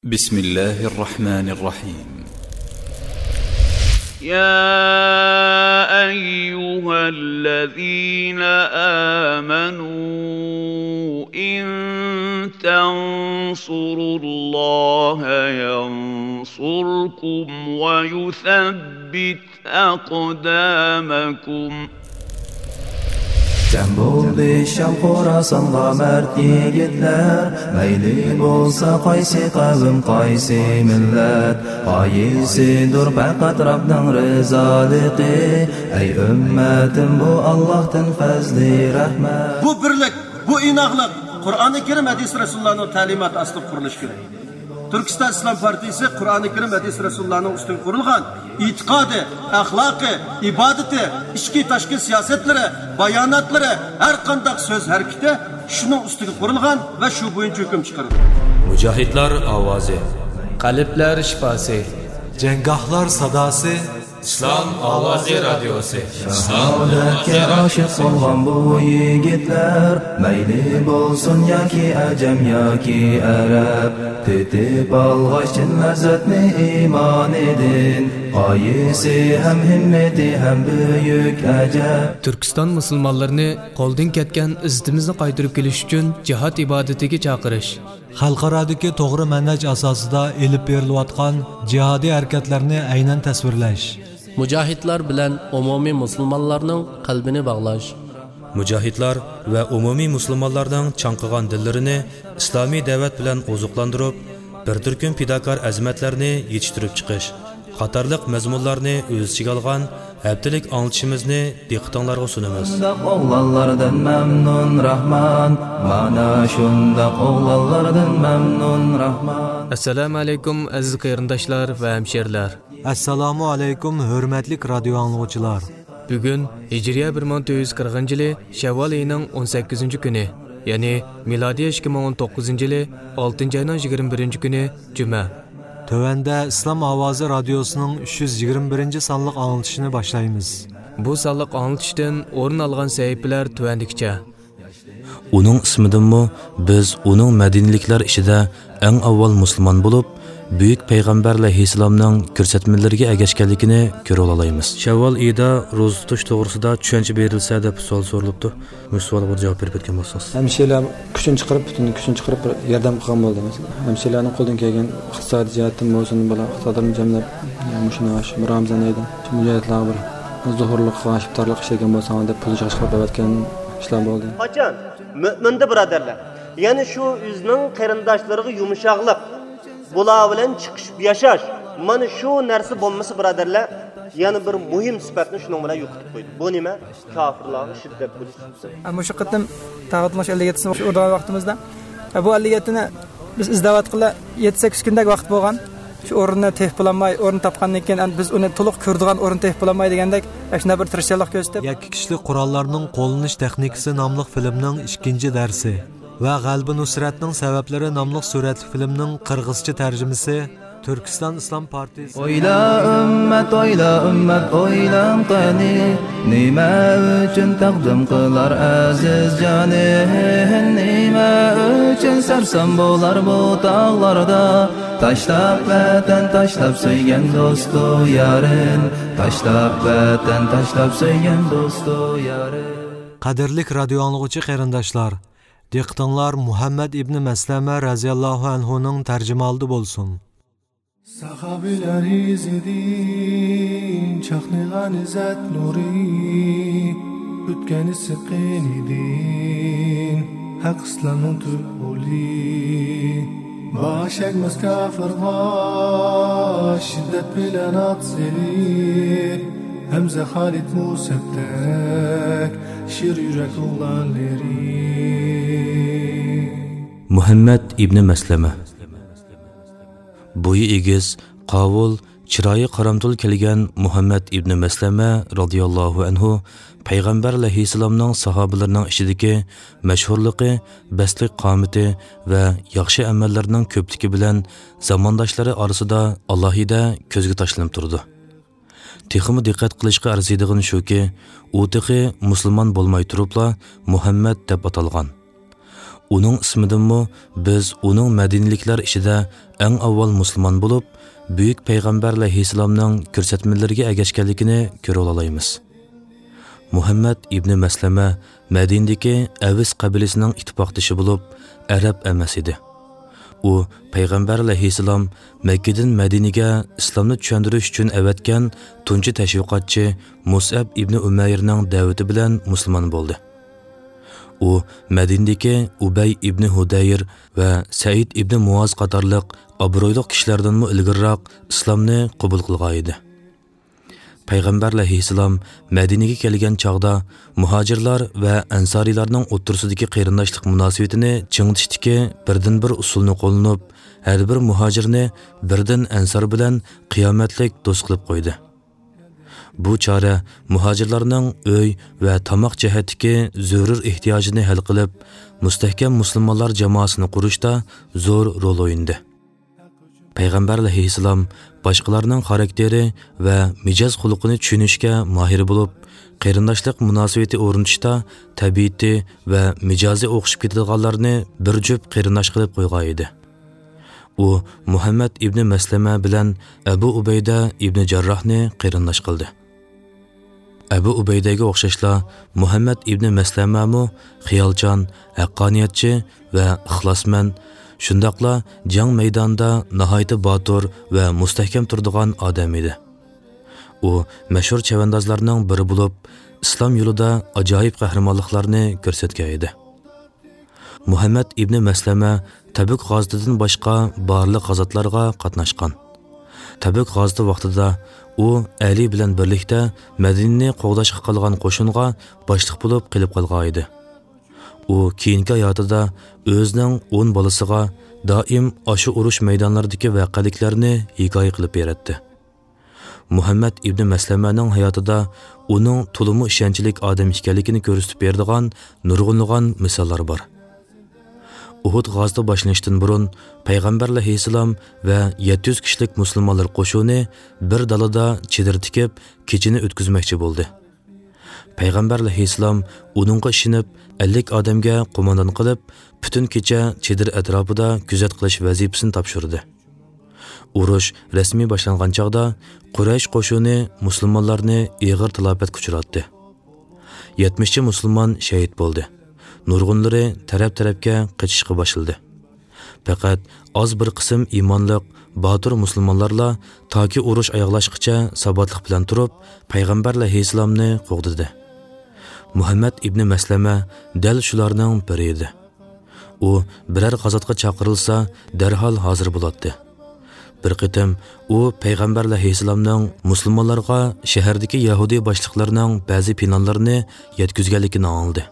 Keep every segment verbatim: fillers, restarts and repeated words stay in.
بسم الله الرحمن الرحيم. يا أيها الذين آمنوا إن تنصروا الله ينصركم ويثبت أقدامكم. جەم بولدى شام خوراسانغا مەرد يىگىتلەر، مەيلى بولسا قايسى قەۋم، قايسى مىللەت، غايىسىدۇر پەقەت رەبنىڭ رىزالىقى. ئەي ئۈممەتىم، بۇ ئاللاھتىن پەزلى رەھمەت. بۇ بىرلىك، بۇ ئىناقلىق قۇرئانى كەرىم، ھەدىس رەسۇلۇللانىڭ تەلىماتى ئاستىدا قۇرۇلۇشى كېرەك. تۈركىستان ئىسلام پارتىيىسى قۇرئانى كەرىم، ھەدىس رەسۇلۇللانىڭ ئۈستىگە قۇرۇلغان ئېتىقادى، ئەخلاقى، ئىبادىتى، ئىچكى تاشقى سىياسەتلىرى، باياناتلىرى، ھەر قانداق سۆز ھەرىكىتى شۇنىڭ ئۈستىگە قۇرۇلغان ۋە شۇ بويىچە ھۆكۈم چىقىرىدۇ. مۇجاھىدلار ئاۋازى. قەلبلەر شىپاسى. جەڭگاھلار ساداسى. ئىسلام ئاۋازى رادىيوسى. شاھادەتكە ئاشىق بولغان بۇ يىگىتلەر، مەيلى بولسۇن ياكى ئەجەم ياكى ئەرەب، تېتىپ ئالغاچ چىن لەززەتنى ئىمانىدىن، غايىسى ھەم ھىممىتى ھەم بۈيۈك ئەجەب. تۈركىستان مۇسۇلمانلىرىنى قولدىن كەتكەن ئىززىتىمىزنى قايتۇرۇپ كېلىش ئۈچۈن جىھاد ئىبادىتىگە چاقىرىش. خەلقئارادىكى توغرا مەنھەج ئاساسىدا ئېلىپ بېرىلىۋاتقان جىھادىي ھەرىكەتلەرنى ئەينەن تەسۋىرلەش. مۇجاھىدلار بىلەن ئومۇمىي مۇسۇلمانلارنىڭ قەلبىنى باغلاش. مۇجاھىدلار ۋە ئومۇمىي مۇسۇلمانلارنىڭ چاڭقىغان دىللىرىنى ئىسلامىي دەۋەت بىلەن ئوزۇقلاندۇرۇپ، بىر تۈركۈم پىداكار ئەزىمەتلەرنى يېتىشتۈرۈپ چىقىش قاتارلىق مەزمۇنلارنى ئۆز ئىچىگە ئالغان ھەپتىلىك ئاڭلىتىشىمىزنى دىققىتىڭلارغا سۇنىمىز. شۇنداق ئوغلانلاردىن مەمنۇن راھمان، مانا شۇنداق ئوغلانلاردىن مەمنۇن راھمان. ئەسسالامۇ ئەلەيكۇم، ئەزىز قېرىنداشلار ۋە ھەمشېرىلەر. ئەسسالامۇ ئەلەيكۇم، ھۆرمەتلىك رادىيو ئاڭلىغۇچىلار. بۈگۈن ھىجرىيە بىر مىڭ تۆت يۈز قىرىقىنچى يىلى شەۋۋال ئېيىنىڭ ئون سەككىزىنچى كۈنى، يەنى مىلادىيە ئىككى مىڭ ئون توققۇزىنچى يىلى ئالتىنچى ئاينىڭ يىگىرمە بىرىنچى كۈنى، جۈمە. تۆۋەندە ئىسلام ئاۋازى رادىيوسىنىڭ ئۈچ يۈز يىگىرمە بىرىنچى سانلىق ئاڭلىتىشىنى باشلايمىز. بۇ سانلىق ئاڭلىتىشتىن ئورۇن ئالغان سەھىپىلەر تۆۋەندىكىچە. ئۇنىڭ ئىسمىدىنمۇ بىز ئۇنىڭ مەدىنىلىكلەر ئىچىدە ئەڭ ئاۋۋال مۇسۇلمان بولۇپ، بۈيۈك پەيغەمبەر ئەلەيھىسسالامنىڭ كۆرسەتمىلىرىگە ئەگەشكەنلىكىنى كۆرۈۋالالايمىز. شەۋۋال ئېيىدا روزا تۇتۇش توغرىسىدا چۈشەنچە بېرىلسە دەپ سوئال سورىلىپتۇ. مۇشۇ سوئالغا بىر جاۋاب بېرىپ ئۆتكەن بولسىڭىز. ھەمشىرىلەر كۈچىنى چىقىرىپ، پۈتۈن كۈچىنى چىقىرىپ بىر ياردەم قىلغان بولدى. مەسىلەن، ھەمشىرىلەرنىڭ قولىدىن كەلگەن ئىقتىسادىي جەھەتتىن بولسۇن، بالا ئىقتىسادلىرىنى جەملەپ، مۇشۇ، شۇ رامىزان ئېيىدا شۇ مۇجاھىدلارغا بىر زۇھۇرلۇق قىلغان، ئىپتارلىق ئىشلىگەن بولساڭلار دەپ پۇل چىقىرىپ بەرگەن ئىشلار بولدى. قاچان؟ مۆمىندە، بۇرادەرلەر. يەنى شۇ ئۆزىنىڭ قېرىنداشلىرىغا يۇمشاقلىق بۇلار بىلەن چىقىشىپ ياشاش، مانا شۇ نەرسە بولمىسا، بۇرادەرلەر، يەنە بىر مۇھىم سۈپەتنى شۇنىڭ بىلەن يوقىتىپ قويدى. بۇ نېمە؟ كاپىرلارغا شىددەت بولۇش سۈپىتى. ئە، مۇشۇ قېتىم تاغۇتمۇش ئەللىك يەتتىسىنى شۇ ئۇرىدىغان ۋاقتىمىزدا، ئە، بۇ ئەللىك يەتتىنى بىز ئىزدەۋاتقىلى يەتتە سەككىز كۈندەك ۋاقىت بولغان. شۇ ئورۇننى تېپىپ بولالماي، ئورۇن تاپقاندىن كېيىن، ئەمدى بىز ئۇنى تولۇق كۆرىدىغان ئورۇن تېپىپ بولالماي دېگەندەك، ئە، شۇنداق بىر تىرىشچانلىق كۆرسىتىپ. يەككە كىشىلىك قوراللارنىڭ قوللىنىش تېخنىكىسى ناملىق فىلىمنىڭ ئىككىنچى دەرسى ۋە غەلىبە نۇسرەتنىڭ سەۋەبلىرى ناملىق سۈرەتلىك فىلىمنىڭ قىرغىزچە تەرجىمىسى تۈركىستان ئىسلام پارتىيىسى. ئويلا ئۈممەت، ئويلا ئۈممەت، ئويلاڭ قېنى، نېمە ئۈچۈن تەقدىم قىلار ئەزىز جانى؟ نېمە ئۈچۈن سەرسان بولار بۇ تاغلاردا؟ تاشلاپ ۋەتەن، تاشلاپ سۆيگەن دوستۇ يارىن، تاشلاپ ۋەتەن، تاشلاپ سۆيگەن دوستۇ يارىن. قەدىرلىك رادىيو ئاڭلىغۇچى قېرىنداشلار، دىققىتىڭلار مۇھەممەد ئىبنى مەسلەمە رەزىياللاھۇ ئەنھۇنىڭ تەرجىمىھالىدا بولسۇن. ساھابىلەر ئىزىدىن چاقنىغان ئىززەت نۇرى، ئۆتكەن ئىسسىق قېنىدىن ھەق ئىسلامنىڭ تۈپ ئۇلى. باش ئەگمەس كاپىرغا شىددەت بىلەن ئات سېلىپ، ھەمزە، خالىد، مۇسەبدەك شىر يۈرەك ئوغلانلىرى. مۇھەممەد ئىبنى مەسلەمە. بويى ئېگىز، قاۋۇل، چىرايى قارامتۇل كەلگەن مۇھەممەد ئىبنى مەسلەمە رازىياللاھۇ ئەنھۇ پەيغەمبەر ئەلەيھىسسالامنىڭ ساھابىلىرىنىڭ ئىچىدىكى مەشھۇرلۇقى، بەستلىك قامىتى ۋە ياخشى ئەمەللىرىنىڭ كۆپلۈكى بىلەن زامانداشلىرى ئارىسىدا ئالاھىدە كۆزگە تاشلىنىپ تۇرىدۇ. تېخىمۇ دىققەت قىلىشقا ئەرزىيدىغىنى شۇكى، ئۇ تېخى مۇسۇلمان بولماي تۇرۇپلا مۇھەممەد دەپ ئاتالغان. ئۇنىڭ ئىسمىدىنمۇ بىز ئۇنىڭ مەدىنىلىكلەر ئىچىدە ئەڭ ئاۋۋال مۇسۇلمان بولۇپ، بۈيۈك پەيغەمبەر ئەلەيھىسسالامنىڭ كۆرسەتمىلىرىگە ئەگەشكەنلىكىنى كۆرۈۋالالايمىز. مۇھەممەد ئىبنى مەسلەمە مەدىنىدىكى ئەۋس قەبىلىسىنىڭ ئىتتىپاقدىشى بولۇپ، ئەرەب ئەمەس ئىدى. ئۇ پەيغەمبەر ئەلەيھىسسالام مەككىدىن مەدىنىگە ئىسلامنى چۈشەندۈرۈش ئۈچۈن ئەۋەتكەن تۇنجى تەشۋىقاتچى مۇسئەب ئىبنى ئۇمەيرنىڭ دەۋىتى بىلەن مۇسۇلمان بولدى. ئۇ مەدىنىدىكى ئۇبەي ئىبنى ھۇدەير ۋە سەئىد ئىبنى مۇئاز قاتارلىق ئابرۇيلۇق كىشىلەردىنمۇ ئىلگىرىراق ئىسلامنى قوبۇل قىلغان ئىدى. پەيغەمبەر ئەلەيھىسسالام مەدىنىگە كەلگەن چاغدا مۇھاجىرلار ۋە ئەنسارىيلارنىڭ ئوتتۇرىسىدىكى قېرىنداشلىق مۇناسىۋىتىنى چىڭىتىشتىكى بىردىنبىر ئۇسۇلنى قوللىنىپ، ھەر بىر مۇھاجىرنى بىردىن ئەنسار بىلەن قىيامەتلىك دوست قىلىپ قويدى. بۇ چارە مۇھاجىرلارنىڭ ئۆي ۋە تاماق جەھەتتىكى زۆرۈر ئېھتىياجىنى ھەل قىلىپ، مۇستەھكەم مۇسۇلمانلار جامائىسىنى قۇرۇشتا زور رول ئوينىدى. پەيغەمبەر ئەلەيھىسسالام باشقىلارنىڭ خاراكتېرى ۋە مىجەز خۇلقىنى چۈشىنىشكە ماھىر بولۇپ، قېرىنداشلىق مۇناسىۋىتى ئورنىتىشتا تەبىئىتى ۋە مىجەزى ئوخشىشىپ كېتىدىغانلارنى بىر جۈپ قېرىنداش قىلىپ قويغان ئىدى. ئۇ مۇھەممەد ئىبنى مەسلەمە بىلەن ئەبۇ ئۇبەيدە ئىبنى جەرراھنى قېرىنداش قىلدى. ئەبۇ ئۇبەيدەگە ئوخشاشلا، مۇھەممەد ئىبنى مەسلەمەمۇ خىيالچان، ھەققانىيەتچى ۋە ئىخلاسمەن، شۇنداقلا جەڭ مەيدانىدا ناھايىتى باتۇر ۋە مۇستەھكەم تۇرىدىغان ئادەم ئىدى. ئۇ مەشھۇر چەۋەندازلارنىڭ بىرى بولۇپ، ئىسلام يولىدا ئاجايىپ قەھرىمانلىقلارنى كۆرسەتكەن ئىدى. مۇھەممەد ئىبنى مەسلەمە تەبۈك غازىتىدىن باشقا بارلىق غازاتلارغا قاتناشقان. تەبۈك غازىتى ۋاقتىدا ئۇ ئەلى بىلەن بىرلىكتە مەدىنىنى قوغداشقا قالغان قوشۇنغا باشلىق بولۇپ قېلىپ قالغان ئىدى. ئۇ كېيىنكى ھاياتىدا ئۆزىنىڭ ئون بالىسىغا دائىم ئاشۇ ئۇرۇش مەيدانلىرىدىكى ۋەقەلىكلەرنى ھېكايە قىلىپ بېرەتتى. مۇھەممەد ئىبنى مەسلەمەنىڭ ھاياتىدا ئۇنىڭ تولىمۇ ئىشەنچلىك ئادەم ئىكەنلىكىنى كۆرسىتىپ بېرىدىغان نۇرغۇنلىغان مىساللار بار. ئۇھۇد غازىتى باشلىنىشتىن بۇرۇن پەيغەمبەر ئەلەيھىسسالام ۋە يەتتە يۈز كىشىلىك مۇسۇلمانلار قوشۇنى بىر دالىدا چېدىر تىكىپ، كېچىنى ئۆتكۈزمەكچى بولدى. پەيغەمبەر ئەلەيھىسسالام ئۇنىڭغا ئىشىنىپ، ئەللىك ئادەمگە قوماندان قىلىپ، پۈتۈن كېچە چېدىر ئەتراپىدا كۆزەت قىلىش ۋەزىپىسىنى تاپشۇردى. ئۇرۇش رەسمىي باشلانغان چاغدا قۇرەيش قوشۇنى مۇسۇلمانلارنى ئېغىر تالاپەتكە ئۇچراتتى. يەتمىشچە مۇسۇلمان شەھىت بولدى. نۇرغۇنلىرى تەرەپ-تەرەپكە قېچىشقا باشلىدى. پەقەت ئاز بىر قىسىم ئىمانلىق، باتۇر مۇسۇلمانلارلا تاكى ئۇرۇش ئاياغلاشقىچە ساباتلىق بىلەن تۇرۇپ، پەيغەمبەر ئەلەيھىسسالامنى قوغدىدى. مۇھەممەد ئىبنى مەسلەمە دەل شۇلارنىڭ بىرى ئىدى. ئۇ بىرەر غازاتقا چاقىرىلسا، دەرھال ھازىر بولاتتى. بىر قېتىم ئۇ پەيغەمبەر ئەلەيھىسسالامنىڭ مۇسۇلمانلارغا شەھەردىكى يەھۇدىي باشلىقلىرىنىڭ بەزى پىلانلىرىنى يەتكۈزگەنلىكىنى ئاڭلىدى.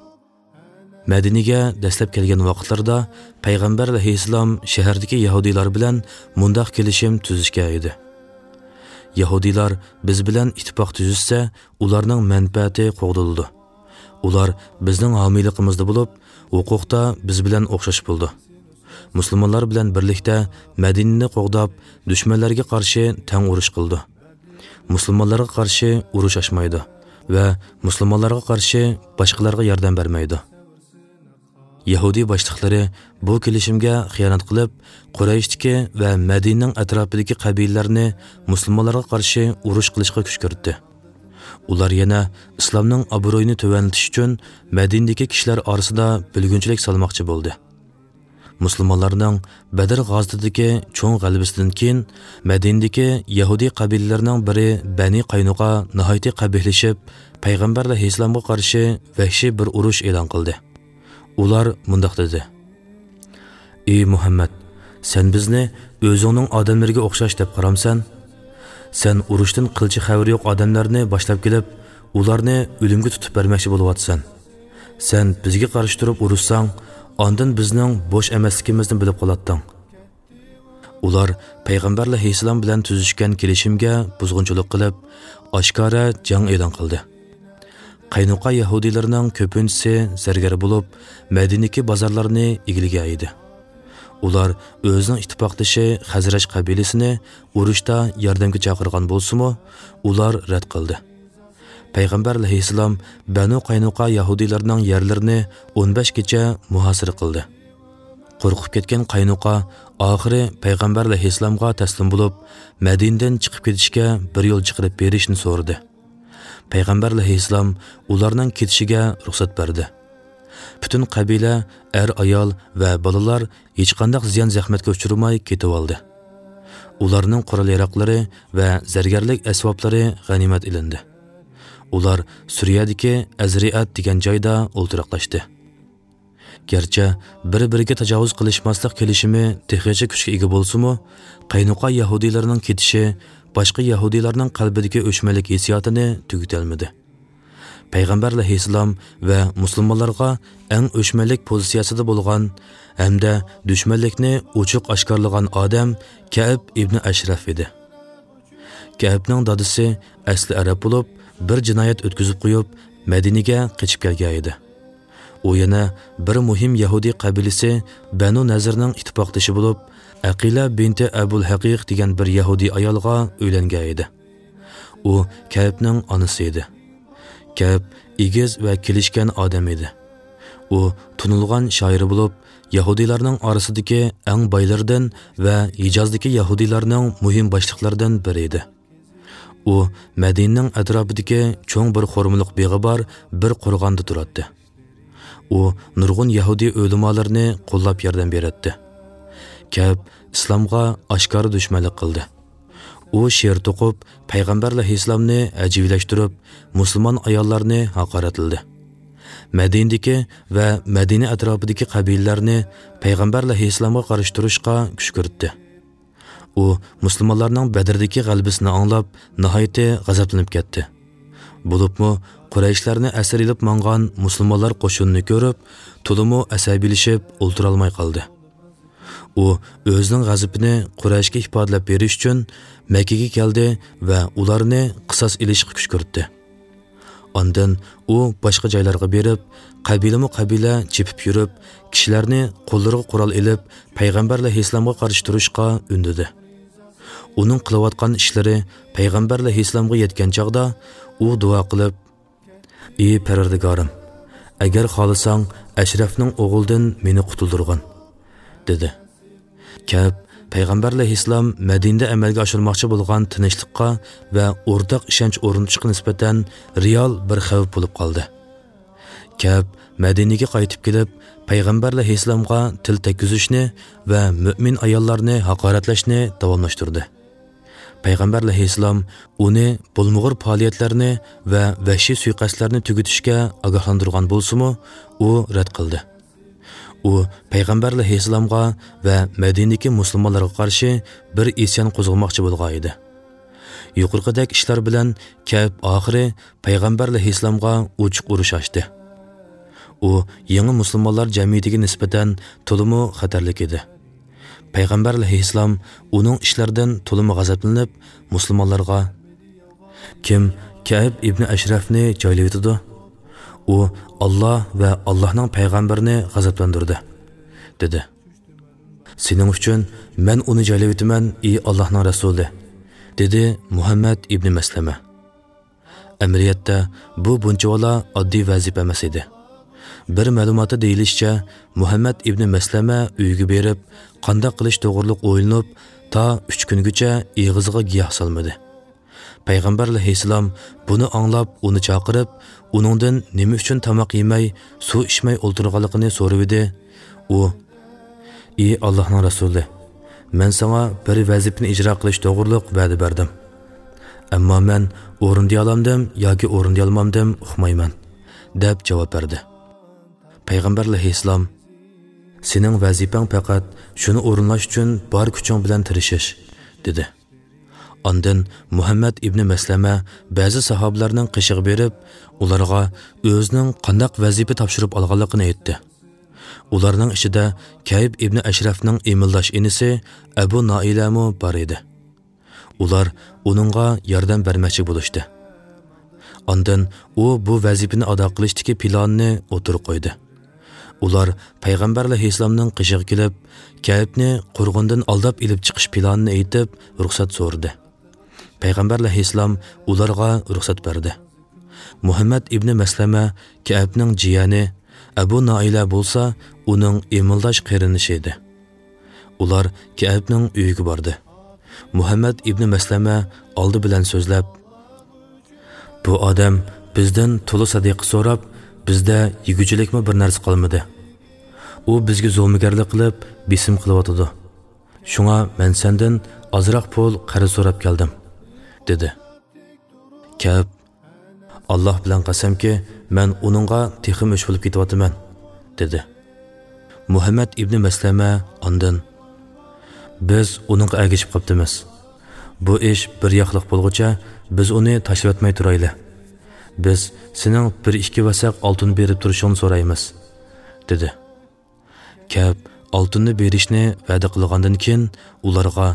مەدىنىگە دەسلەپ كەلگەن ۋاقىتلىرىدا پەيغەمبەر ئەلەيھىسسالام شەھەردىكى يەھۇدىيلار بىلەن مۇنداق كېلىشىم تۈزۈشكەن ئىدى. يەھۇدىيلار بىز بىلەن ئىتتىپاق تۈزۈشسە، ئۇلارنىڭ مەنپەئەتى قوغدىلىدۇ. ئۇلار بىزنىڭ ھامىيلىقىمىزدا بولۇپ، ھوقۇقتا بىز بىلەن ئوخشاش بولىدۇ. مۇسۇلمانلار بىلەن بىرلىكتە مەدىنىنى قوغداپ، دۈشمەنلەرگە قارشى تەڭ ئۇرۇش قىلىدۇ. مۇسۇلمانلارغا قارشى ئۇرۇش ئاچمايدۇ ۋە مۇسۇلمانلارغا قارشى باشقىلارغا ياردەم بەرمەيدۇ. يەھۇدىي باشلىقلىرى بۇ كېلىشىمگە خىيانەت قىلىپ، قۇرەيشتىكى ۋە مەدىنىنىڭ ئەتراپىدىكى قەبىلىلەرنى مۇسۇلمانلارغا قارشى ئۇرۇش قىلىشقا كۈشكۈرتتى. ئۇلار يەنە ئىسلامنىڭ ئابرۇيىنى تۆۋەنلىتىش ئۈچۈن مەدىنىدىكى كىشىلەر ئارىسىدا بۆلگۈنچىلىك سالماقچى بولدى. مۇسۇلمانلارنىڭ بەدر غازىتىدىكى چوڭ غەلىبىسىدىن كېيىن، مەدىنىدىكى يەھۇدىي قەبىلىلەرنىڭ بىرى بەنى قاينۇقا ناھايىتى قەبىھلىشىپ، پەيغەمبەر ئەلەيھىسسالامغا قارشى ۋەھشىي بىر ئۇرۇش ئېلان قىلدى. ئۇلار مۇنداق دېدى: «ئى مۇھەممەد، سەن بىزنى ئۆزۈڭنىڭ ئادەملىرىگە ئوخشاش دەپ قارامسەن؟ سەن ئۇرۇشتىن قىلچە خەۋىرى يوق ئادەملەرنى باشلاپ كېلىپ، ئۇلارنى ئۆلۈمگە تۇتۇپ بەرمەكچى بولۇۋاتىسەن. سەن بىزگە قارشى تۇرۇپ ئۇرۇشساڭ، ئاندىن بىزنىڭ بوش ئەمەسلىكىمىزنى بىلىپ قالاتتىڭ.» ئۇلار پەيغەمبەر ئەلەيھىسسالام بىلەن تۈزۈشكەن كېلىشىمگە بۇزغۇنچىلىق قىلىپ، ئاشكارا جەڭ ئېلان قىلدى. قەينۇقا يەھۇدىيلىرىنىڭ كۆپىنچىسى زەرگەر بولۇپ، مەدىنىدىكى بازارلارنى ئىگىلىگەن ئىدى. ئۇلار ئۆزىنىڭ ئىتتىپاقدىشى خەزرەج قەبىلىسىنى ئۇرۇشتا ياردەمگە چاقىرغان بولسىمۇ، ئۇلار رەت قىلدى. پەيغەمبەر ئەلەيھىسسالام بەنۇ قەينۇقا يەھۇدىيلىرىنىڭ يەرلىرىنى ئون بەش كېچە مۇھاسىرە قىلدى. قورقۇپ كەتكەن قاينۇقا ئاخىرى پەيغەمبەر ئەلەيھىسسالامغا تەسلىم بولۇپ، مەدىنىدىن چىقىپ كېتىشكە بىر يول چىقىرىپ بېرىشنى سورىدى. پەيغەمبەر ئەلەيھىسسالام ئۇلارنىڭ كېتىشىگە رۇخسەت بەردى. پۈتۈن قەبىلە، ئەر-ئايال ۋە بالىلار ھېچقانداق زىيان-زەخمەتكە ئۇچرىماي كېتىۋالدى. ئۇلارنىڭ قورال-ياراغلىرى ۋە زەرگەرلىك ئەسۋابلىرى غەنىيمەت ئېلىندى. ئۇلار سۈرىيەدىكى ئەزرىئەت دېگەن جايدا ئولتۇراقلاشتى. گەرچە بىر-بىرىگە تاجاۋۇز قىلىشماسلىق كېلىشىمى تېخىچە كۈچكە ئىگە بولسىمۇ، قەينۇقا يەھۇدىيلىرىنىڭ كېتىشى باشقا يەھۇدىيلارنىڭ قەلبىدىكى ئۆچمەنلىك ھېسسىياتىنى تۈگىتەلمىدى. پەيغەمبەر ئەلەيھىسسالام ۋە مۇسۇلمانلارغا ئەڭ ئۆچمەنلىك پوزىتسىيەسىدە بولغان ھەمدە دۈشمەنلىكنى ئوچۇق ئاشكارىلىغان ئادەم كەئب ئىبنى ئەشرەف ئىدى. كەئبنىڭ دادىسى ئەسلى ئەرەب بولۇپ، بىر جىنايەت ئۆتكۈزۈپ قويۇپ، مەدىنىگە قېچىپ كەلگەن ئىدى. ئۇ يەنە بىر مۇھىم يەھۇدىي قەبىلىسى بەنۇ نەزىرنىڭ ئىتتىپاقدىشى بولۇپ، ئەقىلە بىنتى ئەبۇل ھەقىق دېگەن بىر يەھۇدىي ئايالغا ئۆيلەنگەن ئىدى. ئۇ كەئبنىڭ ئانىسى ئىدى. كەئب ئېگىز ۋە كېلىشكەن ئادەم ئىدى. ئۇ تونۇلغان شائىر بولۇپ، يەھۇدىيلارنىڭ ئارىسىدىكى ئەڭ بايلىرىدىن ۋە ھىجازدىكى يەھۇدىيلارنىڭ مۇھىم باشلىقلىرىدىن بىرى ئىدى. ئۇ مەدىنىنىڭ ئەتراپىدىكى چوڭ بىر خورمىلىق بېغى بار بىر قورغاندا تۇراتتى. ئۇ نۇرغۇن يەھۇدىي ئۆلىمالىرىنى قوللاپ ياردەم بېرەتتى. كەئب ئىسلامغا ئاشكارا دۈشمەنلىك قىلدى. ئۇ شېئىر توقۇپ، پەيغەمبەر ئەلەيھىسسالامنى ھەجۋىيلەشتۈرۈپ، مۇسۇلمان ئاياللارنى ھاقارەتلىدى. مەدىنىدىكى ۋە مەدىنە ئەتراپىدىكى قەبىلىلەرنى پەيغەمبەر ئەلەيھىسسالامغا قارشى تۇرۇشقا كۈشكۈرتتى. ئۇ مۇسۇلمانلارنىڭ بەدردىكى غەلىبىسىنى ئاڭلاپ، ناھايىتى غەزەپلىنىپ كەتتى. بولۇپمۇ قۇرەيشلەرنى ئەسىر ئېلىپ ماڭغان مۇسۇلمانلار قوشۇنىنى كۆرۈپ، تولىمۇ ئەسەبىيلىشىپ ئولتۇرالماي قالدى. ئۇ ئۆزىنىڭ غەزىپىنى قۇرەيشكە ئىپادىلەپ بېرىش ئۈچۈن مەككىگە كەلدى ۋە ئۇلارنى قىساس ئېلىشقا كۈشكۈرتتى. ئاندىن ئۇ باشقا جايلارغا بېرىپ، قەبىلىمۇ قەبىلە چېپىپ يۈرۈپ، كىشىلەرنى قوللىرىغا قورال ئېلىپ، پەيغەمبەر ئەلەيھىسسالامغا قارشى تۇرۇشقا ئۈندىدى. ئۇنىڭ قىلىۋاتقان ئىشلىرى پەيغەمبەر ئەلەيھىسسالامغا يەتكەن چاغدا، ئۇ دۇئا قىلىپ، «ئى پەرۋەردىگارىم، ئەگەر خالىساڭ، ئەشرەفنىڭ ئوغلىدىن مېنى قۇتۇلدۇرغىن» دېدى. كەئب پەيغەمبەر ئەلەيھىسسالام مەدىنىدە ئەمەلگە ئاشۇرماقچى بولغان تىنچلىققا ۋە ئورتاق ئىشەنچ ئورنىتىشقا نىسبەتەن رېئال بىر خەۋپ بولۇپ قالدى. كەئب مەدىنىگە قايتىپ كېلىپ، پەيغەمبەر ئەلەيھىسسالامغا تىل تەگكۈزۈشنى ۋە مۆمىن ئاياللارنى ھاقارەتلەشنى داۋاملاشتۇردى. پەيغەمبەر ئەلەيھىسسالام ئۇنى بولمىغۇر پائالىيەتلەرنى ۋە ۋەھشىي سۇيىقەستلەرنى تۈگىتىشكە ئاگاھلاندۇرغان بولسىمۇ، ئۇ رەت قىلدى. ئۇ پەيغەمبەر ئەلەيھىسسالامغا ۋە مەدىنىدىكى مۇسۇلمانلارغا قارشى بىر ئىسيان قوزغىماقچى بولغان ئىدى. يۇقىرىقىدەك ئىشلار بىلەن كەئب ئاخىرى پەيغەمبەر ئەلەيھىسسالامغا ئوچۇق ئۇرۇش ئاچتى. ئۇ يېڭى مۇسۇلمانلار جەمئىيىتىگە نىسبەتەن تولىمۇ خەتەرلىك ئىدى. پەيغەمبەر ئەلەيھىسسالام ئۇنىڭ ئىشلىرىدىن تولىمۇ غەزەپلىنىپ، مۇسۇلمانلارغا، «كىم كەئب ئىبنى ئەشرەفنى جايلىۋېتىدۇ؟ ئۇ ئاللا ۋە ئاللانىڭ پەيغەمبىرىنى غەزەپلەندۈردى» دېدى. «سېنىڭ ئۈچۈن مەن ئۇنى جايلىۋېتىمەن، ئى ئاللانىڭ رەسۇلى» دېدى مۇھەممەد ئىبنى مەسلەمە. ئەمەلىيەتتە بۇ بۇنچىۋالا ئاددىي ۋەزىپە ئەمەس ئىدى. بىر مەلۇماتتا دېيىلىشىچە، مۇھەممەد ئىبنى مەسلەمە ئۆيىگە بېرىپ، قانداق قىلىش توغرىلىق ئويلىنىپ، تا ئۈچ كۈنگىچە ئېغىزىغا گىياھ سالمىدى. پەيغەمبەر ئەلەيھىسسالام بۇنى ئاڭلاپ، ئۇنى چاقىرىپ، ئۇنىڭدىن نېمە ئۈچۈن تاماق يېمەي، سۇ ئىچمەي ئولتۇرغانلىقىنى سورىۋىدى. ئۇ، «ئى ئاللانىڭ رەسۇلى، مەن ساڭا بىر ۋەزىپىنى ئىجرا قىلىش توغرۇلۇق ۋەدە بەردىم. ئەمما مەن ئورۇندىيالامدىم ياكى ئورۇندىيالمامدىم ئۇقمايمەن» دەپ جاۋاب بەردى. پەيغەمبەر ئەلەيھىسسالام، «سېنىڭ ۋەزىپەڭ پەقەت شۇنى ئورۇنلاش ئۈچۈن بار كۈچۈڭ بىلەن تىرىشىش» دېدى. ئاندىن مۇھەممەد ئىبنى مەسلەمە بەزى ساھابىلەرنىڭ قېشىغا بېرىپ، ئۇلارغا ئۆزىنىڭ قانداق ۋەزىپە تاپشۇرۇپ ئالغانلىقىنى ئېيتتى. ئۇلارنىڭ ئىچىدە كەئب ئىبنى ئەشرەفنىڭ ئىمىلداش ئىنىسى ئەبۇ نائىلەمۇ بار ئىدى. ئۇلار ئۇنىڭغا ياردەم بەرمەكچى بولۇشتى. ئاندىن ئۇ بۇ ۋەزىپىنى ئادا قىلىشتىكى پىلانىنى ئوتتۇرىغا قويدى. ئۇلار پەيغەمبەر ئەلەيھىسسالامنىڭ قېشىغا كېلىپ، كەئبنى قورغۇندىن ئالداپ ئېلىپ چىقىش پىلانىنى ئېيتىپ، رۇخسەت سورىدى. پەيغەمبەر ئەلەيھىسسالام ئۇلارغا رۇخسەت بەردى. مۇھەممەد ئىبنى مەسلەمە كەئبنىڭ جىيەنى، ئەبۇ نائىلە بولسا ئۇنىڭ ئىمىلداش قېرىندىشى ئىدى. ئۇلار كەئبنىڭ ئۆيىگە باردى. مۇھەممەد ئىبنى مەسلەمە ئالدى بىلەن سۆزلەپ، بۇ ئادەم بىزدىن تولا سەدىقە سوراپ، بىزدە يېگۈچىلىكمۇ بىر نەرسە قالمىدى. ئۇ بىزگە زومىگەرلىك قىلىپ، بېسىم قىلىۋاتىدۇ. شۇڭا مەن سەندىن ئازراق پۇل قەرز سوراپ كەلدىم، دېدى. كەئب، ئاللاھ بىلەن قەسەمكى، مەن ئۇنىڭغا تېخىمۇ ئۆچ بولۇپ كېتىۋاتىمەن، دېدى. مۇھەممەد ئىبنى مەسلەمە ئاندىن، بىز ئۇنىڭغا ئەگىشىپ قاپتىمىز. بۇ ئىش بىر ياقلىق بولغۇچە، بىز ئۇنى تاشلىۋەتمەي تۇرايلى. بىز سېنىڭ بىر ئىككى ۋەسەق ئالتۇن بېرىپ تۇرۇشۇڭنى سورايمىز، دېدى. كەئب ئالتۇننى بېرىشنى ۋەدە قىلغاندىن كېيىن ئۇلارغا،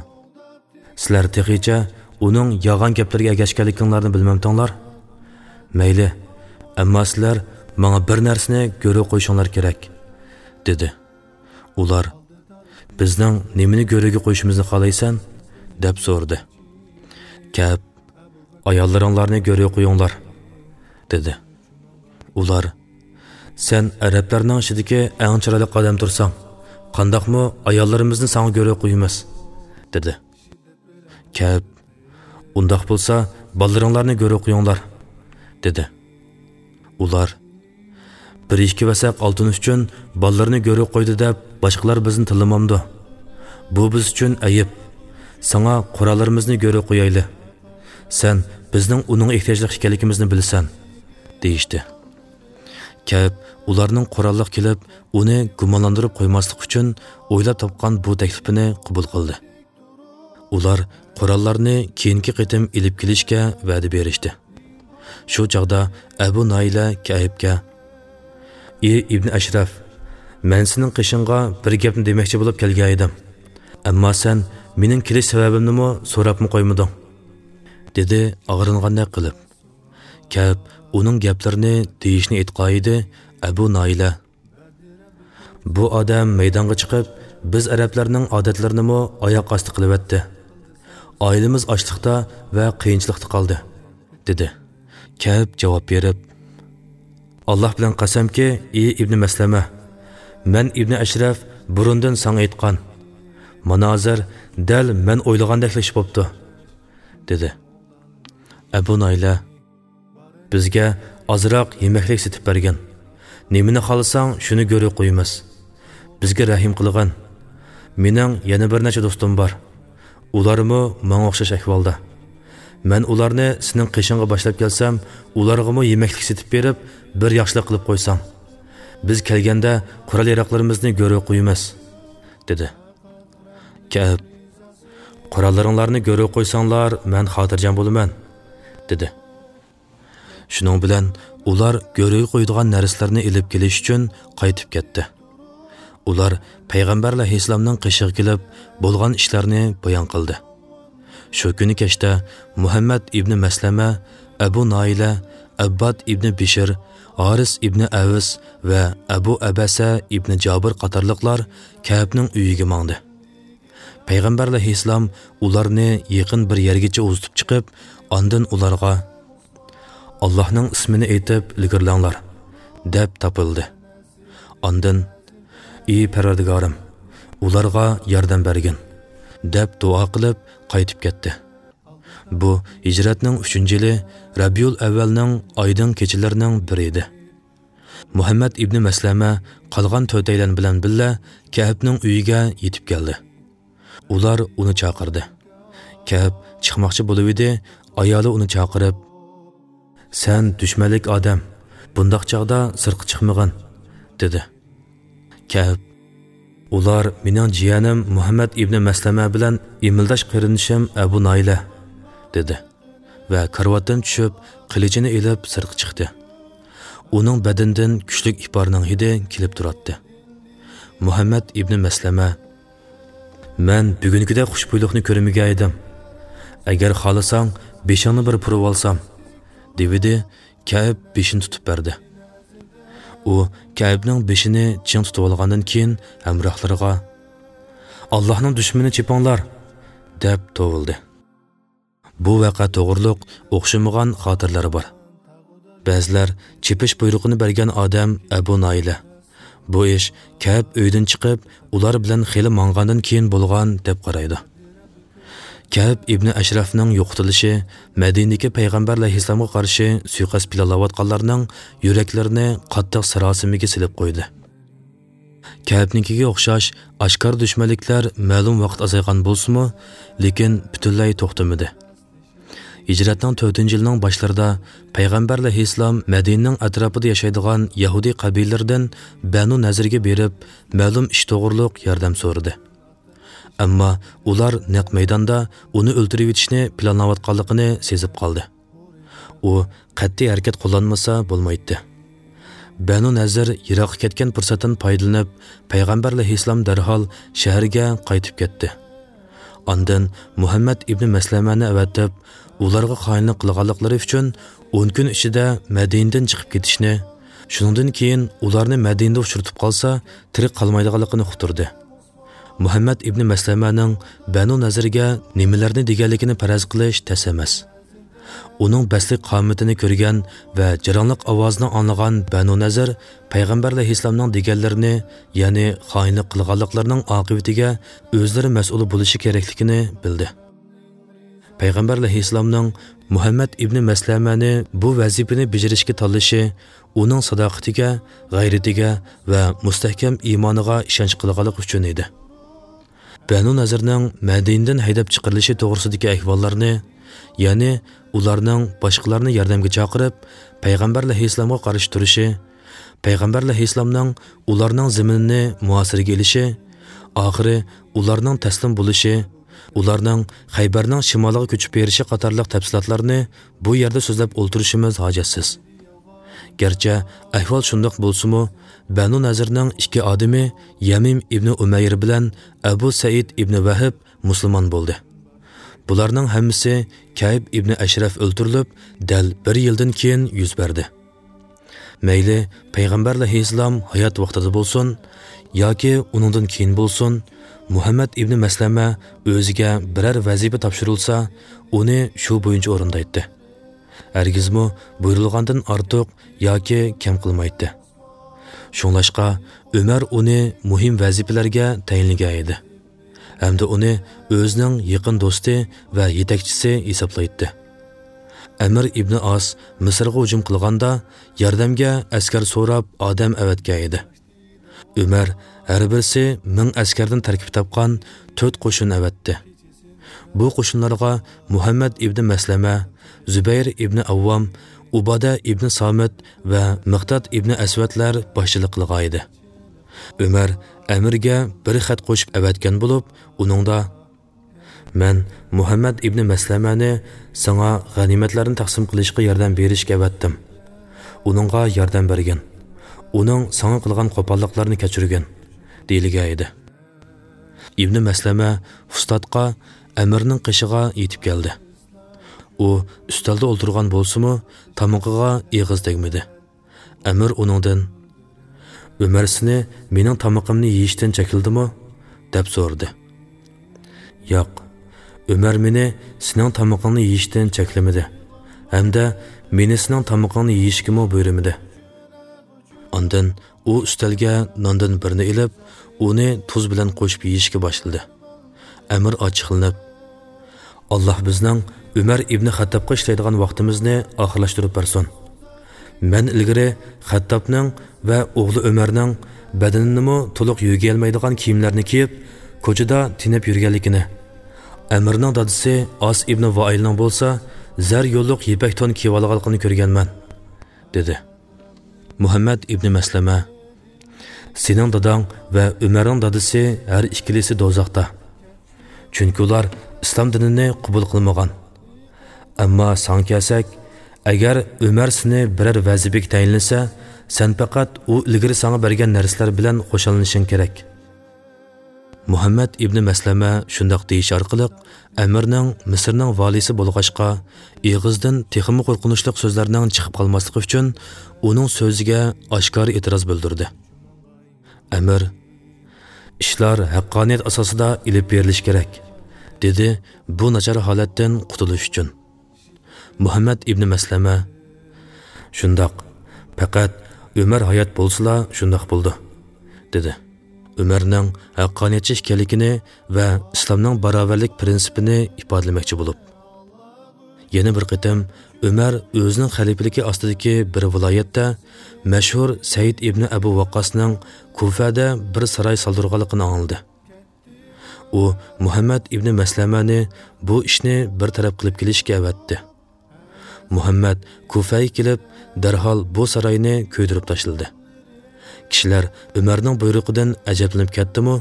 سىلەر تېخىچە ئۇنىڭ يالغان گەپلىرىگە ئەگەشكەنلىكىڭلارنى بىلمەمتىڭلار؟ مەيلى، ئەمما سىلەر ماڭا بىر نەرسىنى گۆرۈ قويۇشۇڭلار كېرەك، دېدى. ئۇلار، بىزنىڭ نېمىنى گۆرۈگە قويۇشىمىزنى خالايسەن؟ دەپ سورىدى. كەئب، ئاياللىرىڭلارنى گۆرۈگە قويۇڭلار، دېدى. ئۇلار، سەن ئەرەبلەرنىڭ ئىچىدىكى ئەڭ چىرايلىق ئادەم تۇرساڭ، قانداقمۇ ئاياللىرىمىزنى ساڭا گۆرۈگە قويىمىز؟ دېدى. كەئب، ئۇنداق بولسا، بالىلىرىڭلارنى گۆرۈگە قويۇڭلار، دېدى. ئۇلار، بىر ئىككى ۋەسەق ئالتۇن ئۈچۈن بالىلىرىنى گۆرۈگە قويدى دەپ، باشقىلار بىزنى تىللىمامدۇ؟ بۇ بىز ئۈچۈن ئەيىب. ساڭا قوراللىرىمىزنى گۆرۈگە قويايلى. سەن بىزنىڭ ئۇنىڭغا ئېھتىياجلىق ئىكەنلىكىمىزنى بىلىسەن، دېيىشتى. كەئب ئۇلارنىڭ قوراللىق كېلىپ، ئۇنى گۇمانلاندۇرۇپ قويماسلىق ئۈچۈن ئويلاپ تاپقان بۇ تەكلىپىنى قوبۇل قىلدى. ئۇلار قوراللارنى كېيىنكى قېتىم ئېلىپ كېلىشكە ۋەدە بېرىشتى. شۇ چاغدا ئەبۇ نايلە كەئبكە، ئى ئىبنى ئەشرەف، مەن سېنىڭ قېشىڭغا بىر گەپنى دېمەكچى بولۇپ كەلگەن ئىدىم. ئەمما سەن مېنىڭ كېلىش سەۋەبىمنىمۇ سوراپمۇ قويمىدىڭ، دېدى ئاغرىنغاندەك قىلىپ. كەئب ئۇنىڭ گەپلىرىنى دېيىشنى ئېيتقانىدى، ئەبۇ نايلە، بۇ ئادەم مەيدانغا چىقىپ، بىز ئەرەبلەرنىڭ ئادەتلىرىنىمۇ ئاياق ئاستى قىلىۋەتتى. ئائىلىمىز ئاچلىقتا ۋە قىيىنچىلىقتا قالدى، دېدى. كەئب جاۋاب بېرىپ، ئاللاھ بىلەن قەسەمكى، ئى ئىبنى مەسلەمە، مەن ئىبنى ئەشرەف بۇرۇندىن ساڭا ئېيتقان. مانا ھازىر دەل مەن ئويلىغاندەكلا ئىش بوپتۇ، دېدى. ئەبۇ نايلە، بىزگە ئازراق يېمەكلىك سېتىپ بەرگىن. نېمىنى خالىساڭ، شۇنى گۆرۈگە قويىمىز. بىزگە رەھىم قىلغىن. مېنىڭ يەنە بىر نەچچە دوستۇم بار. ئۇلارمۇ ماڭا ئوخشاش ئەھۋالدا. مەن ئۇلارنى سېنىڭ قېشىڭغا باشلاپ كەلسەم، ئۇلارغىمۇ يېمەكلىك سېتىپ بېرىپ، بىر ياخشىلىق قىلىپ قويساڭ. بىز كەلگەندە قورال-ياراغلىرىمىزنى گۆرۈگە قويىمىز، دېدى. كەئب، قوراللىرىڭلارنى گۆرۈگە قويساڭلار، مەن خاتىرجەم بولىمەن، دېدى. شۇنىڭ بىلەن ئۇلار گۆرۈگە قويىدىغان نەرسىلەرنى ئېلىپ كېلىش ئۈچۈن قايتىپ كەتتى. ئۇلار پەيغەمبەر ئەلەيھىسسالامنىڭ قېشىغا كېلىپ، بولغان ئىشلارنى بايان قىلدى. شۇ كۈنى كەچتە مۇھەممەد ئىبنى مەسلەمە، ئەبۇ نايلە، ئەبباد ئىبنى بىشىر، ھارىس ئىبنى ئەۋس ۋە ئەبۇ ئەبەسە ئىبنى جابىر قاتارلىقلار كەئبنىڭ ئۆيىگە ماڭدى. پەيغەمبەر ئەلەيھىسسالام ئۇلارنى يېقىن بىر يەرگىچە ئۇزىتىپ چىقىپ، ئاندىن ئۇلارغا، «ئاللاھنىڭ ئىسمىنى ئېيتىپ ئىلگىرىلەڭلار» دەپ تاپىلدى. ئاندىن، «ئى پەرۋەردىگارىم، ئۇلارغا ياردەم بەرگىن» دەپ دۇئا قىلىپ قايتىپ كەتتى. بۇ ھىجرەتنىڭ ئۈچىنچى يىلى، رەبىئۇل ئەۋۋەلنىڭ ئايدىڭ كېچىلىرىنىڭ بىرى ئىدى. مۇھەممەد ئىبنى مەسلەمە قالغان تۆتەيلەن بىلەن بىللە كەئبنىڭ ئۆيىگە يېتىپ كەلدى. ئۇلار ئۇنى چاقىردى. كەئب چىقماقچى بولۇۋىدى، ئايالى ئۇنى چاقىرىپ، «سەن دۈشمەنلىك ئادەم، بۇنداق چاغدا سىرتقا چىقمىغىن» دېدى. كەئب، «ئۇلار مېنىڭ جىيەنىم مۇھەممەد ئىبنى مەسلەمە بىلەن ئىمىلداش قېرىندىشىم ئەبۇ نايلە» دېدى ۋە كارىۋاتتىن چۈشۈپ، قىلىچىنى ئېلىپ سىرتقا چىقتى. ئۇنىڭ بەدىنىدىن كۈچلۈك ئىپارنىڭ ھىدى كېلىپ تۇراتتى. مۇھەممەد ئىبنى مەسلەمە، «مەن بۈگۈنكىدەك خۇشبۇيلۇقنى كۆرمىگەن ئىدىم. ئەگەر خالىساڭ، بېشىڭنى بىر پۇرىۋالسام» دېۋىدى، كەئب بېشىنى تۇتۇپ بەردى. ئۇ كەئبنىڭ بېشىنى چىڭ تۇتۇۋالغاندىن كېيىن ھەمراھلىرىغا، «ئاللاھنىڭ دۈشمىنىنى چېپىڭلار!» دەپ توۋلىدى. بۇ ۋەقە توغرۇلۇق ئوخشىمىغان خاتىرىلەر بار. بەزىلەر چېپىش بۇيرۇقىنى بەرگەن ئادەم ئەبۇ نايلە، بۇ ئىش كەئب ئۆيدىن چىقىپ، ئۇلار بىلەن خېلى ماڭغاندىن كېيىن بولغان دەپ قارايدۇ. كەئب ئىبنى ئەشرەفنىڭ يوقىتىلىشى مەدىنىدىكى پەيغەمبەر ئەلەيھىسسالامغا قارشى سۇيىقەست پىلانلاۋاتقانلارنىڭ يۈرەكلىرىنى قاتتىق ساراسىمىگە سېلىپ قويدى. كەئبنىڭكىگە ئوخشاش ئاشكارا دۈشمەنلىكلەر مەلۇم ۋاقىت ئازايغان بولسىمۇ، لېكىن پۈتۈنلەي توختىمىدى. ھىجرەتنىڭ تۆتىنچى يىلىنىڭ باشلىرىدا پەيغەمبەر ئەلەيھىسسالام مەدىنىنىڭ ئەتراپىدا ياشايدىغان يەھۇدىي قەبىلىلىرىدىن بەنۇ نەزىرگە بېرىپ، مەلۇم ئىش توغرۇلۇق ياردەم سورىدى. ئەمما ئۇلار نەق مەيداندا ئۇنى ئۆلتۈرۈۋېتىشنى پىلانلاۋاتقانلىقىنى سېزىپ قالدى. ئۇ قەتئىي ھەرىكەت قوللانمىسا بولمايتتى. بەنۇ نەزىر يىراققا كەتكەن پۇرسەتتىن پايدىلىنىپ، پەيغەمبەر ئەلەيھىسسالام دەرھال شەھەرگە قايتىپ كەتتى. ئاندىن مۇھەممەد ئىبنى مەسلەمەنى ئەۋەتىپ، ئۇلارغا خائىنلىق قىلغانلىقلىرى ئۈچۈن ئون كۈن ئىچىدە مەدىنىدىن چىقىپ كېتىشنى، شۇنىڭدىن كېيىن ئۇلارنى مەدىنىدە ئۇچرىتىپ قالسا، تىرىك قالمايدىغانلىقىنى ئۇقتۇردى. مۇھەممەد ئىبنى مەسلەمەنىڭ بەنۇ نەزىرگە نېمىلەرنى دېگەنلىكىنى پەرەز قىلىش تەس ئەمەس. ئۇنىڭ بەستلىك قامىتىنى كۆرگەن ۋە جاراڭلىق ئاۋازىنى ئاڭلىغان بەنۇ نەزىر پەيغەمبەر ئەلەيھىسسالامنىڭ دېگەنلىرىنى، يەنى خائىنلىق قىلغانلىقلىرىنىڭ ئاقىۋىتىگە ئۆزلىرى مەسئۇل بولۇشى كېرەكلىكىنى بىلدى. پەيغەمبەر ئەلەيھىسسالامنىڭ مۇھەممەد ئىبنى مەسلەمەنى بۇ ۋەزىپىنى بېجىرىشكە تاللىشى ئۇنىڭ ساداقىتىگە، غەيرىتىگە ۋە مۇستەھكەم ئىمانىغا ئىشەنچ قىلغانلىقى ئۈچۈن ئىدى. بەنۇ نەزىرنىڭ مەدىنىدىن ھەيدەپ چىقىرىلىشى توغرىسىدىكى ئەھۋاللارنى، يەنى ئۇلارنىڭ باشقىلارنى ياردەمگە چاقىرىپ، پەيغەمبەر ئەلەيھىسسالامغا قارشى تۇرۇشى، پەيغەمبەر ئەلەيھىسسالامنىڭ ئۇلارنىڭ زېمىنىنى مۇھاسىرىگە ئېلىشى، ئاخىرى ئۇلارنىڭ تەسلىم بولۇشى، ئۇلارنىڭ خەيبەرنىڭ شىمالىغا كۆچۈپ بېرىشى قاتارلىق تەپسىلاتلارنى بۇ يەردە سۆزلەپ ئولتۇرۇشىمىز ھاجەتسىز. گەرچە ئەھۋال شۇنداق بولسىمۇ، بەنۇ نەزىرنىڭ ئىككى ئادىمى يەمىم ئىبنى ئۇمەير بىلەن ئەبۇ سەئىد ئىبنى ۋەھب مۇسۇلمان بولدى. بۇلارنىڭ ھەممىسى كەئب ئىبنى ئەشرەف ئۆلتۈرۈلۈپ، دەل بىر يىلدىن كېيىن يۈز بەردى. مەيلى پەيغەمبەر ئەلەيھىسسالام ھايات ۋاقتىدا بولسۇن ياكى ئۇنىڭدىن كېيىن بولسۇن، مۇھەممەد ئىبنى مەسلەمە ئۆزىگە بىرەر ۋەزىپە تاپشۇرۇلسا، ئۇنى شۇ بويىچە ئورۇندايتتى. ھەرگىزمۇ بۇيرۇلغاندىن ئارتۇق ياكى كەم قىلمايتتى. شۇڭلاشقا ئۆمەر ئۇنى مۇھىم ۋەزىپىلەرگە تەيىنلىگەن ئىدى ھەمدە ئۇنى ئۆزىنىڭ يېقىن دوستى ۋە يېتەكچىسى ھېسابلايتتى. ئەمىر ئىبنى ئاس مىسىرغا ھۇجۇم قىلغاندا، ياردەمگە ئەسكەر سوراپ ئادەم ئەۋەتكەن ئىدى. ئۆمەر ھەر بىرسى مىڭ ئەسكەردىن تەركىب تاپقان تۆت قوشۇن ئەۋەتتى. بۇ قوشۇنلارغا مۇھەممەد ئىبنى مەسلەمە، زۇبەير ئىبنى ئەۋۋام، ئۇبادە ئىبنى سامىت ۋە مىقداد ئىبنى ئەسۋەدلەر باشچىلىق قىلغان ئىدى. ئۆمەر ئەمىرگە بىر خەت قوشۇپ ئەۋەتكەن بولۇپ، ئۇنىڭدا، «مەن مۇھەممەد ئىبنى مەسلەمەنى ساڭا غەنىيمەتلەرنى تەقسىم قىلىشقا ياردەم بېرىشكە ئەۋەتتىم. ئۇنىڭغا ياردەم بەرگىن. ئۇنىڭ ساڭا قىلغان قوپاللىقلىرىنى كەچۈرگىن» دېيىلگەن ئىدى. ئىبنى مەسلەمە فۇستاتقا ئەمىرنىڭ قېشىغا يېتىپ كەلدى. ئۇ ئۈستەلدە ئولتۇرغان بولسىمۇ، تامىقىغا ئېغىز تەگمىدى. ئەمىر ئۇنىڭدىن، «ئۆمەر سېنى مېنىڭ تامىقىمنى يېيىشتىن چەكلىدىمۇ؟» دەپ سورىدى. «ياق، ئۆمەر مېنى سېنىڭ تامىقىڭنى يېيىشتىن چەكلىمىدى ھەمدە مېنى سېنىڭ تامىقىڭنى يېيىشكىمۇ بۇيرۇمىدى.» ئاندىن ئۇ ئۈستەلگە ناندىن بىرنى ئېلىپ، ئۇنى تۇز بىلەن قوشۇپ يېيىشكە باشلىدى. ئەمىر ئاچچىقلىنىپ، «ئاللاھ بىزنىڭ ئۆمەر ئىبنى خەتتابقا ئىشلەيدىغان ۋاقتىمىزنى ئاخىرلاشتۇرۇپ بەرسۇن. مەن ئىلگىرى خەتتابنىڭ ۋە ئوغلى ئۆمەرنىڭ بەدىنىنىمۇ تولۇق يۆگىيەلمەيدىغان كىيىملەرنى كىيىپ، كوچىدا تېنەپ يۈرگەنلىكىنى، ئەمىرنىڭ دادىسى ئاس ئىبنى ۋائىلنىڭ بولسا زەر يوللۇق يىپەك تون كىيىۋالغانلىقىنى كۆرگەنمەن» دېدى. مۇھەممەد ئىبنى مەسلەمە، «سېنىڭ داداڭ ۋە ئۆمەرنىڭ دادىسى ھەر ئىككىلىسى دوزاختا. چۈنكى ئۇلار ئىسلام دىنىنى قوبۇل قىلمىغان. ئەمما ساڭا كەلسەك، ئەگەر ئۆمەر سېنى بىرەر ۋەزىپىگە تەيىنلىسە، سەن پەقەت ئۇ ئىلگىرى ساڭا بەرگەن نەرسىلەر بىلەن خۇشاللىنىشىڭ كېرەك.» مۇھەممەد ئىبنى مەسلەمە شۇنداق دېيىش ئارقىلىق ئەمىرنىڭ مىسىرنىڭ ۋالىيسى بولغاچقا، ئېغىزدىن تېخىمۇ قورقۇنچلۇق سۆزلەرنىڭ چىقىپ قالماسلىقى ئۈچۈن ئۇنىڭ سۆزىگە ئاشكارا ئېتىراز بىلدۈردى. ئەمىر، «ئىشلار ھەققانىيەت ئاساسىدا ئېلىپ بېرىلىشى كېرەك» دېدى، بۇ ناچار ھالەتتىن قۇتۇلۇش ئۈچۈن. مۇھەممەد ئىبنى مەسلەمە، «شۇنداق، پەقەت ئۆمەر ھايات بولسىلا شۇنداق بولىدۇ. دېدى، ئۆمەرنىڭ ھەققانىيەتچى ئىكەنلىكىنى ۋە ئىسلامنىڭ باراۋەرلىك پىرىنسىپىنى ئىپادىلىمەكچى بولۇپ. يەنە بىر قېتىم ئۆمەر ئۆزىنىڭ خەلىپىلىكى ئاستىدىكى بىر ۋىلايەتتە مەشھۇر سەئىد ئىبنى ئەبۇ ۋەققاسنىڭ كۇفەدە بىر ساراي سالدۇرغانلىقىنى ئاڭلىدى. ئۇ مۇھەممەد ئىبنى مەسلەمەنى بۇ ئىشنى بىر تەرەپ قىلىپ كېلىشكە ئەۋەتتى. مۇھەممەد كۇفەگە كېلىپ، دەرھال بۇ ساراينى كۆيدۈرۈپ تاشلىدى. كىشىلەر ئۆمەرنىڭ بۇيرۇقىدىن ئەجەبلىنىپ كەتتىمۇ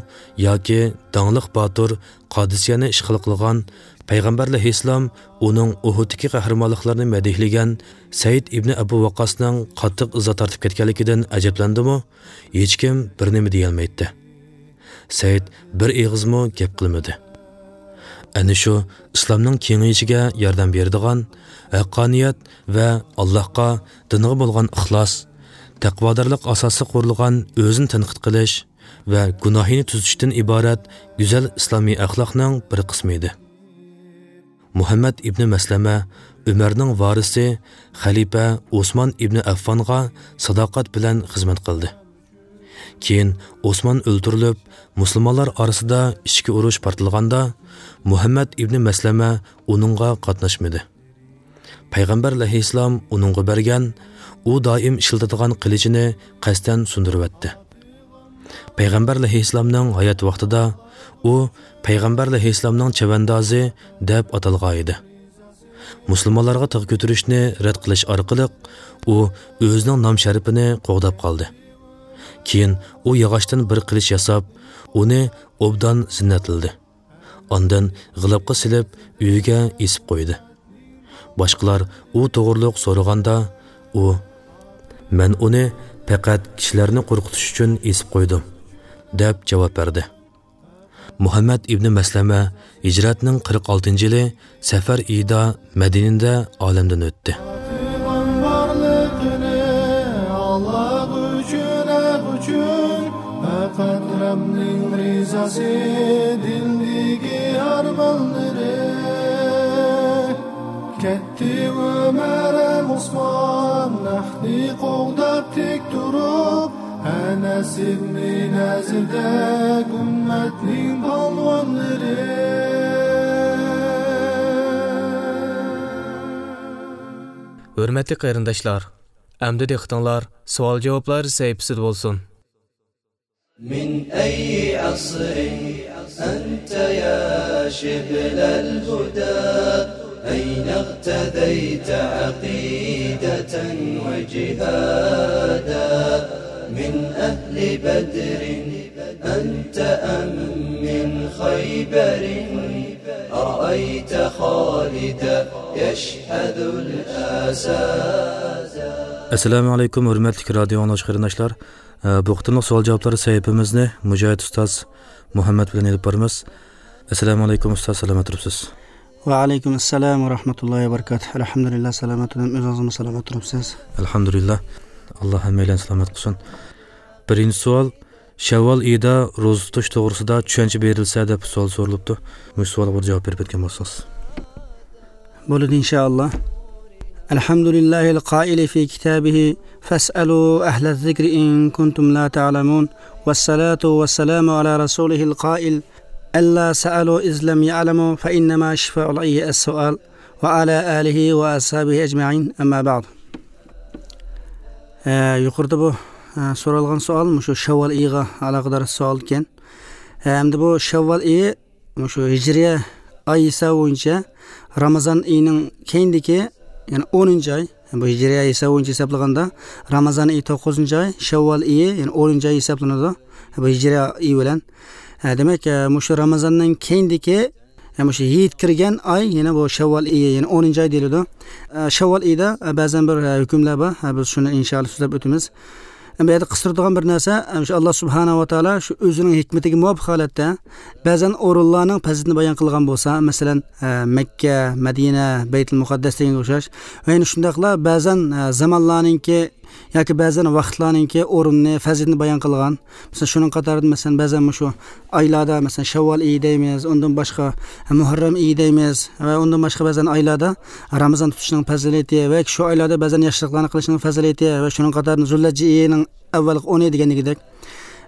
ياكى داڭلىق باتۇر قادىسىيەنى ئىشغال قىلغان، پەيغەمبەر ئەلەيھىسسالام ئۇنىڭ ئۇھۇدتىكى قەھرىمانلىقلىرىنى مەدھىيلىگەن سەئىد ئىبنى ئەبۇ ۋەققاسنىڭ قاتتىق ئىزا تارتىپ كەتكەنلىكىدىن ئەجەبلەندىمۇ، ھېچكىم بىر نېمە دېيەلمەيتتى. سەئىد بىر ئېغىزمۇ گەپ قىلمىدى. ئەنە شۇ ئىسلامنىڭ كېڭىيىشىگە ياردەم بېرىدىغان، ھەققانىيەت ۋە ئاللاھقا، دىنغا بولغان ئىخلاس، تەقۋادارلىق ئاساسىغا قۇرۇلغان ئۆزىنى تەنقىد قىلىش ۋە گۇناھىنى تۈزىتىشتىن ئىبارەت گۈزەل ئىسلامىي ئەخلاقنىڭ بىر قىسمى ئىدى. مۇھەممەد ئىبنى مەسلەمە ئۆمەرنىڭ ۋارىسى، خەلىپە ئوسمان ئىبنى ئەففانغا ساداقەت بىلەن خىزمەت قىلدى. كېيىن ئوسمان ئۆلتۈرۈلۈپ، مۇسۇلمانلار ئارىسىدا ئىچكى ئۇرۇش پارتلىغاندا، مۇھەممەد ئىبنى مەسلەمە ئۇنىڭغا قاتناشمىدى. پەيغەمبەر ئەلەيھىسسالام ئۇنىڭغا بەرگەن، ئۇ دائىم ئىشلىتىدىغان قىلىچىنى قەستەن سۇندۇرۇۋەتتى. پەيغەمبەر ئەلەيھىسسالامنىڭ ھايات ۋاقتىدا ئۇ پەيغەمبەر ئەلەيھىسسالامنىڭ چەۋەندازى دەپ ئاتالغان ئىدى. مۇسۇلمانلارغا تىغ كۆتۈرۈشنى رەت قىلىش ئارقىلىق ئۇ ئۆزىنىڭ نام-شەرىپىنى قوغداپ قالدى. كېيىن ئۇ ياغاچتىن بىر قىلىچ ياساپ، ئۇنى ئوبدان زىننەتلىدى. ئاندىن غىلىپقا سېلىپ، ئۆيىگە ئېسىپ قويدى. باشقىلار ئۇ توغرۇلۇق سورىغاندا، ئۇ، «مەن ئۇنى پەقەت كىشىلەرنى قورقۇتۇش ئۈچۈن ئېسىپ قويدۇم» دەپ جاۋاب بەردى. مۇھەممەد ئىبنى مەسلەمە ھىجرەتنىڭ قىرىق ئالتىنچى يىلى سەفەر ئېيىدا مەدىنىدە ئالەمدىن ئۆتتى. پەقەت رەبنىڭ رىزاسى دىلدىكى ئارمانلىرى. كەتتى ئۆمەر ھەم ئوسمان، ھەقنى قوغداپ تىك تۇرۇپ، ئەنەس ئىبنى نەزىردەك ئۈممەتنىڭ پالۋانلىرى. ھۆرمەتلىك قېرىنداشلار، ئەمدى دىققىتىڭلار سوئال-جاۋابلار سەھىپىسىدە بولسۇن. من أي عصر أنت يا شبل الهدى؟ أين اغتديت عقيدة وجهادا؟ من أهل بدر أنت أم من خيبر؟ رأيت خالدا يشحذ الأسادا. ئەسسالامۇ ئەلەيكۇم، ھۆرمەتلىك رادىيو ئاڭلىغۇچى قېرىنداشلار. ئە، بۇ قېتىملىق سوئال-جاۋابلار سەھىپىمىزنى مۇجاھىد ئۇستاز مۇھەممەد بىلەن ئېلىپ بارىمىز. ئەسسالامۇ ئەلەيكۇم ئۇستاز، سالامەت تۇرۇپسىز؟ ۋەئەلەيكۇم ئەسسالام ۋە رەھمەتۇللاھى ۋە بەرىكاتۇھ. ئەلھەمدۇلىللا، سالامەت تۇرۇپ، ئۆزىڭىزمۇ سالامەت تۇرۇپسىز؟ ئەلھەمدۇلىللا، ئاللا ھەممەيلەننى سالامەت قىلسۇن. بىرىنچى سوئال، شەۋۋال ئېيىدا روزا تۇتۇش توغرىسىدا چۈشەنچە بېرىلسە دەپ سوئال سورىلىپتۇ. مۇشۇ سوئالغا بىر جاۋاب بېرىپ ئۆتكەن بولسىڭىز. بولىدۇ، ئىنشائاللا. الحمد لله القائل في كتابه: فاسألوا أهل الذكر إن كنتم لا تعلمون. والصلاة والسلام على رسوله القائل: ألا سألوا إذ لم يعلموا فإنما شفاء العي السؤال. وعلى آله وأصحابه أجمعين. أما بعد. ئە، يۇقىرىدا بۇ، ئە، سورالغان سوئال مۇشۇ شەۋۋال ئېيىغا ئالاقىدار سوئال ئىكەن. ئە، ئەمدى بۇ شەۋۋال ئېيى مۇشۇ ھىجرىيە ئاي ھېسابى بويىچە رامىزان ئېيىنىڭ كەينىدىكى، يەنى ئونىنچى ئاي، بۇ ھىجرىيە ئاي ھېسابى بويىچە ھېسابلىغاندا رامىزان ئېيى توققۇزىنچى ئاي، شەۋۋال ئېيى، يەنى ئونىنچى ئاي ھېسابلىنىدۇ. بۇ ھىجرىيە ئېيى بىلەن. ئە، دېمەك، ئە، مۇشۇ رامىزاننىڭ كەينىدىكى، ئە، مۇشۇ ھېيت كىرگەن ئاي، يەنى بۇ شەۋۋال ئېيى، يەنى ئونىنچى ئاي دېيىلىدۇ. ئە، شەۋۋال ئېيىدا، ئە، بەزەن بىر، ئە، ھۆكۈملەر بار. ئە، بىز شۇنى ئىنشائاللا سۆزلەپ ئۆتىمىز. ئەمما بۇ يەردە قىستۇرىدىغان بىر نەرسە، ئە، شۇ ئاللا سۇبھانەھۇ ۋە تائالا شۇ ئۆزىنىڭ ھېكمىتىگە مۇۋاپىق ھالەتتە بەزەن ئورۇنلارنىڭ پەزىلىتىنى بايان قىلغان بولسا، مەسىلەن، ئە، مەككە، مەدىنە، بەيتۇل مۇقەددەس دېگەنگە ئوخشاش ۋە يەنە شۇنداقلا بەزەن، ئە، زامانلارنىڭكى ياكى بەزەن ۋاقىتلارنىڭكى ئورنىنى، پەزىلىتىنى بايان قىلغان. مىسال، شۇنىڭ قاتارىدا، مەسىلەن، بەزەن مۇشۇ ئايلاردا، مەسىلەن، شەۋۋال ئېيى دەيمىز، ئۇندىن باشقا مۇھەررەم ئېيى دەيمىز ۋە ئۇندىن باشقا بەزەن ئايلاردا رامىزان تۇتۇشنىڭ پەزىلىتى ۋە شۇ ئايلاردا بەزەن ياخشىلىقلارنى قىلىشنىڭ پەزىلىتى ۋە شۇنىڭ قاتارىدا زۇلھەججە ئېيىنىڭ ئەۋۋەلقى ئونى دېگەندىكىدەك.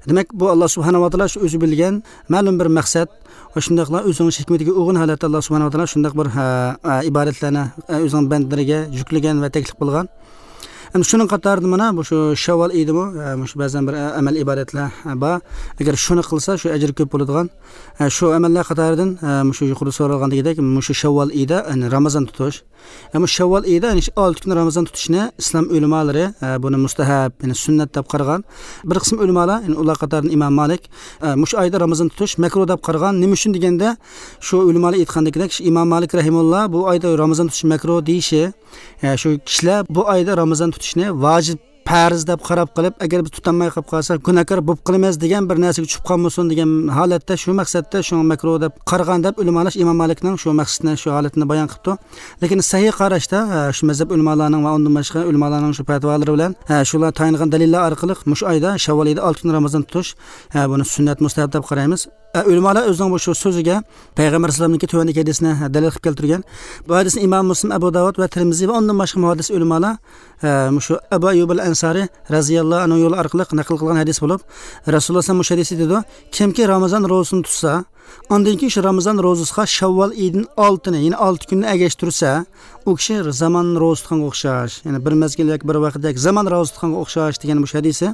دېمەك، بۇ ئاللا سۇبھانەھۇ ۋە تائالا شۇ ئۆزى بىلگەن مەلۇم بىر مەقسەت ۋە شۇنداقلا ئۆزىنىڭ ھېكمىتىگە ئۇيغۇن ھالەتتە ئاللا سۇبھانەھۇ ۋە تائالا شۇنداق بىر، ھە، ئە، ئىبادەتلەرنى، ئە، ئۆزىنىڭ بەندىلىرىگە يۈكلىگەن ۋە تەكلىپ قىلغان. ئەمدى شۇنىڭ قاتارىدا مانا بۇ شۇ شەۋۋال ئېيىدىمۇ، ئە، مۇشۇ بەزەن بىر، ئە، ئەمەل ئىبادەتلەر، ئە، بار. ئەگەر شۇنى قىلسا، شۇ ئەجرى كۆپ بولىدىغان. ئە، شۇ ئەمەللەر قاتارىدىن، ئە، مۇشۇ يۇقىرىدا سورالغاندىكىدەك، مۇشۇ شەۋۋال ئېيىدا، يەنى رامىزان تۇتۇش. ئە، مۇشۇ شەۋۋال ئېيىدا، يەنى شۇ ئالتە كۈن رامىزان تۇتۇشنى ئىسلام ئۆلىمالىرى، ئە، بۇنى مۇستەھەب، يەنى سۈننەت دەپ قارىغان. بىر قىسىم ئۆلىمالار، يەنى ئۇلار قاتارىدىن ئىمام مالىك، ئە، مۇشۇ ئايدا رامىزان تۇتۇش مەكرۇھ دەپ قارىغان. نېمە ئۈچۈن دېگەندە، شۇ ئۆلىمالار ئېيتقاندىكىدەك، شۇ ئىمام مالىك رەھىمۇللا بۇ ئايدا رامىزان تۇتۇش مەكرۇھ دېيىشى، ئە، شۇ كىشىلەر بۇ ئايدا رامىزان تۇتۇشنى ۋاجىپ، پەرز دەپ قاراپ قېلىپ، ئەگەر بىز تۇتالماي قېلىپ قالساق، گۇناھكار بولۇپ قالىمىز دېگەن بىر نەرسىگە چۈشۈپ قالمىسۇن دېگەن ھالەتتە، شۇ مەقسەتتە شۇڭا مەكرۇھ دەپ قارىغان دەپ ئۆلىمالار ئىمام مالىكنىڭ شۇ مەقسىتىنى، شۇ ھالىتىنى بايان قىپتۇ. لېكىن سەھىھ قاراشتا، ئە، شۇ مەزھەپ ئۆلىمالارنىڭ ۋە ئۇندىن باشقا ئۆلىمالارنىڭ شۇ پەتىۋالىرى بىلەن، ئە، شۇلار تايىنغان دەلىللەر ئارقىلىق مۇشۇ ئايدا، شەۋۋال ئېيىدا ئالتە كۈن رامىزان تۇتۇش، ئە، بۇنى سۈننەت، مۇستەھەب دەپ قارايمىز. ئە، ئۆلىمالار ئۆزىنىڭ بۇ شۇ سۆزىگە پەيغەمبەر ئەلەيھىسسالامنىڭكى تۆۋەندىكى ھەدىسىنى، ھە، دەلىل قىلىپ كەلتۈرگەن. بۇ ھەدىسنى ئىمام مۇسلىم، ئەبۇ داۋۇد ۋە تىرمىزى ۋە ئۇندىن باشقا مۇھەددىس ئۆلىمالار، ئە، مۇشۇ ئەبۇ ئەييۇب ئەل ئەنسارى رەزىياللاھۇ ئەنھۇ يولى ئارقىلىق نەقىل قىلغان ھەدىس بولۇپ، رەسۇلۇللا سەللەللاھۇ ئەلەيھى ۋەسەللەم مۇشۇ ھەدىستە دەيدۇ، كىمكى رامىزان روزىسىنى تۇتسا، ئاندىن كېيىن شۇ رامىزان روزىسىغا شەۋۋال ئېيىدىن ئالتىنى، يەنى ئالتە كۈننى ئەگەشتۈرسە، ئۇ كىشى زامان روزا تۇتقانغا ئوخشاش، يەنى بىر مەزگىل ياكى بىر ۋاقىت ياكى زامان روزا تۇتقانغا ئوخشاش دېگەن مۇشۇ ھەدىسى.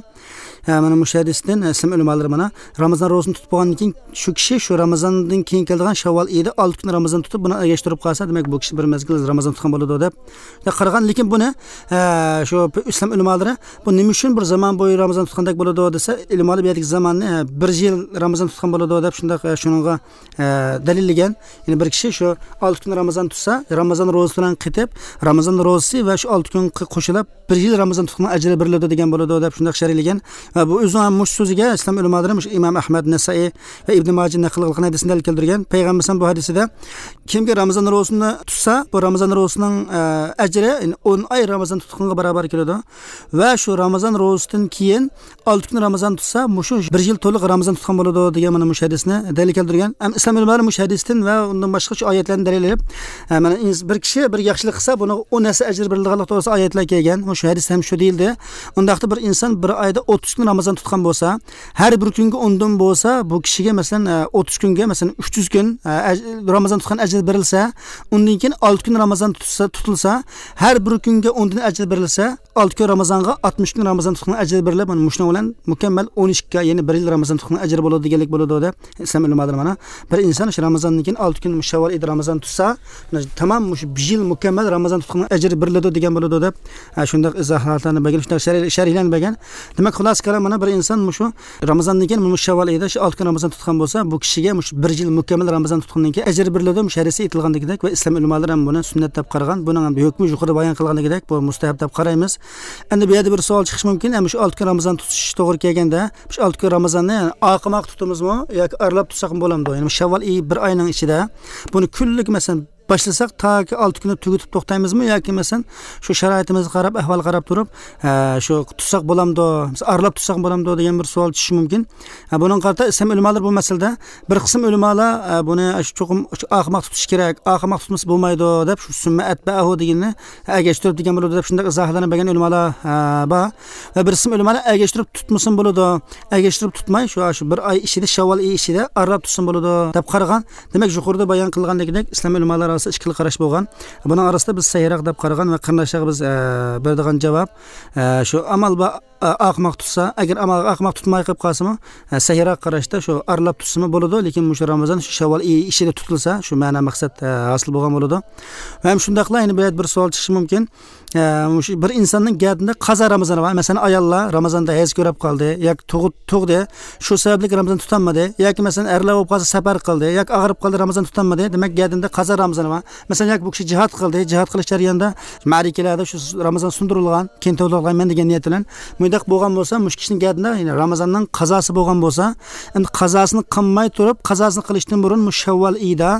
ھە، مانا مۇشۇ ھەدىستىن، ئە، ئىسلام ئۆلىمالىرى مانا رامىزان روزىسىنى تۇتۇپ بولغاندىن كېيىن، شۇ كىشى شۇ رامىزاندىن كېيىن كېلىدىغان شەۋۋال ئېيىدا ئالتە كۈن رامىزان تۇتۇپ، بۇنى ئەگەشتۈرۈپ قالسا، دېمەك، بۇ كىشى بىر مەزگىل رامىزان تۇتقان بولىدۇ دەپ قارىغان. لېكىن بۇنى، ئە، شۇ ئىسلام ئۆلىمالىرى بۇ نېمە ئۈچۈن بىر زامان بويى رامىزان تۇتقاندەك بولىدۇ دېسە، ئۆلىمالار بۇ يەردىكى زاماننى، ئە، بىر يىل رامىزان تۇتقان بولىدۇ دەپ شۇنداق، ئە، شۇنىڭغا ئە، دەلىللىگەن. يەنى بىر كىشى شۇ ئالتە كۈن رامىزان تۇتسا، رامىزان روزىسى بىلەن قېتىپ، رامىزان روزىسى ۋە شۇ ئالتە كۈن قوشۇلۇپ، بىر يىل رامىزان تۇتقان ئەجرى بېرىلىدۇ دېگەن بولىدۇ دەپ شۇنداق شەرھلىگەن. ۋە بۇ ئۆزىنىڭ ھەم مۇشۇ سۆزىگە ئىسلام ئۆلىمالىرى مۇشۇ ئىمام ئەھمەد، نەسائىي ۋە ئىبنى ماجە نەقىل قىلغان ھەدىسنى دەلىل كەلتۈرگەن. پەيغەمبەر بۇ ھەدىسىدە، كىمكى رامىزان روزىسىنى تۇتسا، بۇ رامىزان روزىسىنىڭ، ئە، ئەجرى، يەنى ئون ئاي رامىزان تۇتقانغا باراۋەر كېلىدۇ. ۋە شۇ رامىزان روزىسىدىن كېيىن ئالتە كۈن رامىزان تۇتسا، مۇشۇ بىر يىل تولۇق رامىزان تۇتقان بولىدۇ دېگەن مانا مۇشۇ ھەدىسنى دەلىل كەلتۈرگەن. ھەم ئىسلام ئۆلىمالىرى مۇشۇ ھەدىستىن ۋە ئۇندىن باشقا شۇ ئايەتلەرنى دەلىل ئېلىپ، ھە، مانا ئىنس-، بىر كىشى بىر ياخشىلىق قىلسا، بۇنىڭغا ئون ھەسسە ئەجىر بېرىلىدىغانلىق توغرىسىدا ئايەتلەر كەلگەن. مۇشۇ ھەدىستە ھەم شۇ دېيىلدى. ئۇنداقتا بىر ئىنسان بىر ئايدا ئوتتۇز كۈن رامىزان تۇتقان بولسا، ھەر بىر كۈنگە ئوندىن بولسا، بۇ كىشىگە، مەسىلەن، ئە، ئوتتۇز كۈنگە، مەسىلەن، ئۈچ يۈز كۈن، ئە، ئەج-، رامىزان تۇتقان ئەجرى بېرىلسە، ئۇندىن كېيىن ئالتە كۈن رامىزان تۇتسا، تۇتۇلسا، ھەر بىر كۈنگە ئوندىن ئەجىر بېرىلسە، ئالتە كۈن رامىزانغا ئاتمىش كۈن رامىزان تۇتقان ئەجىر بېرىلىپ، مانا مۇشۇنىڭ بىلەن مۇكەممەل ئون ئىككى ئاي، يەنى بىر يىل رامىزان تۇتقان ئەجرى بولىدۇ دېگەنلىك بولىدۇ دەپ ئىسلام ئۆلىمالىرى مانا. بىر ئىنسان شۇ رامىزاندىن كېيىن ئالتە كۈن مۇشۇ شەۋۋال ئېيىدا رامىزان تۇتسا، تامام مۇشۇ بىر يىل مۇكەممەل رامىزان تۇتقان ئەجرى بېرىلىدۇ دېگەن بولىدۇ دەپ، ھە، شۇنداق ئىزاھاتلارنى بەرگەن، شۇنداق شەرھ-، شەرھلەرنى بەرگەن. دېمەك، خۇلاسە كالام، مانا بىر ئىنسان مۇشۇ رامىزاندىن كېيىن مۇشۇ شەۋۋال ئېيىدا شۇ ئالتە كۈن رامىزان تۇتقان بولسا، بۇ كىشىگە مۇشۇ بىر يىل مۇكەممەل رامىزان تۇتقاندىن كېيىن ئەجىر بېرىلىدۇ. مۇشۇ ھەدىستە ئېيتىلغاندىكىدەك ۋە ئىسلام ئۆلىمالىرى ھەم بۇنى سۈننەت دەپ قارىغان. بۇنىڭ ھەم ھۆكمى يۇقىرىدا بايان قىلغاندىكىدەك، بۇ مۇستەھەب دەپ قارايمىز. ئەمدى بۇ يەردە بىر سوئال چىقىشى مۇمكىن، ئەمدى شۇ ئالتە كۈن رامىزان تۇتۇش توغرا كەلگەندە، شۇ ئالتە كۈن رامىزاننى، يەنى ئاقىماق تۇتىمىزمۇ ياكى ئارىلاپ تۇتساقمۇ بولامدۇ؟ يەنى شەۋۋال ئېيى بىر ئاينىڭ ئىچىدە بۇنى كۈنلۈك، مەسىلەن، باشلىساق تاكى ئالتە كۈننى تۈگىتىپ توختايمىزمۇ ياكى، مەسىلەن، شۇ شارائىتىمىزغا قاراپ، ئەھۋالغا قاراپ تۇرۇپ، ھە، شۇ تۇتساق بولامدۇ، مەسىلەن، ئارىلاپ تۇتساق بولامدۇ دېگەن بىر سوئال چۈشۈشى مۇمكىن. ھە، بۇنىڭغا قارىتا ئىسلام ئۆلىمالىرى بۇ مەسىلىدە بىر قىسىم ئۆلىمالار، ھە، بۇنى شۇ چوقۇم شۇ ئاقىماق تۇتۇش كېرەك، ئاقىماق تۇتمىسا بولمايدۇ دەپ، شۇ سۈممە ئەتبەئەھۇ دېگىنىنى ئەگەشتۈرۈپ دېگەن بولىدۇ دەپ شۇنداق ئىزاھلارنى بەرگەن ئۆلىمالار، ھە، بار. ۋە بىر قىسىم ئۆلىمالار ئەگەشتۈرۈپ تۇتمىسىمۇ بولىدۇ، ئەگەشتۈرۈپ تۇتماي، شۇ، شۇ بىر ئاي ئىچىدە، شەۋۋال ئېيى ئىچىدە ئارىلاپ تۇتسىمۇ بولىدۇ دەپ قارىغان. دېمەك، يۇقىرىدا بايان قىلغاندىكىدەك، ئىسلام ئۆلىمالىرى ئارىسىدا ئىككى خىل قاراش بولغان. بۇنىڭ ئارىسىدا بىز سەھىھراق دەپ قارىغان ۋە قېرىنداشلارغا بىز، ئە، بېرىدىغان جاۋاب، ئە، شۇ ئامال بار، ئە، ئاقىماق تۇتسا، ئەگەر ئامال ئاقىماق تۇتماي قېلىپ قالسىمۇ، ئە، سەھىھراق قاراشتا شۇ ئارىلاپ تۇتسىمۇ بولىدۇ، لېكىن مۇشۇ رامىزان شۇ شەۋۋال ئېيى ئىچىدە تۇتۇلسا، شۇ مەنە مەقسەت، ئە، ھاسىل بولغان بولىدۇ. ۋە ھەم شۇنداقلا يەنە بۇ يەردە بىر سوئال چىقىشى مۇمكىن. ئە، مۇشۇ بىر ئىنساننىڭ گەدىنىدە قازا رامىزانى بار. مەسىلەن، ئاياللار رامىزاندا ھەيز كۆرۈپ قالدى ياكى تۇغۇ-، تۇغدى، شۇ سەۋەبلىك رامىزان تۇتالمىدى ياكى، مەسىلەن، ئەرلەر بولۇپ قالسا سەپەر قىلدى ياكى ئاغرىپ قالدى، رامىزان تۇتالمىدى. دېمەك، گەدىنىدە قازا رامىزانى بار. مەسىلەن، ياكى بۇ كىشى جىھاد قىلدى، جىھاد قىلىش جەريانىدا مەرىكىلەردە شۇ رامىزان سۇندۇرۇلغان، كېيىن تولۇقلايمەن دېگەن نىيەت بىلەن. مۇنداق بولغان بولسا، مۇشۇ كىشىنىڭ گەدىنىدە، يەنى رامىزاننىڭ قازاسى بولغان بولسا، ئەمدى قازاسىنى قىلماي تۇرۇپ، قازاسىنى قىلىشتىن بۇرۇن مۇشۇ شەۋۋال ئېيىدا،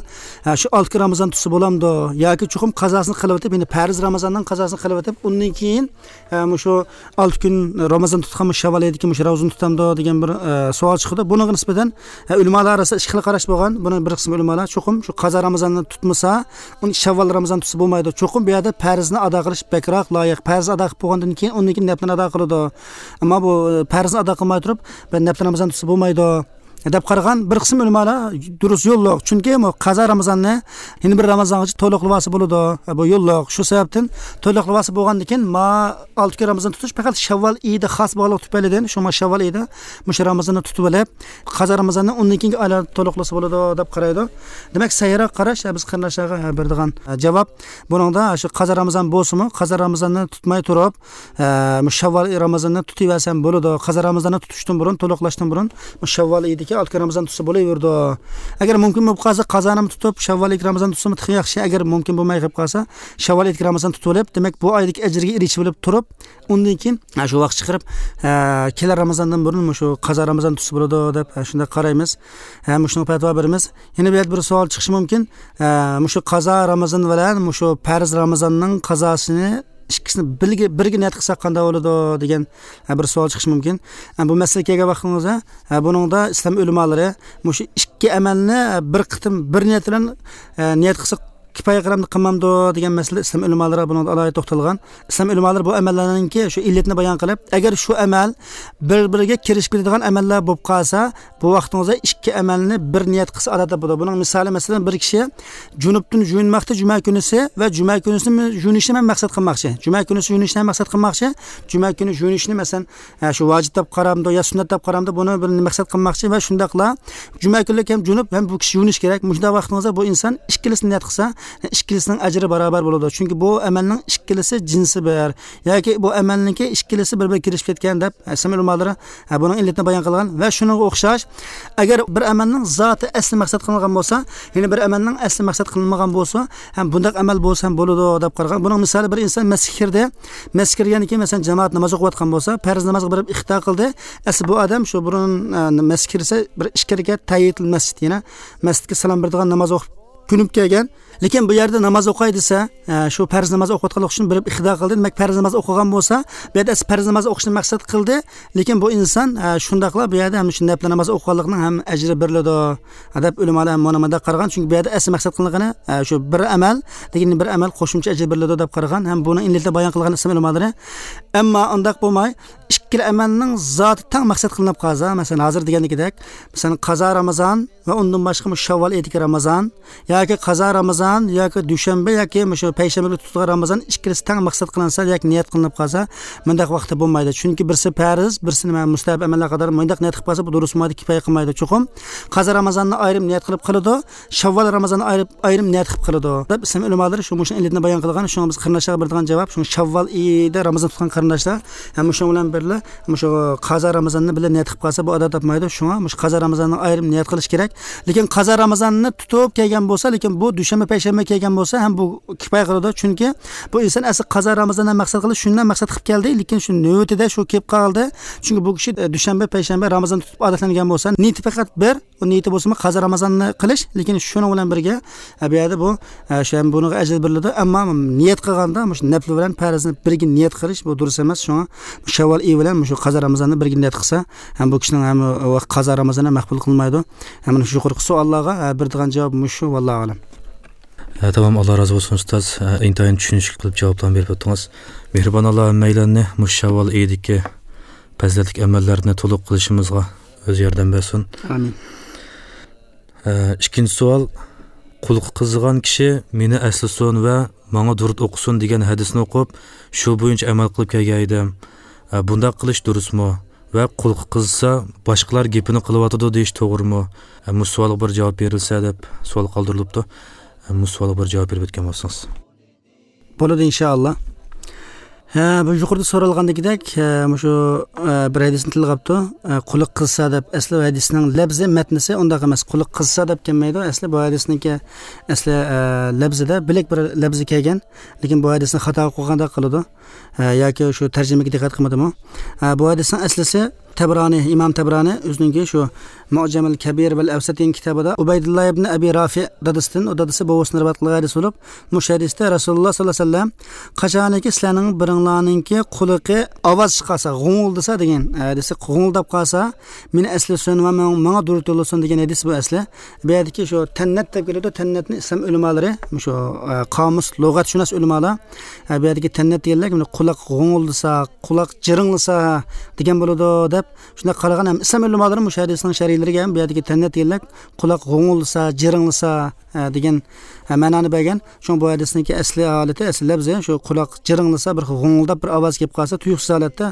ھە، شۇ ئالتە كۈن رامىزان تۇتسا بولامدۇ؟ ياكى چوقۇم قازاسىنى قىلىۋېتىپ، يەنى پەرز رامىزاننىڭ قازاسىنى قىلىۋېتىپ، ئۇندىن كېيىن، ھە، مۇشۇ ئالتە كۈن رامىزان تۇتقان مۇشۇ شەۋۋال ئېيىدىكى مۇشۇ رامىزان تۇتامدۇ دېگەن بىر، ئە، سوئال چىقىدۇ. بۇنىڭغا نىسبەتەن، ھە، ئۆلىمالار ئارىسىدا ئىككى خىل قاراش بولغان. بۇنى بىر قىسىم ئۆلىمالار چوقۇم شۇ قازا رامىزاننى تۇتمىسا، ئۇنى شەۋۋال رامىزان تۇتسا بولمايدۇ. چوقۇم بۇ يەردە پەرزنى ئادا قىلىش بەكرەك لايىق. پەرزنى ئادا قىلىپ بولغاندىن كېيىن، ئۇندىن كېيىن نەپلىنى ئادا قىلىدۇ. ئەمما بۇ، ئە، پەرزنى ئادا قىلماي تۇرۇپ، بىر نەپلى رامىزان تۇتسا بولمايدۇ دەپ قارىغان بىر قىسىم ئۆلىمالار دۇرۇس يوللۇق. چۈنكى بۇ قازا رامىزاننى يەنە بىر رامىزانغىچە تولۇقلىۋالسا بولىدۇ. بۇ يوللۇق. شۇ سەۋەبتىن تولۇقلىۋالسا بولغاندىن كېيىن، ما ئالتە كۈن رامىزان تۇتۇش پەقەت شەۋۋال ئېيىدا خاس بولغانلىقى تۈپەيلىدىن، شۇڭا شەۋۋال ئېيىدا مۇشۇ رامىزاننى تۇتۇۋېلىپ، قازا رامىزاننى ئۇندىن كېيىنكى ئايلاردا تولۇقلىسا بولىدۇ دەپ قارايدۇ. دېمەك، سەھىيراق قاراش، بىز قېرىنداشلارغا بېرىدىغان جاۋاب. بۇنىڭدا شۇ قازا رامىزان بولسىمۇ، قازا رامىزاننى تۇتماي تۇرۇپ، ئە، مۇشۇ شەۋۋال رامىزاننى تۇتۇۋەرسەم بولىدۇ. قازا رامىزاننى تۇتۇشتىن بۇرۇن، تولۇقلاشتىن بۇرۇن مۇشۇ شەۋۋال ئېيىدىكى ئالتە كۈن رامىزان تۇتسا بولۇۋېرىدۇ. ئەگەر مۇمكىن بولۇپ قالسا، قازانىمۇ تۇتۇپ، شەۋۋال ئېيىدىكى رامىزان تۇتسىمۇ تېخى ياخشى. ئەگەر مۇمكىن بولماي قېلىپ قالسا، شەۋۋال ئېيىدىكى رامىزان تۇتۇۋېلىپ، دېمەك، بۇ ئايدىكى ئەجرىگە ئېرىشىۋېلىپ تۇرۇپ، ئۇندىن كېيىن، ھە، شۇ ۋاقىت چىقىرىپ، ھە، كېلەر رامىزاندىن بۇرۇن مۇشۇ قازا رامىزان تۇتسا بولىدۇ دەپ، ھە، شۇنداق قارايمىز. ھە، مۇشۇنىڭغا پەتىۋا بېرىمىز. يەنە بۇ يەردە بىر سوئال چىقىشى مۇمكىن. ھە، مۇشۇ قازا رامىزان بىلەن مۇشۇ پەرز رامىزاننىڭ قازاسىنى ئىككىسىنى بىرگە، بىرگە نىيەت قىلساق قانداق بولىدۇ دېگەن، ھە، بىر سوئال چىقىشى مۇمكىن. ھە، بۇ مەسىلىگە كەلگەن ۋاقتىڭىزدا، ھە، بۇنىڭدا ئىسلام ئۆلىمالىرى مۇشۇ ئىككى ئەمەلنى، ھە، بىر قېتىم بىر نىيەت بىلەن، ھە، نىيەت قىلسا كىپايە قىلامدۇ قىلمامدۇ دېگەن مەسىلە ئىسلام ئۆلىمالىرى بۇنىڭدا ئالاھىدە توختالغان. ئىسلام ئۆلىمالىرى بۇ ئەمەللەرنىڭكى شۇ ئىللىتىنى بايان قىلىپ، ئەگەر شۇ ئەمەل بىر-بىرىگە كىرىشىپ كېتىدىغان ئەمەللەر بولۇپ قالسا، بۇ ۋاقتىڭىزدا ئىككى ئەمەلنى بىر نىيەت قىلسا ئادەتتە بولىدۇ. بۇنىڭ مىسالى، مەسىلەن، بىر كىشى جۇنۇپتىن يۇيۇنماقتا جۈمە كۈنىسى ۋە جۈمە كۈنىسى يۇيۇنۇشنى مەن مەقسەت قىلماقچى. جۈمە كۈنىسى يۇيۇنۇشنى مەقسەت قىلماقچى. جۈمە كۈنى يۇيۇنۇشنى، مەسىلەن، ھە، شۇ ۋاجىپ دەپ قارامدۇ يا سۈننەت دەپ قارامدۇ، بۇنى بىر مەقسەت قىلماقچى ۋە شۇنداقلا جۈمە كۈنلۈك ھەم جۇنۇپ ھەم بۇ كىشى يۇيۇنۇش كېرەك. مۇشۇنداق ۋاقتىڭىزدا بۇ ئىنسان ئىككىلىسىنى نىيەت قىلسا، ئىككىلىسىنىڭ ئەجرى باراۋەر بولىدۇ. چۈنكى بۇ ئەمەلنىڭ ئىككىلىسى جىنسى بىر ياكى بۇ ئەمەلنىڭكى ئىككىلىسى بىر-بىرىگە كىرىشىپ كەتكەن دەپ ئىسلام ئۆلىمالىرى، ھە، بۇنىڭ ئىللىتىنى بايان قىلغان. ۋە شۇنىڭغا ئوخشاش، ئەگەر بىر ئەمەلنىڭ زاتى ئەسلى مەقسەت قىلىنغان بولسا، يەنى بىر ئەمەلنىڭ ئەسلى مەقسەت قىلىنمىغان بولسا، ھەم بۇنداق ئەمەل بولسا ھەم بولىدۇ دەپ قارىغان. بۇنىڭ مىسالى، بىر ئىنسان مەسچىتكە كىردى، مەسچىتكە كىرگەندىن كېيىن، مەسىلەن، جامائەت ناماز ئوقۇۋاتقان بولسا، پەرز نامازغا بېرىپ ئىقتىدا قىلدى. ئەسلى بۇ ئادەم شۇ بۇرۇن، ئە، مەسچىتكە كىرسە، بىر ئىككى رەكەت تەھىيەتۇل مەسچىت، يەنى مەسچىتكە سالام بېرىدىغان ناماز ئوقۇپ كۆنۈپ كەلگەن. لېكىن بۇ يەردە ناماز ئوقۇي دېسە، ئە، شۇ پەرز ناماز ئوقۇۋاتقانلىقى ئۈچۈن بېرىپ ئىقتىدا قىلدى. دېمەك، پەرز ناماز ئوقۇغان بولسا، بۇ يەردە ئەسلى پەرز ناماز ئوقۇشنى مەقسەت قىلدى. لېكىن بۇ ئىنسان، ئە، شۇنداقلا بۇ يەردە ھەم شۇ نەپلى ناماز ئوقۇغانلىقنىڭ ھەم ئەجرى بېرىلىدۇ دەپ ئۆلىمالار ھەم مۇنۇ مۇنداق قارىغان. چۈنكى بۇ يەردە ئەسلى مەقسەت قىلىنغىنى، ئە، شۇ بىر ئەمەل، لېكىن بىر ئەمەل قوشۇمچە ئەجىر بېرىلىدۇ دەپ قارىغان ھەم بۇنى ئىللىتى بايان قىلغان ئىسلام ئۆلىمالىرى. ئەمما ئۇنداق بولماي، ئىككىلا ئەمەلنىڭ زاتى تەڭ مەقسەت قىلىنىپ قالسا، مەسىلەن، ھازىر دېگەندىكىدەك، مەسىلەن، قازا رامىزان ۋە ئۇندىن باشقا مۇشۇ شەۋۋال ئېيىدىكى رامىزان ياكى قازا رامىزان ياكى دۈشەنبە ياكى مۇشۇ پەيشەنبە كۈنى تۇتۇلغان رامىزان ئىككىلىسى تەڭ مەقسەت قىلىنسا ياكى نىيەت قىلىنىپ قالسا، مۇنداق ۋاقىتتا بولمايدۇ. چۈنكى بىرسى پەرز، بىرسى نېمە، مۇستەھەب ئەمەللەر قاتارى مۇنداق نىيەت قىلىپ قالسا، بۇ دۇرۇس بولمايدۇ، كىپايە قىلمايدۇ. چوقۇم قازا رامىزاننى ئايرىم نىيەت قىلىپ قىلىدۇ، شەۋۋال رامىزاننى ئايرىپ، ئايرىم نىيەت قىلىپ قىلىدۇ دەپ ئىسلام ئۆلىمالىرى شۇ مۇشۇ ئىللىتىنى بايان قىلغان. شۇڭا بىز قېرىنداشلارغا بېرىدىغان جاۋاب، شۇ شەۋۋال ئېيىدا رامىزان تۇتقان قېرىنداشلار ھەم مۇشۇنىڭ بىلەن بىرلا مۇشۇ قازا رامىزاننى بىللە نىيەت قىلىپ قالسا، بۇ ئادەت تاپمايدۇ. شۇڭا مۇشۇ قازا رامىزاننى ئايرىم نىيەت قىلىش كېرەك. لېكىن قازا رامىزاننى تۇتۇپ كەلگەن بولسا، لېكىن بۇ دۈشەنبە، پەيشەنبە كەلگەن بولسا ھەم بۇ كىپايە قىلىدۇ. چۈنكى بۇ ئىنسان ئەسلى قازا رامىزاننى مەقسەت قىلىپ، شۇنداق مەقسەت قىلىپ كەلدى، لېكىن شۇ نۆۋىتىدە شۇ كېلىپ قالدى. چۈنكى بۇ كىشى، ئە، دۈشەنبە، پەيشەنبە رامىزان تۇتۇپ ئادەتلەنگەن بولسا، نىيىتى پەقەت بىر، ئۇ نىيىتى بولسىمۇ قازا رامىزاننى قىلىش، لېكىن شۇنىڭ بىلەن بىرگە، ئە، بۇ يەردە بۇ، ئە، شۇ ھەم بۇنىڭغا ئەجىر بېرىلىدۇ. ئەمما نىيەت قىلغاندا مۇشۇ نەپلى بىلەن پەرزنى بىرگە نىيەت قىلىش بۇ دۇرۇس ئەمەس. شۇڭا شەۋۋال ئېيى بىلەن مۇشۇ قازا رامىزاننى بىرگە نىيەت قىلسا، ھەم بۇ كىشىنىڭ ھەم ۋاقىت قازا رامىزاننى مەقبۇل قىلمايدۇ. ھەم مۇشۇ يۇقىرىقى سوئاللارغا، ئە، بېرىدىغان جاۋاب مۇشۇ، ۋاللاھۇ ئەلەم. ھە، تامام، ئاللا رازى بولسۇن، ئۇستاز. ھە، ئىنتايىن چۈشىنىشلىك قىلىپ جاۋابلارنى بېرىپ ئۆتتىڭىز. مېھرىبان ئاللا ھەممەيلەننى مۇشۇ شەۋۋال ئېيىدىكى پەزىلەتلىك ئەمەللەرنى تولۇق قىلىشىمىزغا ئۆزى ياردەم بەرسۇن. ئامىن. ھە، ئىككىنچى سوئال. قۇلىقى قىزىغان كىشى مېنى ئەسلىسۇن ۋە ماڭا دۇرۇت ئوقۇسۇن دېگەن ھەدىسنى ئوقۇپ، شۇ بويىچە ئەمەل قىلىپ كەلگەن ئىدىم. ھە، بۇنداق قىلىش دۇرۇسمۇ؟ ۋە قۇلىقى قىزسا، باشقىلار گېپىنى قىلىۋاتىدۇ دېيىش توغرىمۇ؟ ھە، مۇشۇ سوئالغا بىر جاۋاب بېرىلسە دەپ سوئال قالدۇرۇلۇپتۇ. ھە، مۇشۇ سوئالغا بىر جاۋاب بېرىپ ئۆتكەن بولسىڭىز. بولىدۇ، ئىنشائاللا. ھە، بۇ يۇقىرىدا سورالغاندىكىدەك، ھە، مۇشۇ، ھە، بىر ھەدىسنى تىلغا ئاپتۇ. ھە، قۇلىقى قىزسا دەپ، ئەسلى ھەدىسنىڭ لەپزى، مەتنىسى ئۇنداق ئەمەس. قۇلىقى قىزسا دەپ كەلمەيدۇ. ئەسلى بۇ ھەدىسنىڭكى ئەسلى، ھە، لەپزىدە بىلەك بىر لەپزى كەلگەن. لېكىن بۇ ھەدىسنى خاتا ئوقۇغاندەك قىلىدۇ. ھە، ياكى شۇ تەرجىمىگە دىققەت قىلمىدىمۇ؟ ھە، بۇ ھەدىسنىڭ ئەسلىسى، تەبرانى، ئىمام تەبرانى ئۆزىنىڭكى شۇ مۇئجەمۇل كەبىر ۋەل ئەۋسەت دېگەن كىتابىدا ئۇبەيدۇللا ئىبن ئەبى رافىئ دادىسىدىن، ئۇ دادىسى بوۋىسىدىن رىۋايەت قىلغان ھەدىس بولۇپ، مۇشۇ ھەدىستە رەسۇلۇللا ساللاللاھۇ ئەلەيھى ۋەسەللەم، قاچانكى سىلەرنىڭ بىرىڭلارنىڭكى قۇلىقى ئاۋاز چىقارسا، غۇڭۇلدىسا دېگەن ھەدىسى، غۇڭۇلداپ قالسا، مېنى ئەسلىسۇن ۋە ماڭا، ماڭا دۇرۇت يوللىسۇن دېگەن ھەدىس بۇ ئەسلى. بۇ يەردىكى شۇ تەننەت دەپ كېلىدۇ، تەننەتنى ئىسلام ئۆلىمالىرى، شۇ، ئە، قامۇس، لۇغەتشۇناس ئۆلىمالار، ئە، بۇ يەردىكى تەننەت دېگەنلەر، مانا، قۇلاق غۇڭۇلدىسا، قۇلاق جىرىڭلىسا دېگەن بولىدۇ دەپ، شۇنداق قارىغان ھەم ئىسلام ئۆلىمالىرى مۇشۇ ھەدىسنىڭ شەرھلىرىگە ھەم بۇ يەردىكى تەننەت دېگەنلەر قۇلاق غۇڭۇلدىسا، جىرىڭلىسا، ئە، دېگەن، ئە، مەنانى بەرگەن. شۇڭا بۇ ھەدىسنىڭكى ئەسلى ھالىتى، ئەسلى لەپزى شۇ قۇلاق جىرىڭلىسا، بىر غۇڭۇلداپ بىر ئاۋاز كېلىپ قالسا، تۇيۇقسىز ھالەتتە،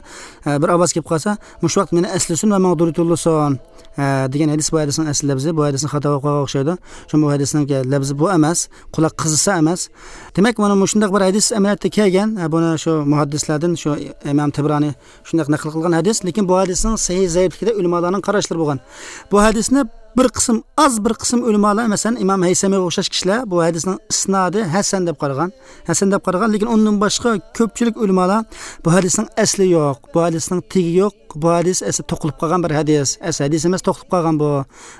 ئە، بىر ئاۋاز كېلىپ قالسا، مۇشۇ ۋاقىت مېنى ئەسلىسۇن ۋە ماڭا دۇرۇت يوللىسۇن، ئە، دېگەن ھەدىس بۇ ھەدىسنىڭ ئەسلى لەپزى. بۇ ھەدىسنى خاتا ئوقۇغان ئوخشايدۇ. شۇڭا بۇ ھەدىسنىڭكى لەپزى بۇ ئەمەس، قۇلاق قىزىسا ئەمەس. دېمەك، مانا مۇشۇنداق بىر ھەدىس ئەمەلىيەتتە كەلگەن. ئە، بۇنى شۇ مۇھەددىسلەردىن شۇ ئىمام تەبرانى شۇنداق نەقىل قىلغان ھەدىس. لېكىن بۇ ھەدىسنىڭ سەھىھ زەئىپلىكىدە ئۆلىمالارنىڭ قاراشلىرى بولغان. بۇ ھەدىسنى بىر قىسىم، ئاز بىر قىسىم ئۆلىمالار، مەسىلەن، ئىمام ھەيسەمىگە ئوخشاش كىشىلەر بۇ ھەدىسنىڭ ئىسنادى ھەسەن دەپ قارىغان. ھەسەن دەپ قارىغان، لېكىن ئۇندىن باشقا كۆپچىلىك ئۆلىمالار بۇ ھەدىسنىڭ ئەسلى يوق، بۇ ھەدىسنىڭ تېگى يوق، بۇ ھەدىس ئەسلى توقۇلۇپ قالغان بىر ھەدىس، ئەسلى ھەدىس ئەمەس، توقۇلۇپ قالغان بۇ،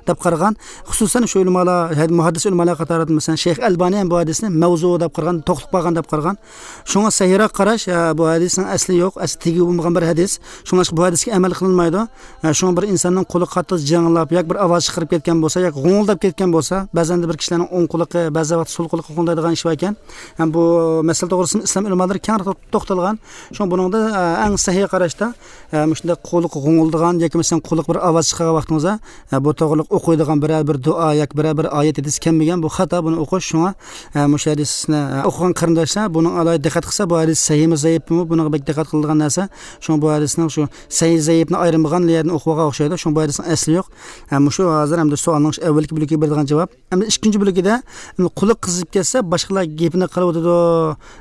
دەپ قارىغان. خۇسۇسەن شۇ ئۆلىمالار، ھەد-، مۇھەددىس ئۆلىمالار قاتارىدا، مەسىلەن، شەيخ ئەلبانى ھەم بۇ ھەدىسنى مەۋزۇ دەپ قارىغان، توقۇلۇپ قالغان دەپ قارىغان. شۇڭا سەھىھراق قاراش، ھە، بۇ ھەدىسنىڭ ئەسلى يوق، ئەسلى تېگى بولمىغان بىر ھەدىس. شۇڭلاشقا بۇ ھەدىسكە ئەمەل قىلىنمايدۇ. ھە، شۇڭا بىر ئىنساننىڭ قولى قاتتىق جىرىڭلاپ، ياكى بىر ئاۋاز چىقىرىپ كەتكەن بولسا، ياكى غوڭۇلداپ كەتكەن بولسا، بەزەندە بىر كىشىلەرنىڭ ئوڭ قۇلىقى، بەزى ۋاقىتتا سول قۇلىقى غوڭدايدىغان ئىش باركەن. ھەم بۇ مەسىلە توغرىسىدا ئىسلام ئۆلىمالىرى كەڭرى تو-، توختالغان. شۇڭا بۇنىڭدا، ئە، ئەڭ سەھىھ قاراشتا، ئە، مۇشۇنداق قۇلىقى غوڭۇلدىغان ياكى مەسىلەن قۇلىقى بىر ئاۋاز چىقارغان ۋاقتىڭىزدا، ئە، بۇ توغرىلىق ئوقۇيدىغان بىرەر بىر دۇئا ياكى بىرەر بىر ئايەت ھەدىس كەلمىگەن، بۇ خاتا، بۇنى ئوقۇش. شۇڭا، ئە، مۇشۇ ھەدىسنى، ئە، ئوقۇغان قېرىنداشلار بۇنىڭ ئالاھىدە دىققەت قىلسا، بۇ ھەدىس سەھىھمۇ زەئىپمۇ، بۇنىڭغا بەك دىققەت قىلىدىغان نەرسە. شۇڭا بۇ ھەدىسنىڭ شۇ سەھىھ زەئىپنى ئايرىمىغان يەردىن ئوقۇۋالغان ئوخشايدۇ. شۇڭا بۇ ھەدىسنىڭ ئەسلى يوق. ئە، مۇشۇ ھازىر ئەمدى سوئالنىڭ ئەۋۋەلكى بۆلىكىگە بېرىدىغان جاۋاب. ئەمدى ئىككىنچى بۆلىكىدە، ئەمدى قۇلىقى قىزىپ كەتسە، باشقىلار گېپىنى قىلىۋاتىدۇ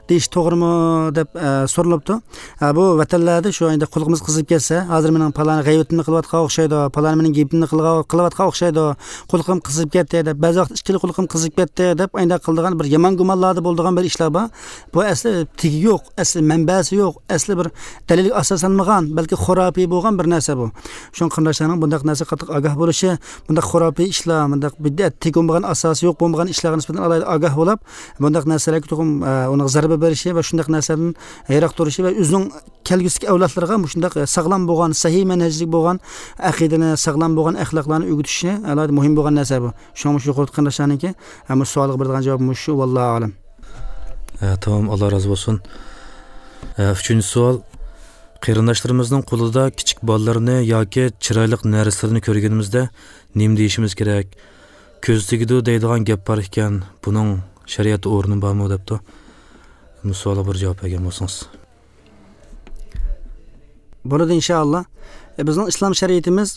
دېيىش توغرىمۇ دەپ، ئە، سورىلىپتۇ. ئە، بۇ ۋەتەنلەردە شۇ ئەمدى قۇلىقىمىز قىزىپ كەتسە، ھازىر مېنىڭ پالانى غەيۋىتىمنى قىلىۋاتقان ئوخشايدۇ، پالانى مېنىڭ گېپىمنى قىلغا-، قىلىۋاتقان ئوخشايدۇ، قۇلىقىم قىزىپ كەتتى دەپ، بەزى ۋاقىت ئىككىلا قۇلىقىم قىزىپ كەتتى دەپ، ئاينداق قىلىدىغان بىر يامان گۇمانلاردا بولىدىغان بىر ئىشلار بار. بۇ ئەسلى تېگى يوق، ئەسلى مەنبەسى يوق، ئەسلى بىر دەلىلگە ئاساسلانمىغان، بەلكى خۇراپىي بولغان بىر نەرسە بۇ. شۇڭا قېرىنداشلارنىڭ بۇنداق نەرسىگە قاتتىق ئاگاھ بولۇشى، بۇنداق خۇراپىي ئىشلار، بۇنداق بىدئەت، تېگى بولمىغان، ئاساسى يوق بولمىغان ئىشلارغا نىسبەتەن ئالاھىدە ئاگاھ بولۇپ، بۇنداق نەرسىلەرگە تۇغۇم، ئە، ئۇنىڭغا زەربە بېرىشى ۋە شۇنداق نەرسىلەردىن يىراق تۇرۇشى ۋە ئۆزىنىڭ كەلگۈسىدىكى ئەۋلادلىرىغا مۇشۇنداق ساغلام بولغان، سەھىھ مەنھەجلىك بولغان ئەقىدىنى، ساغلام بولغان ئەخلاقلارنى ئۆگىتىشى ئالاھىدە مۇھىم بولغان نەرسە بۇ. شۇڭا مۇشۇ يۇقىرىقى قېرىنداشلارنىڭكى، ئە، مۇشۇ سوئالغا بېرىدىغان جاۋاب مۇشۇ، ۋاللاھۇ ئەلەم. ئە، تامام، ئاللا رازى بولسۇن. ئە، ئۈچىنچى سوئال. قېرىنداشلىرىمىزنىڭ قولىدا كىچىك بالىلىرىنى ياكى چىرايلىق نەرسىلىرىنى كۆرگىنىمىزدە نېمە دېيىشىمىز كېرەك؟ كۆز تېگىدۇ دەيدىغان گەپ بار ئىكەن، بۇنىڭ شەرىئەتتە ئورنى بارمۇ؟ دەپتۇ. بۇ سوئالغا بىر جاۋاب بەرگەن بولسىڭىز. بولىدۇ، ئىنشائاللا. ئە، بىزنىڭ ئىسلام شەرىئىتىمىز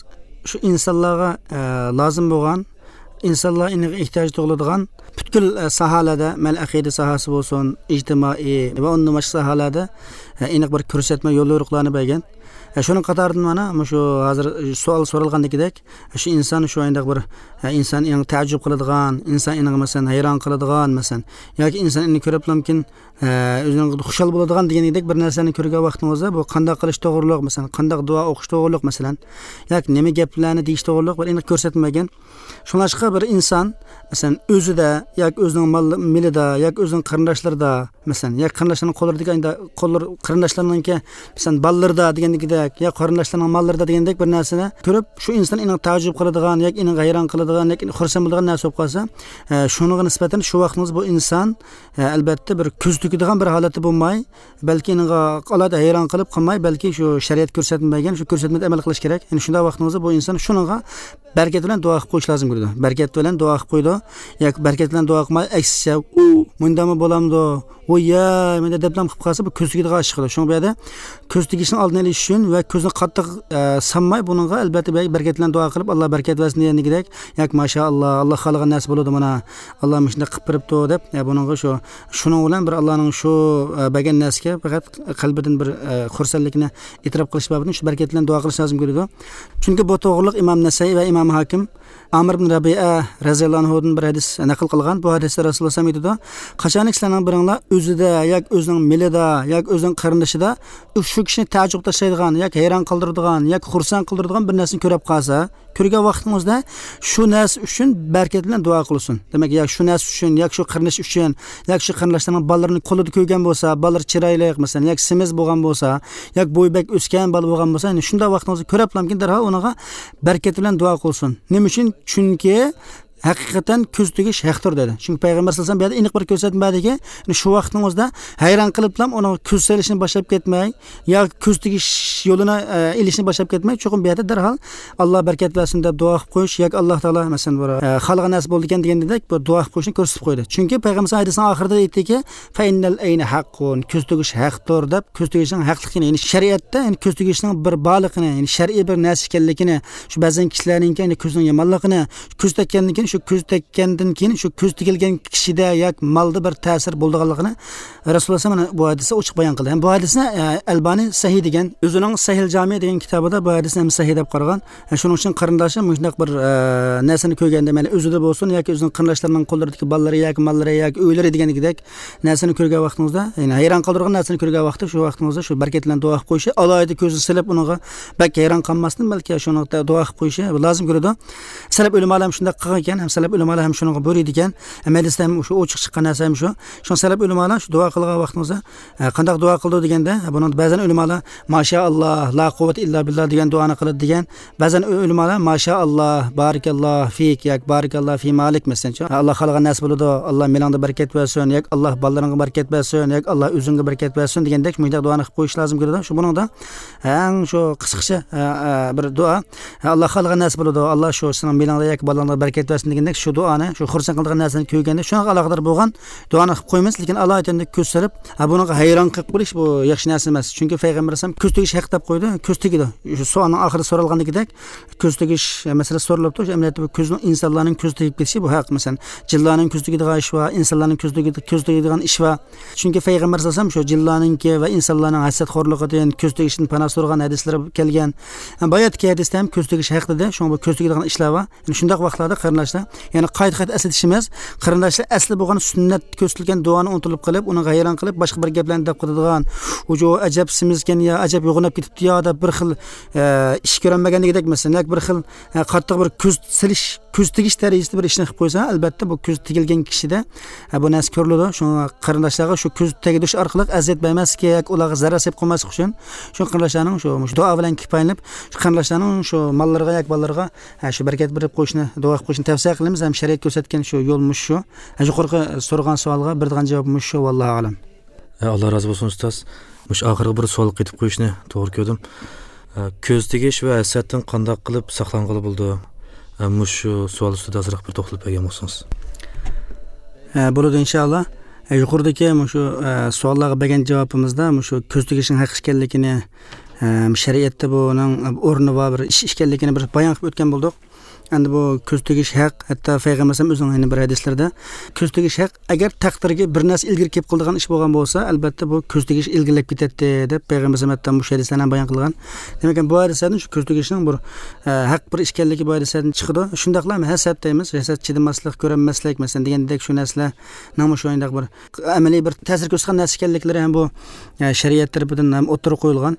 شۇ ئىنسانلارغا، ئە، لازىم بولغان، ئىنسانلار ئېنىق ئېھتىياج تۇغۇلىدىغان پۈتكۈل، ئە، ساھەلەردە، مەيلى ئەقىدە ساھەسى بولسۇن، ئىجتىمائىي ۋە ئۇندىن باشقا ساھەلەردە، ئە، ئېنىق بىر كۆرسەتمە، يول يورۇقلارنى بەرگەن. ئە، شۇنىڭ قاتارىدىن مانا مۇشۇ ھازىر سوئال سورالغاندىكىدەك، شۇ ئىنسان شۇ ئاينداق بىر، ئە، ئىنسان ئېنىق تەئەججۈپ قىلىدىغان، ئىنسان ئېنىق مەسىلەن ھەيران قىلىدىغان مەسىلەن، ياكى ئىنسان ئېنىق كۆرۈپلامكىن، ئە، ئۆزىنىڭ خۇشال بولىدىغان دېگەندەك بىر نەرسىلەرنى كۆرگەن ۋاقتىڭىزدا، بۇ قانداق قىلىش توغرۇلۇق، مەسىلەن، قانداق دۇئا ئوقۇش توغرۇلۇق، مەسىلەن، ياكى نېمە گەپلەرنى دېيىش توغرۇلۇق بىر ئېنىق كۆرسەتمىگەن. شۇڭلاشقا بىر ئىنسان، مەسىلەن، ئۆزىدە ياكى ئۆزىنىڭ مال-، مېلىدا ياكى ئۆزىنىڭ قېرىنداشلىرىدا، مەسىلەن، ياكى قېرىنداشلىرىنىڭ قوللىرىدىكى ئاينىدا-، قوللىرى، قېرىنداشلىرىنىڭكى، مەسىلەن، بالىلىرىدا دېگەندىكىدەك، يا قېرىنداشلىرىنىڭ ماللىرىدا دېگەندەك بىر نەرسىنى كۆرۈپ، شۇ ئىنسان ئېنىق تەئەججۈپ قىلىدىغان ياكى ئېنىق ھەيران قىلىدىغان ياكى ئېنىق خۇرسەن بولىدىغان نەرسە بولۇپ قالسا، ئە، شۇنىڭغا نىسبەتەن شۇ ۋاقتىڭىزدا بۇ ئىنسان، ئە، ئەلبەتتە، بىر كۆز تۆكىدىغان بىر ھالەتتە بولماي، بەلكى ئېنىقغا ئالاھىدە ھەيران قىلىپ قالماي، بەلكى شۇ شەرىئەت كۆرسەتمە بەرگەن شۇ كۆرسەتمىدە ئەمەل قىلىش كېرەك. يەنى شۇنداق ۋاقتىڭىزدا بۇ ئىنسان شۇنىڭغا بەرىكەت بىلەن دۇئا قىلىپ قويۇش لازىم كېلىدۇ. بەرىكەت بىلەن دۇئا قىلىپ قويىدۇ. ياكى بەرىكەت بىلەن دۇئا قىلماي، ئەكسىچە، ئۇ، مۇنداقمۇ بولامدۇ؟ ۋوي ياي، مەندە دەپلام قىلىپ قالسا، بۇ كۆز تېگىدىغان ئىش چىقىدۇ. شۇڭا بۇ يەردە كۆز تېگىشنىڭ ئالدىنى ئېلىش ئۈچۈن ۋە كۆزنى قاتتىق، ئە، سانماي، بۇنىڭغا ئەلبەتتە بەرىكەت بىلەن دۇئا قىلىپ، ئاللا بەرىكەت بەرسۇن دېگەندىكىدەك، ياكى ماشائاللا، ئاللا خالىغان نەرسە بولىدۇ مانا، ئاللا مۇشۇنداق قىلىپ بېرىپتۇ دەپ، يا بۇنىڭغا شۇ، شۇنىڭ بىلەن بىر ئاللانىڭ شۇ، ئە، بەرگەن نەرسىگە پەقەت قەلبىدىن بىر، ئە، خۇرسەنلىكنى ئېتىراپ قىلىش بابىدىن شۇ بەرىكەت بىلەن دۇئا قىلىش لازىم كېلىدۇ. چۈنكى بۇ توغرىلىق ئىمام نەسەئىي ۋە ئىمام ھاكىم ئامىر ئىبن رەبىئە رەزىياللاھۇ ئانھۇدىن بىر ھەدىس نەقىل قىلغان. بۇ ھەدىستە رەسۇلۇللاھ ئېيتىدۇ، قاچانكى سىلەرنىڭ بىرىڭلار ئۆزىدە ياكى ئۆزىنىڭ مېلىدا ياكى ئۆزىنىڭ قېرىندىشىدا شۇ كىشىنى تەئەججۈپ تاشلايدىغان ياكى ھەيران قالدۇرىدىغان ياكى خۇرسەن قىلدۇرىدىغان بىر نەرسىنى كۆرۈپ قالسا، كۆرگەن ۋاقتىڭىزدا شۇ نەرسە ئۈچۈن بەرىكەت بىلەن دۇئا قىلسۇن. دېمەك، يا شۇ نەرسە ئۈچۈن، ياكى شۇ قېرىنداش ئۈچۈن، ياكى شۇ قېرىنداشلارنىڭ بالىلىرىنى كولىدا كۆرگەن بولسا، بالىلىرى چىرايلىق، مەسىلەن، ياكى سېمىز بولغان بولسا، ياكى بويى بەك ئۆسكەن بالا بولغان بولسا، يەنى شۇنداق ۋاقتىڭىزدا كۆرۈپلامكىن دەرھال ئۇنىڭغا بەرىكەت بىلەن دۇئا قىلسۇن. نېمە ئۈچۈن؟ چۈنكى ھەقىقەتەن كۆز تېگىش ھەقتۇر دېدى. چۈنكى پەيغەمبەر سەللەللاھۇ ئەلەيھى ۋەسەللەم بۇ يەردە ئېنىق بىر كۆرسەتمە بەردىكى، يەنى شۇ ۋاقتىڭىزدا ھەيران قېلىپلام ئۇنىڭغا كۆز سېلىشنى باشلاپ كەتمەي، ياكى كۆز تېگىش يولىنى، ئە، ئېلىشنى باشلاپ كەتمەي، چوقۇم بۇ يەردە دەرھال «ئاللا بەرىكەت بەرسۇن» دەپ دۇئا قىلىپ قويۇش ياكى «ئاللا تائالا، مەسىلەن، بۇ، ئە، خالىغان نەرسە بولىدىكەن» دېگەندەك بۇ دۇئا قىلىپ قويۇشنى كۆرسىتىپ قويدى. چۈنكى پەيغەمبەر ھەدىسىنىڭ ئاخىرىدا ئېيتتىكى، «فەئىننەل ئەينە ھەققۇن»، كۆز تېگىش ھەقتۇر دەپ، كۆز تېگىشنىڭ ھەقلىقىنى، يەنى شەرىئەتتە، يەنى كۆز تېگىشنىڭ بىر بارلىقىنى، يەنى شەرئىي بىر نەرسە ئىكەنلىكىنى، شۇ بەزەن كىشىلەرنىڭكى، يەنى كۆزىنىڭ يامانلىقىنى، كۆز تەگكەندىن كېيىن، شۇ كۆز تەگكەندىن كېيىن شۇ كۆز تېگىلگەن كىشىدە ياكى مالدا بىر تەسىر بولىدىغانلىقىنى رەسۇلۇللاھ سەللەللاھۇ ئەلەيھى ۋەسەللەم ئوچۇق بايان قىلدى. ھەم بۇ ھەدىسنى، ئە، ئەلبانى سەھىھ دېگەن، ئۆزىنىڭ سەھىل جامى دېگەن كىتابىدا بۇ ھەدىسنى ھەم سەھىھ دەپ قارىغان. ئە، شۇنىڭ ئۈچۈن قېرىنداشلار مۇشۇنداق بىر، ئە، نەرسىنى كۆرگەندە، مەيلى ئۆزىدە بولسۇن ياكى ئۆزىنىڭ قېرىنداشلىرىنىڭ قوللىرىدىكى بالىلىرى ياكى ماللىرى ياكى ئۆيلىرى دېگەندەك نەرسىنى كۆرگەن ۋاقتىڭىزدا، يەنى ھەيران قالدۇرغان نەرسىنى كۆرگەن ۋاقىتتا، شۇ ۋاقتىڭىزدا شۇ بەرىكەت بىلەن دۇئا قىلىپ قويۇشى، ئالاھىدە كۆزىنى سېلىپ ئۇنىڭغا بەك ھەيران قالماستىن، بەلكى شۇنىڭغا دۇئا قىلىپ قويۇشى لازىم كېلىدۇ. سەلەپ ئۆلىمالار ھەم شۇنداق قىلغان ئىكەن، ھەم سەلەپ ئۆلىمالار ھەم شۇنىڭغا بۇيرۇيدىكەن. ھەم ھەدىستە ھەم شۇ ئوچۇق چىققان نەرسە ھەم شۇ. شۇڭا سەلەپ ئۆلىمالار شۇ دۇئا قىلغان ۋاقتىڭىزدا، ئە، قانداق دۇئا قىلىدۇ دېگەندە، بۇنىڭدا بەزەن ئۆلىمالار «ماشائاللا، لا قۇۋۋەتە ئىللا بىللا» دېگەن دۇئانى قىلىدۇ دېگەن. بەزەن ئۆ-، ئۆلىمالار «ماشائاللا، بارىكاللا فىك» ياكى «بارىكاللا فى مالىك» مەسىلەنچۇ. «ئاللا خالىغان نەرسە بولىدۇ، ئاللا مېلىڭدا بەرىكەت بەرسۇن» ياكى «ئاللا بالىلىرىڭغا بەرىكەت بەرسۇن» ياكى «ئاللا ئۆزۈڭگە بەرىكەت بەرسۇن» دېگەندەك مۇشۇنداق دۇئانى قىلىپ قويۇش لازىم كېلىدۇ. شۇ بۇنىڭدا ئەڭ شۇ قىسقىچە، ئە، ئە، بىر دۇئا. «ئاللا خالىغان نەرسە بولىدۇ، ئاللا شۇ سېنىڭ مېلىڭدا ياكى بالىلىرىڭدا بەرىكەت بەرسۇن» دېگەندەك شۇ دۇئانى، شۇ خۇرسەن قىلىدىغان نەرسىنى كۆرگەندە شۇنىڭغا ئالاقىدار بولغان دۇئانى قىلىپ قويىمىز. لېكىن ئالاھىدە كۆز سېلىپ، ھە، بۇنىڭغا ھەيران قېلىپ قېلىش بۇ ياخشى نەرسە ئەمەس. چۈنكى پەيغەمبەر ئەلەيھىسسالام كۆز تېگىش ھەق دەپ قويدى. كۆز تېگىدۇ. شۇ سوئالنىڭ ئاخىرىدا سورالغاندىكىدەك، كۆز تېگىش، ئە، مەسىلىسى سورىلىپتۇ. شۇ ئەمەلىيەتتە بۇ كۆزنىڭ، ئىنسانلارنىڭ كۆز تېگىپ كېتىشى بۇ ھەق. مەسىلەن، جىنلارنىڭ كۆز تېگىدىغان ئىشى بار، ئىنسانلارنىڭ كۆز تېگىدىغان ئىشى بار. چۈنكى پەيغەمبەر سەللەللاھۇ ئەلەيھى ۋەسەللەم شۇ جىنلارنىڭكى ۋە ئىنسانلارنىڭ ھەسەتخورلۇقىدىن، كۆز تېگىشتىن پانا سورىغان ھەدىسلىرى كەلگەن. باياتتىكى ھەدىستە ھەم كۆز تېگىش ھەق دېدى. شۇڭا بۇ كۆز تېگىدىغان ئىشلار بار. يەنە شۇنداق ۋاقىتلاردا قېرىنداشلار، يەنە قايتا-قايتا ئەسلىتىشىمىز، قېرىنداشلار ئەسلى بولغان سۈننەت كۆرسىتىلگەن دۇئانى ئۇنتۇلۇپ قېلىپ، ئۇنىڭغا ھەيران قېلىپ، باشقا بىر گەپلەرنى دەپ قېلىدىغان، «ئۇجۇ ئەجەب سېمىزكەن يا، ئەجەب يوغىناپ كېتىپتۇ يا» دەپ بىر خىل، ئە، ئىش كۆرەلمىگەندىكىدەك، مەسىلەن، ياكى بىر خىل، ئە، قاتتىق بىر كۆز سېلىش، كۆز تېگىش دەرىجىسىدە بىر ئىشنى قىلىپ قويسا، ئەلبەتتە، بۇ كۆز تېگىلگەن كىشىدە، ئە، بۇ نەرسە كۆرۈلىدۇ. شۇڭا قېرىنداشلارغا شۇ كۆز تېگىدۈش ئارقىلىق ئەزىيەت بەرمەسلىك ياكى ئۇلارغا زەرەر سېلىپ قويماسلىق ئۈچۈن، شۇ قېرىنداشلارنىڭ شۇ، مۇشۇ دۇئا بىلەن كۇپايىلىنىپ، شۇ قېرىنداشلارنىڭ شۇ ماللىرىغا ياكى بالىلىرىغا، ھە، شۇ بەرىكەت بېرىپ قويۇشنى، دۇئا قىلىپ قويۇشنى تەۋسىيە قىلىمىز ھەم شەرىئەت كۆرسەتكەن شۇ يول مۇشۇ شۇ. ھە، يۇقىرىقى سورىغان سوئالغا بېرىدىغان جاۋاب مۇشۇ شۇ، ۋاللاھۇ ئەلەم. ھە، ئاللا رازى بولسۇن، ئۇستاز. مۇشۇ ئاخىرقى بىر سوئالغا قېتىپ قويۇشنى توغرا كۆردۈم. ھە، كۆز تېگىش ۋە ھەسەتتىن قانداق قىلىپ ساقلانغىلى بولىدۇ؟ ھە، مۇشۇ سوئال ئۈستىدە ئازراق بىر توختىلىپ بەرگەن بولسىڭىز. ھە، بولىدۇ، ئىنشائاللا. ھە، يۇقىرىدىكى مۇشۇ، ھە، سوئاللارغا بەرگەن جاۋابىمىزدا مۇشۇ كۆز تېگىشنىڭ ھەق ئىكەنلىكىنى، ھە، شەرىئەتتە بۇنىڭ ئورنى بار بىر ئىش ئىكەنلىكىنى بىر بايان قىلىپ ئۆتكەن بولدۇق. ئەمدى بۇ كۆز تېگىش ھەق، ھەتتا پەيغەمبەر ئەلەيھىسسالام ئۆزىنىڭ يەنە بىر ھەدىسلىرىدە، كۆز تېگىش ھەق، ئەگەر تەقدىرگە بىر نەرسە ئىلگىرى كېلىپ قالىدىغان ئىش بولغان بولسا، ئەلبەتتە بۇ كۆز تېگىش ئىلگىرىلەپ كېتەتتى، دەپ پەيغەمبەر ئەلەيھىسسالام ھەتتا مۇشۇ ھەدىسلەرنى بايان قىلغان. دېمەك، بۇ ھەدىسلەردىن شۇ كۆز تېگىشنىڭ بىر، ئە، ھەق بىر ئىش ئىكەنلىكى بۇ ھەدىسلەردىن چىقىدۇ. شۇنداقلا ھەسەت دەيمىز، ھەسەت، چىدىماسلىق، كۆرەلمەسلىك، مەسىلەن، دېگەندەك شۇ نەرسىلەرنىڭمۇ شۇنداق بىر ئەمەلىي بىر تەسىر كۆرسىتىدىغان نەرسە ئىكەنلىكلىرى ھەم بۇ، ئە، شەرىئەت تەرىپىدىن ھەم ئوتتۇرىغا قويۇلغان.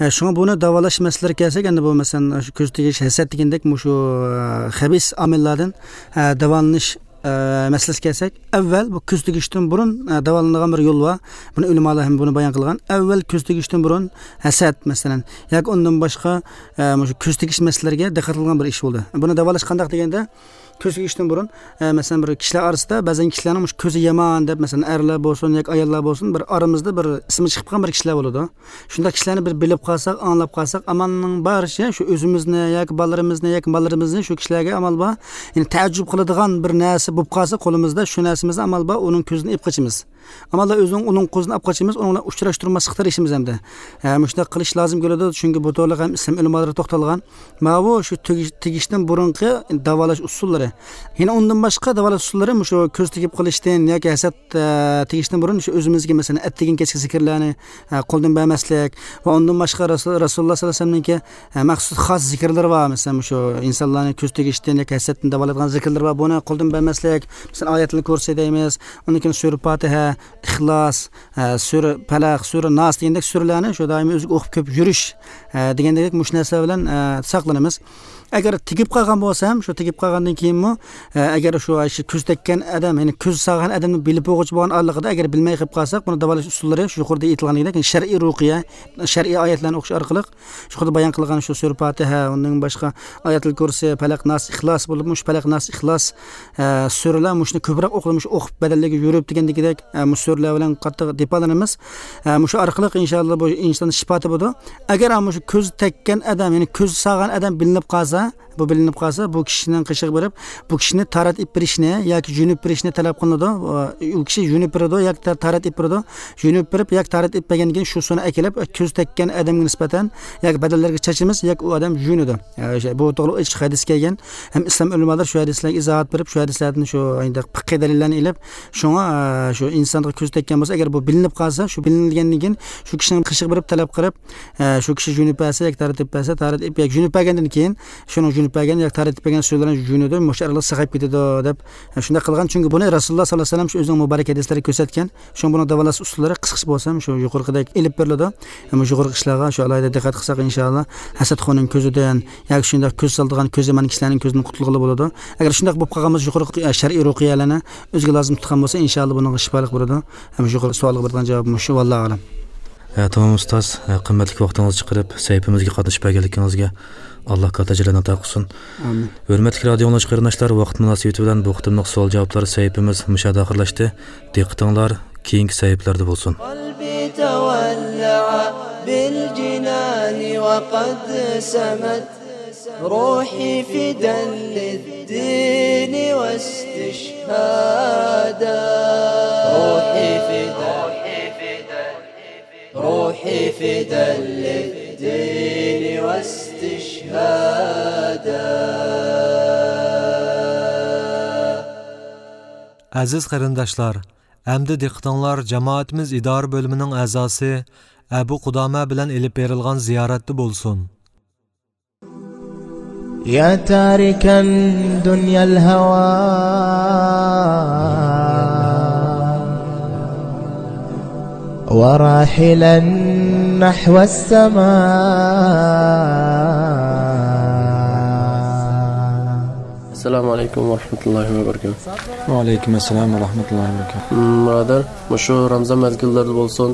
ئە، شۇڭا بۇنى داۋالاش مەسىلىلىرىگە كەلسەك، ئەمدى بۇ، مەسىلەن، شۇ كۆز تېگىش، ھەسەت دېگەندەك مۇشۇ، ئە، خەبىس ئامىللاردىن، ئە، داۋالىنىش، ئە، مەسىلىسىگە كەلسەك، ئەۋۋەل بۇ كۆز تېگىشتىن بۇرۇن، ئە، داۋالىنىدىغان بىر يول بار. بۇنى ئۆلىمالار ھەم بۇنى بايان قىلغان. ئەۋۋەل كۆز تېگىشتىن بۇرۇن ھەسەت، مەسىلەن، ياكى ئۇندىن باشقا، ئە، مۇشۇ كۆز تېگىش مەسىلىلىرىگە دىققەت قىلغان بىر ئىش بولدى. بۇنى داۋالاش قانداق دېگەندە، كۆز تېگىشتىن بۇرۇن، ئە، مەسىلەن، بىر كىشىلەر ئارىسىدا بەزەن كىشىلەرنىڭ مۇشۇ كۆزى يامان دەپ، مەسىلەن، ئەرلەر بولسۇن ياكى ئاياللار بولسۇن، بىر ئارىمىزدا بىر ئىسمى چىقىپ قالغان بىر كىشىلەر بولىدۇ. شۇنداق كىشىلەرنى بىر بىلىپ قالساق، ئاڭلاپ قالساق، ئامالنىڭ بارىچە شۇ ئۆزىمىزنى ياكى بالىلىرىمىزنى ياكى ماللىرىمىزنى شۇ كىشىلەرگە ئامال بار، يەنى تەئەججۈپ قىلىدىغان بىر نەرسە بولۇپ قالسا قولىمىزدا، شۇ نەرسىمىزنى ئامال بار ئۇنىڭ كۆزىدىن ئېلىپ قېچىمىز. ئامال بار ئۆزىنىڭ ئۇنىڭ قولىدىن ئېلىپ قېچىمىز، ئۇنىڭ بىلەن ئۇچراشتۇرماسلىققا تىرىشىمىز ئەمدى. ھە، مۇشۇنداق قىلىش لازىم كېلىدۇ، چۈنكى بۇ توغرىلىق ھەم ئىسلام ئۆلىمالىرى توختالغان. ماۋۇ شۇ تېگىش-، تېگىشتىن بۇرۇنقى داۋالاش ئۇسۇللىرى. يەنە ئۇندىن باشقا داۋالاش ئۇسۇللىرى مۇشۇ كۆز تېگىپ قېلىشتىن ياكى ھەسەت، ئە، تېگىشتىن بۇرۇن شۇ ئۆزىمىزگە، مەسىلەن، ئەتىگەن كەچكى زىكىرلەرنى، ئە، قولدىن بەرمەسلىك ۋە ئۇندىن باشقا رەسۇل-، رەسۇلۇللاھ سەللەللاھۇ ئەلەيھى ۋەسەللەمنىڭكى، ئە، مەخسۇس خاس زىكىرلىرى بار. مەسىلەن، مۇشۇ ئىنسانلارنى كۆز تېگىشتىن ياكى ھەسەتتىن داۋالايدىغان زىكىرلىرى بار. بۇنى قولدىن بەرمەسلىك، مەسىلەن، ئايەتۇل كۇرسى دەيمىز، ئۇندىن كېيىن سۈرە پاتىھە، ئىخلاس، ئە، سۈرە پەلەق، سۈرە ناس دېگەندەك سۈرىلەرنى شۇ دائىم ئۆزىگە ئوقۇپ كۆپ يۈرۈش، ئە، دېگەندەك مۇشۇ نەرسىلەر بىلەن، ئە، ساقلىنىمىز. ئەگەر تېگىپ قالغان بولسا ھەم، شۇ تېگىپ قالغاندىن كېيىنمۇ، ئە، ئەگەر شۇ، شۇ كۆز تەگكەن ئادەم، يەنى كۆز سالغان ئادەمنى بىلىپ بولغۇچى بولغان ئارىلىقىدا ئەگەر بىلمەي قېلىپ قالساق، بۇنى داۋالاش ئۇسۇللىرى شۇ يۇقىرىدا ئېيتىلغاندەك شەرئىي رۇقىيە، شەرئىي ئايەتلەرنى ئوقۇش ئارقىلىق، يۇقىرىدا بايان قىلغان شۇ سۈرە پاتىھە، ئۇنىڭ باشقا ئايەتۇل كۇرسى، پەلەق، ناس، ئىخلاس بولۇپ، مۇشۇ پەلەق، ناس، ئىخلاس، ئە، سۈرىلەر مۇشۇنى كۆپرەك ئوقۇپ، مۇشۇ ئوقۇپ بەدەللىككە يۈرۈپ دېگەندىكىدەك، ئە، مۇشۇ سۈرىلەر بىلەن قاتتىق دېپالىنىمىز. ئە، مۇشۇ ئارقىلىق ئىنشاللا بۇ ئىنسان شىپا تېپىدۇ. ئەگەر مۇشۇ كۆز تەگكەن ئادەم، يەنى كۆز سالغان ئادەم بىلىنىپ قالسا، بۇ بىلىنىپ قالسا، بۇ كىشىنىڭ قېشىغا بېرىپ، بۇ كىشىنى تارەت ئېلىپ بېرىشنى ياكى يۇيۇنۇپ بېرىشنى تەلەپ قىلىنىدۇ. ئۇ كىشى يۇيۇنۇپ بېرىدۇ ياكى تا-، تارەت ئېلىپ بېرىدۇ. يۇيۇنۇپ بېرىپ ياكى تارەت ئېلىپ بەرگەندىن كېيىن شۇ سۇنى ئەكېلىپ، كۆز تەگكەن ئادەمگە نىسبەتەن ياكى بەدەنلىرىگە چاچىمىز ياكى ئۇ ئادەم يۇيۇنىدۇ. ئە، بۇ توغرىلىق ئېچىق ھەدىس كەلگەن. ھەم ئىسلام ئۆلىمالىرى شۇ ھەدىسلەرگە ئىزاھات بېرىپ، شۇ ھەدىسلەردىن شۇ پىقھىي دەلىللەرنى ئېلىپ، شۇڭا، ئە، شۇ ئىنسانغا كۆز تەگكەن بولسا، ئەگەر بۇ بىلىنىپ قالسا، شۇ بىلىنگەندىن كېيىن شۇ كىشىنىڭ قېشىغا بېرىپ تەلەپ قىلىپ، ئە، شۇ كىشى يۇيۇنۇپ بەرسە ياكى تارەت ئېلىپ بەرسە، تارەت ئېلىپ ياكى يۇيۇنۇپ بەرگەندىن كېيىن شۇنىڭ يۇيۇنۇپ بەرگەن ياكى تارەت ئېلىپ بەرگەن سۈرىلەرنى يۇيۇنىدۇ، مۇشۇ ئارىلىق ساقىيىپ كېتىدۇ دەپ، ئە، شۇنداق قىلغان. چۈنكى بۇنى رەسۇلۇللا ساللاللاھۇ ئەلەيھى ۋەسەللەم شۇ ئۆزىنىڭ مۇبارەك ھەدىسلىرىدە كۆرسەتكەن. شۇڭا بۇنىڭ داۋالاش ئۇسۇللىرى قىسقىچە بولسا ھەم شۇ يۇقىرىقىدەك ئېلىپ بېرىلىدۇ. ھەم مۇشۇ يۇقىرىقى ئىشلارغا شۇ ئالاھىدە دىققەت قىلساق، ئىنشاللا، ھەسەتخورنىڭ كۆزىدىن ياكى شۇنداق كۆز سالىدىغان كۆزى يامان كىشىلەرنىڭ كۆزىدىن قۇتۇلغىلى بولىدۇ. ئەگەر شۇنداق بولۇپ قالغان بولسا، يۇقىرىقى شەرئىي رۇقىيەلەرنى ئۆزىگە لازىم تۇتقان بولسا، ئىنشاللا بۇنىڭغا شىپالىق بولىدۇ. ھەم يۇقىرىقى سوئالغا بېرىدىغان جاۋاب مۇشۇ، ۋاللاھۇ ئەلەم. ھە، تامام ئۇستاز، ھە، قىممەتلىك ۋاقتىڭىزنى چىقىرىپ سەھىپىمىزگە قاتنىشىپ بەرگەنلىكىڭىزگە ئاللا كاتتا ئەجىرلەرنى ئاتا قىلسۇن. ئامىن. ھۆرمەتلىك رادىئو ئاڭلىغۇچى قېرىنداشلار، ۋاقىت مۇناسىۋىتى بىلەن بۇ قېتىملىق سوئال جاۋابلار سەھىپىمىز مۇشۇ يەردە ئاخىرلاشتى. دىققىتىڭلار كېيىنكى سەھىپىلەردە بولسۇن. قلبي تولع بالجنان وقد سمت روحي فدا للدين واستشهادا. روحي فدا، روحي فدا للدين واستشهادا. ئەزىز قېرىنداشلار، ئەمدى دىققىتىڭلار جامائىتىمىز ئىدارە بۆلۈمىنىڭ ئەزاسى ئەبۇ قۇدامە بىلەن ئېلىپ بېرىلغان زىيارەتتە بولسۇن. يا تاركا دنيا الهوى وراحلا نحو السماء. ئەسسالامۇ ئەلەيكۇم ۋە رەھمەتۇللاھى ۋە بەرىكاتۇھ. ۋە ئەلەيكۇم ئەسسالام ۋە رەھمەتۇللاھى ۋە بەرىكاتۇھ. مۇرادەر، مۇشۇ رامزان مەزگىللىرىدە بولسۇن،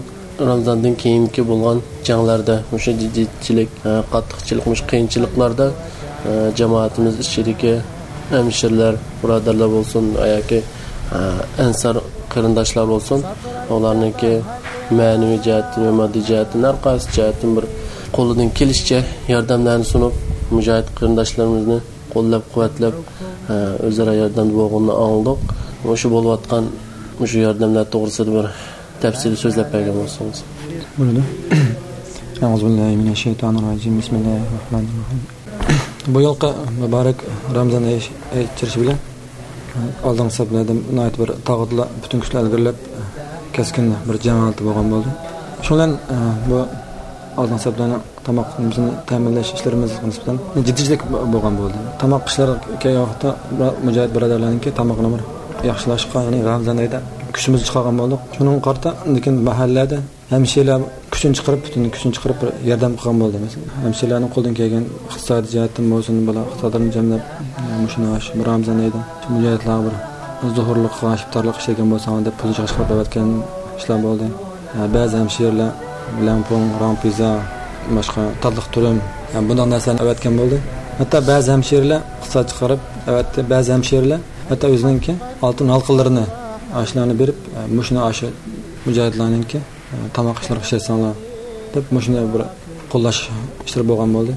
رامزاندىن كېيىنكى بولغان جەڭلەردە مۇشۇ جىددىيچىلىك، ئە، قاتتىقچىلىق، مۇشۇ قىيىنچىلىقلاردا، ئە، جامائىتىمىز ئىچىدىكى ھەمشىرىلەر، بۇرادەرلەر بولسۇن، ياكى، ئە، ئەنسار قېرىنداشلار بولسۇن، ئۇلارنىڭكى مەنىۋى جەھەتتىن ۋە ماددىي جەھەتتىن، ھەر قايسى جەھەتتىن بىر قولىدىن كېلىشىچە ياردەملەرنى سۇنۇپ، مۇجاھىد قېرىنداشلىرىمىزنى قوللاپ-قۇۋۋەتلەپ، ئە، ئۆزئارا ياردەمدە بولغىنىنى ئاڭلىدۇق. مۇشۇ بولۇۋاتقان مۇشۇ ياردەملەر توغرىسىدا بىر تەپسىلىي سۆزلەپ بەرگەن بولسىڭىز. بولىدۇ. أعوذ بالله من الشيطان الرجيم. بسم الله الرحمن الرحيم. بۇ يىلقى مۇبارەك رامزان ئېچىرىشى بىلەن ئالدىنقى سەپلەردە ناھايىتى بىر تاغۇتلار پۈتۈن كۈچلەر ئىلگىرىلەپ كەسكىن بىر جەڭ ھالىتى بولغان بولدى. شۇ بىلەن، ئە، بۇ ئالدىنقى سەپلەرنىڭ تاماق نېمىسىنى تەمىنلەش ئىشلىرىمىزغا نىسبەتەن جىددىيچىلىك بولغان بولدى. تاماق ئىشلىرىغا كەلگەن ۋاقىتتا مۇجاھىد بۇرادەرلەرنىڭكى تامىقىنى بىر ياخشىلاشقا، يەنى رامزان ئايدا كۈچىمىزنى چىقارغان بولدۇق. شۇنىڭغا قارىتا لېكىن مەھەللىلەردە ھەمشىرىلەر كۈچىنى چىقىرىپ، پۈتۈن كۈچىنى چىقىرىپ بىر ياردەم قىلغان بولدى. مەسىلەن، ھەمشىرىلەرنىڭ قولىدىن كەلگەن ئىقتىسادىي جەھەتتىن بولسۇن، بالا ئىقتىسادلىرىنى جەملەپ، مۇشۇنى شۇ رامزان ئايدا مۇجاھىدلارغا بىر زۇھۇرلۇق، ئىپتارلىق ئىشلىگەن بولساڭلار دەپ پۇل يىغىشقا ئەۋەتكەن ئىشلار بولدى. بەزى ھەمشىرىلەر لەڭپۇڭ، راڭپىزا، باشقا تاتلىق تۈرۈم، بۇنداق نەرسىلەرنى ئەۋەتكەن بولدى. ھەتتا بەزى ھەمشىرىلەر ئىقتىساد چىقىرىپ ئەۋەتتى. بەزى ھەمشىرىلەر ھەتتا ئۆزىنىڭكى ئالتۇن ھالقىلىرىنى، ئاشۇلارنى بېرىپ، مۇشۇنى ئاشۇ مۇجاھىدلارنىڭكى تاماق ئىشلىرىغا ئىشلەتسەڭلار دەپ، مۇشۇنى بىر قوللاش ئىشلىرى بولغان بولدى.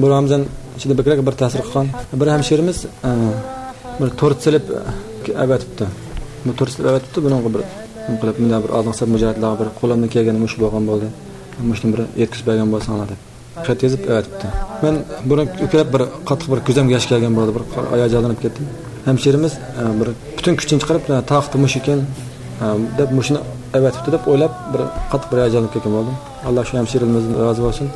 بۇ رامزان ئىچىدە بەكرەك بىر تەسىر قىلغان بىر ھەمشىرىمىز، ئە، بىر تورت سېلىپ ئەۋەتىپتۇ. بۇ تورت سېلىپ ئەۋەتىپتۇ، بۇنىڭغا بىر نېمە قىلىپ، مۇنداق بىر ئالدىنقى سەپ مۇجاھىدلارغا بىر قولۇمدىن كەلگىنى مۇشۇ بولغان بولدى. مۇشۇنى بىر يەتكۈزۈپ بەرگەن بولساڭلار دەپ خەت يېزىپ ئەۋەتىپتۇ. مەن بۇنى كۆرۈپ بىر قاتتىق بىر كۆزۈمگە ياش كەلگەن بولدى، بىر ھاياجانلىنىپ كەتتىم. ھەمشىرىمىز، ئە، بىر پۈتۈن كۈچىنى چىقىرىپ، ئە، تاقىتى مۇشۇ ئىكەن، ئە، دەپ مۇشۇنى ئەۋەتىپتۇ دەپ ئويلاپ بىر قاتتىق بىر ھاياجانلىنىپ كەتكەن بولدۇم. ئاللا شۇ ھەمشىرىلىرىمىزدىن رازى بولسۇن.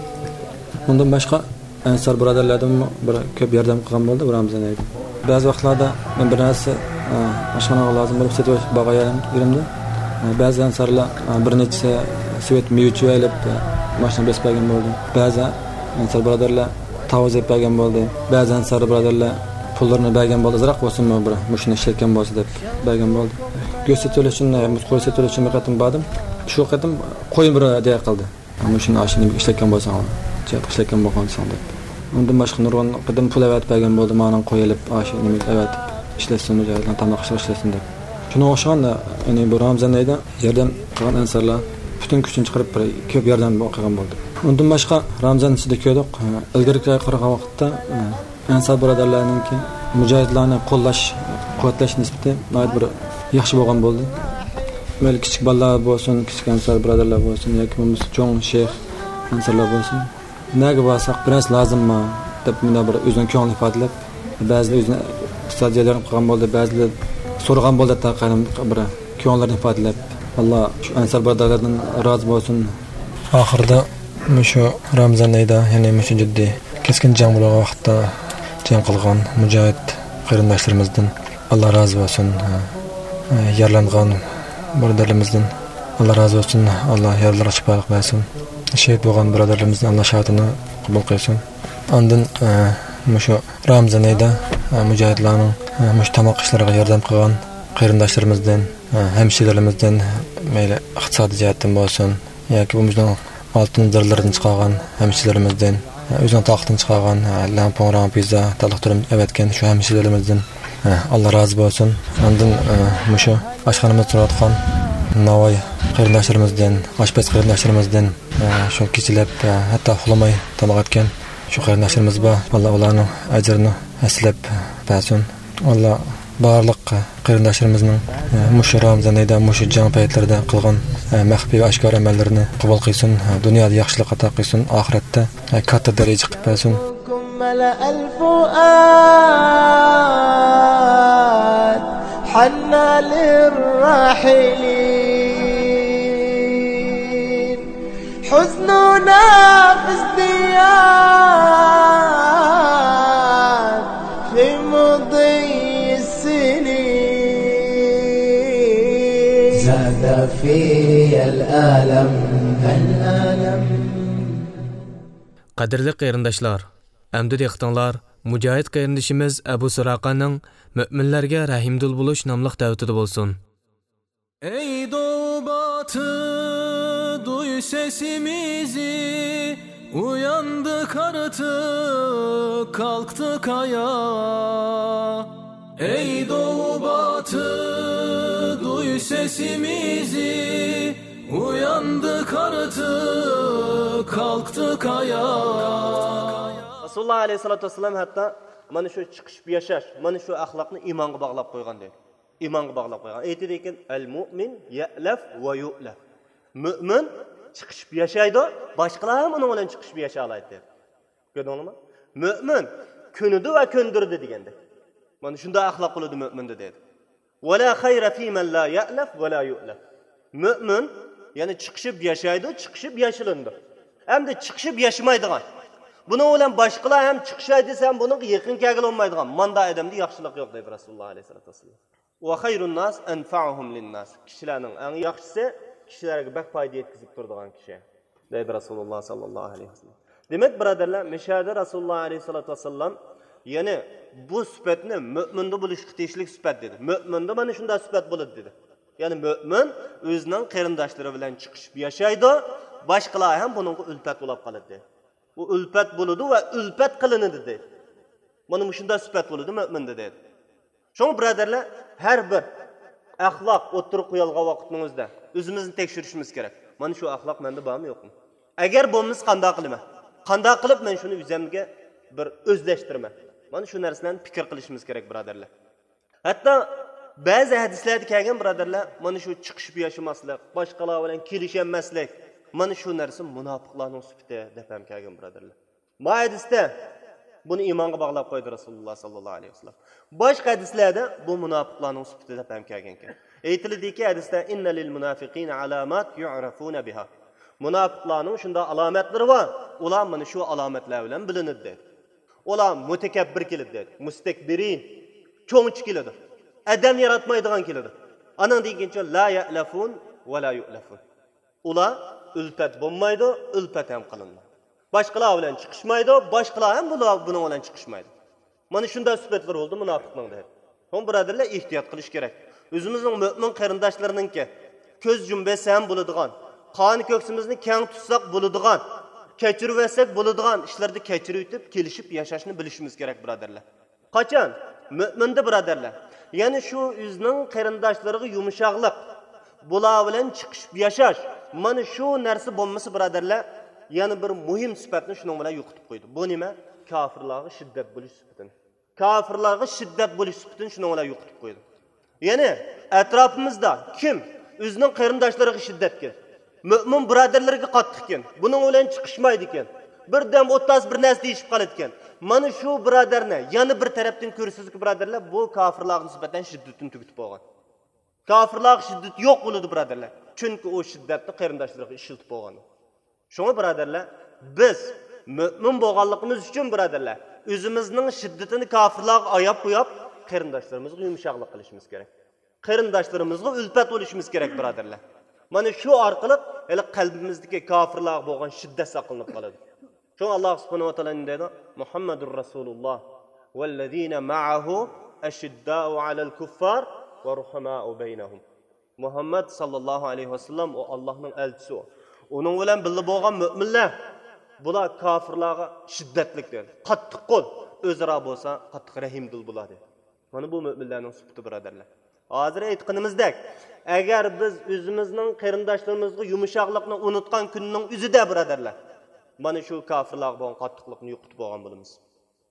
ئۇندىن باشقا ئەنسار بۇرادەرلەردىنمۇ بىر كۆپ ياردەم قىلغان بولدى بۇ رامىزان ئايدا. بەزى ۋاقىتلاردا مەن بىر نەرسە، ئە، ئاشخانىغا لازىم بولۇپ سېتىپ بارغان يېرىمدە بەزى ئەنسارلار بىر نەچچە سېۋەت مېۋە ئېلىپ، ماشىنا بېسىپ بەرگەن بولدى. بەزى ئەنسار بۇرادەرلەر تاۋۇز ئېلىپ بەرگەن بولدى. بەزى ئەنسار بۇرادەرلەر پۇللىرىنى بەرگەن بولدى، ئازراق بولسۇنمۇ بىر مۇشۇنى ئىشلەتكەن بولسا دەپ بەرگەن بولدى. گۆش سېتىۋېلىش ئۈچۈن، قوي سېتىۋېلىش ئۈچۈن بىر قېتىم باردىم. شۇ قېتىم قوينى بىر ھەدىيە قىلدى. مۇشۇنى ئاشۇ نېمىگە ئىشلەتكەن بولساڭ، جىھادقا ئىشلەتكەن بولغانسەن دەپ. ئۇندىن باشقا نۇرغۇن قېتىم پۇل ئەۋەتىپ بەرگەن بولدى، مانا قوي ئېلىپ ئاشۇ نېمىگە ئەۋەتىپ ئىشلەتسۇن، مۇجاھىدلار تاماق ئېشىغا ئىشلەتسۇن دەپ. شۇنىڭغا ئوخشىغان، يەنى بۇ رامىزان ئېيىدا ياردەم قىلغان ئەنسارلار پۈتۈن كۈچىنى چىقىرىپ بىر كۆپ ياردەم قىلغان بولدى. ئۇندىن باشقا رامىزان ئىچىدە كۆردۇق، ئىلگىرىكىگە قارىغان ۋاقىتتا، ئەنسار بۇرادەرلەرنىڭكى مۇجاھىدلارنى قوللاش، قۇۋۋەتلەش نىسبىتى ناھايىتى بىر ياخشى بولغان بولدى. مەيلى كىچىك بالىلار بولسۇن، كىچىك ئەنسار بۇرادەرلەر بولسۇن ياكى بولمىسا چوڭ شەيخ ئەنسارلار بولسۇن، نەگە بارساق بىر نەرسە لازىممۇ دەپ مۇنداق بىر ئۆزىنىڭ كۆڭلىنى ئىپادىلەپ، بەزىلەر ئۆزىنى ئۇستازى ياردەم قىلغان بولدى، بەزىلەر سورىغان بولدى، ھەتتا قايرىم بىر كۆڭۈللىرىنى ئىپادىلەپ، ئاللا شۇ ئەنسار بۇرادەرلەردىن رازى بولسۇن. ئاخىرىدا مۇشۇ رامىزان ئېيىدا، يەنى مۇشۇ جىددىي كەسكىن جەڭ بولغان ۋاقىتتا جەڭ قىلغان مۇجاھىد قېرىنداشلىرىمىزدىن ئاللا رازى بولسۇن. يارىلانغان بۇرادەرلىرىمىزدىن ئاللا رازى بولسۇن. ئاللا يارىلىرىغا شىپالىق بەرسۇن. شېھىت بولغان بۇرادەرلىرىمىزدىن ئاللا شاھادىتىنى قوبۇل قىلسۇن. ئاندىن، ئە، مۇشۇ رامىزان ئېيىدا، ئە، مۇجاھىدلارنىڭ، ئە، مۇشۇ تاماق ئىشلىرىغا ياردەم قىلغان قېرىنداشلىرىمىزدىن، ئە، ھەمشىرىلىرىمىزدىن، مەيلى ئىقتىسادىي جەھەتتىن بولسۇن ياكى بۇ مۇشۇنىڭ ئالتۇن زىرلىرىدىن چىقارغان ھەمشىرىلىرىمىزدىن، ئە، ئۆزىنىڭ تاقىتىدىن چىقارغان، ئە، لەڭپۇڭ، راڭپىزا، تالىق تۈرۈم ئەۋەتكەن شۇ ھەمشىرىلىرىمىزدىن، ئە، ئاللا رازى بولسۇن. ئاندىن، ئە، مۇشۇ ئاشخانىمىزدا تۇرۇۋاتقان ناۋاي قېرىنداشلىرىمىزدىن، ئاشپەز قېرىنداشلىرىمىزدىن، ئە، شۇ كېچىلەپ، ئە، ھەتتا ئۇخلىماي تاماق ئەتكەن شۇ قېرىنداشلىرىمىز بار. ئاللا ئۇلارنىڭ ئەجرىنى ھەسسىلەپ بەرسۇن. ئاللا بارلىق قېرىنداشلىرىمىزنىڭ، ئە، مۇشۇ رامىزان ئېيىدا، مۇشۇ جەڭ پەيتلىرىدە قىلغان، ئە، مەخپىي ۋە ئاشكارا ئەمەللىرىنى قوبۇل قىلسۇن. ئە، دۇنيادا ياخشىلىق ئاتا قىلسۇن، ئاخىرەتتە، ئە، كاتتا دەرىجە قىلىپ بەرسۇن. ملأ الفؤاد حنى للراحلين. حزننا في ازدياد في مضي السنين. زاد في الألم. الألم. قەدىرلىك قېرىنداشلار، ئەمدى دىققىتىڭلار مۇجاھىد قېرىندىشىمىز ئەبۇ سۇراقانىڭ مۆمىنلەرگە رەھىمدىل بولۇش ناملىق دەۋىتىدە بولسۇن. Ey doğu batı, duy sesimizi, uyandık artık, kalktık ayağa. Ey doğu batı, duy sesimizi, uyandık artık, kalktık ayağa. رەسۇلۇللاھ ئەلەيھىسسالاتۇ ۋەسسالام ھەتتا مانا شۇ چىقىشىپ ياشاش، مانا شۇ ئەخلاقنى ئىمانغا باغلاپ قويغان دەيدۇ. ئىمانغا باغلاپ قويغان. ئېيتىدىكەن، المؤمن يألف ويؤلف. مۆمىن چىقىشىپ ياشايدۇ، باشقىلار ھەم ئۇنىڭ بىلەن چىقىشىپ ياشالايدۇ دەيدۇ. كۆردۈڭلارمۇ؟ مۆمىن كۆنىدۇ ۋە كۆندۈرىدۇ دېگەندەك. مانا شۇنداق ئەخلاق بولىدۇ مۆمىندە دەيدۇ. ولا خير في من لا يألف ولا يؤلف. مۆمىن، يەنى چىقىشىپ ياشايدۇ، چىقىشىپ ياشىلىنىدۇ. ئەمدى چىقىشىپ ياشىمايدىغان، بۇنىڭ بىلەن باشقىلار ھەم چىقىشاي دېسە ھەم بۇنىڭغا يېقىن كەلگىلى بولمايدىغان ماندا ئادەمدە ياخشىلىق يوق دەيدۇ رەسۇلۇللاھ ئەلەيھىسسالاتۇ ۋەسسالام. وخير الناس أنفعهم للناس. كىشىلەرنىڭ ئەڭ ياخشىسى كىشىلەرگە بەك پايدا يەتكۈزۈپ تۇرىدىغان كىشى دەيدۇ رەسۇلۇللاھ ساللاللاھۇ ئەلەيھى ۋەسەللەم. دېمەك، بۇرادەرلەر، مۇشۇ يەردە رەسۇلۇللاھ ئەلەيھىسسالاتۇ ۋەسسالام يەنى بۇ سۈپەتنى مۆمىندە بولۇشقا تېگىشلىك سۈپەت دېدى. مۆمىندە مانا شۇنداق سۈپەت بولىدۇ دېدى. يەنى مۆمىن ئۆزىنىڭ قېرىنداشلىرى بىلەن چىقىشىپ ياشايدۇ، باشقىلار ھەم بۇنىڭغا ئۈلپەت بولۇپ قالىدۇ. ئۇ ئۈلپەت بولىدۇ ۋە ئۈلپەت قىلىنىدۇ دەيدۇ. مانا مۇشۇنداق سۈپەت بولىدۇ مۆمىندە دەيدۇ. شۇڭا بۇرادەرلەر، ھەر بىر ئەخلاق ئوتتۇرىغا قويۇلغان ۋاقىتنىڭ ئۆزىدە ئۆزىمىزنى تەكشۈرۈشىمىز كېرەك. مانا شۇ ئەخلاق مەندە بارمۇ يوقمۇ؟ ئەگەر بولمىسا قانداق قىلىمەن؟ قانداق قىلىپ مەن شۇنى ئۆزۈمگە بىر ئۆزلەشتۈرىمەن؟ مانا شۇ نەرسىلەرنى پىكىر قىلىشىمىز كېرەك بۇرادەرلەر. ھەتتا بەزى ھەدىسلەردە كەلگەن بۇرادەرلەر، مانا شۇ چىقىشىپ ياشىماسلىق، باشقىلار بىلەن كېلىشەلمەسلىك، مانا شۇ نەرسە مۇناپىقلارنىڭ سۈپىتى دەپ ھەم كەلگەن بۇرادەرلەر. ما ھەدىستە بۇنى ئىمانغا باغلاپ قويدى رەسۇلۇللاھ ساللاللاھۇ ئەلەيھى ۋەسەللەم. باشقا ھەدىسلەردە بۇ مۇناپىقلارنىڭ سۈپىتى دەپ ھەم كەلگەنكەن. ئېيتىلىدىكى ھەدىستە، إن للمنافقين علامات يعرفون بها. مۇناپىقلارنىڭ شۇنداق ئالامەتلىرى بار، ئۇلار مانا شۇ ئالامەتلەر بىلەن بىلىنىدۇ دەيدۇ. ئۇلار مۇتەكەببىر كېلىدۇ دەيدۇ. مۇستەكبىرىن، چوڭچە كېلىدۇ. ئادەم ياراتمايدىغان كېلىدۇ. ئانىڭدىن كېيىنچۇ؟ لا يەئلەفۇن ۋە لا يۇئلەفۇن. ئۇلار ئۈلپەت بولمايدۇ، ئۈلپەت ھەم قىلىنمايدۇ. باشقىلار بىلەن چىقىشمايدۇ، باشقىلار ھەم بۇلار، بۇنىڭ بىلەن چىقىشمايدۇ. مانا شۇنداق سۈپەتلىرى بولدى مۇناپىقنىڭ، دەيدۇ. شۇڭا بۇرادەرلەر، ئېھتىيات قىلىش كېرەك. ئۆزىمىزنىڭ مۆمىن قېرىنداشلىرىنىڭكى كۆز يۇمۇپ يەتسە ھەم بولىدىغان، قان كۆكسىمىزنى كەڭ تۇتساق بولىدىغان، كەچۈرۈۋەتسەك بولىدىغان ئىشلاردا كەچۈرۈۋېتىپ، كېلىشىپ ياشاشنى بىلىشىمىز كېرەك، بۇرادەرلەر. قاچان؟ مۆمىندە، بۇرادەرلەر. يەنى شۇ ئۆزىنىڭ قېرىنداشلىرىغا يۇمشاقلىق، بۇلار بىلەن چىقىشىپ ياشاش. مانا شۇ نەرسە بولمىسا، بۇرادەرلەر، يەنە بىر مۇھىم سۈپەتنى شۇنىڭ بىلەن يوقىتىپ قويدى. بۇ نېمە؟ كاپىرلارغا شىددەت بولۇش سۈپىتىنى. كاپىرلارغا شىددەت بولۇش سۈپىتىنى شۇنىڭ بىلەن يوقىتىپ قويدى. يەنى ئەتراپىمىزدا كىم ئۆزىنىڭ قېرىنداشلىرىغا شىددەتكەن، مۆمىن بۇرادەرلىرىگە قاتتىقكەن، بۇنىڭ بىلەن چىقىشمايدىكەن، بىردەم ئوتتاز بىر نەرسە دېيىشىپ قالىدىكەن. مانا شۇ بۇرادەرنى يەنە بىر تەرەپتىن كۆرىسىزكى، بۇرادەرلەر، بۇ كاپىرلارغا نىسبەتەن شىددىتىنى تۈگىتىپ بولغان. كاپىرلارغا شىددىتى يوق بولىدۇ، بۇرادەرلەر. چۈنكى ئۇ شىددەتنى قېرىنداشلىرىغا ئىشلىتىپ بولغان. شۇڭا، بۇرادەرلەر، بىز مۆمىن بولغانلىقىمىز ئۈچۈن، بۇرادەرلەر، ئۆزىمىزنىڭ شىددىتىنى كاپىرلارغا ئاياپ قويۇپ، قېرىنداشلىرىمىزغا يۇمشاقلىق قىلىشىمىز كېرەك. قېرىنداشلىرىمىزغا ئۈلپەت بولۇشىمىز كېرەك، بۇرادەرلەر. مانا شۇ ئارقىلىق ھېلى قەلبىمىزدىكى كاپىرلارغا بولغان شىددەت ساقلىنىپ قالىدۇ. شۇڭا ئاللاھ سۇبھانەھۇ ۋە تائالا نېمە دەيدۇ؟ مۇھەممەدۇر رەسۇلۇللاھ ۋەللەزىنە مەئەھۇ ئەشىددائۇ ئەلەل كۇففار ۋە رۇھەمائۇ بەينەھۇم. مۇھەممەد ساللاللاھۇ ئەلەيھى ۋەسەللەم ئۇ ئاللاھنىڭ ئەلچىسى ئۇ. ئۇنىڭ بىلەن بىللە بولغان مۆمىنلەر، بۇلار كاپىرلارغا شىددەتلىك دېگەن، قاتتىق قول، ئۆزئارا بولسا قاتتىق رەھىمدىل بۇلار دېدى. مانا بۇ مۆمىنلەرنىڭ سۈپىتى، بۇرادەرلەر. ھازىر ئېيتقىنىمىزدەك، ئەگەر بىز ئۆزىمىزنىڭ قېرىنداشلىرىمىزغا يۇمشاقلىقنى ئۇنتقان كۈننىڭ ئۆزىدە، بۇرادەرلەر، مانا شۇ كاپىرلارغا بولغان قاتتىقلىقنى يوقىتىپ بولغان بولىمىز.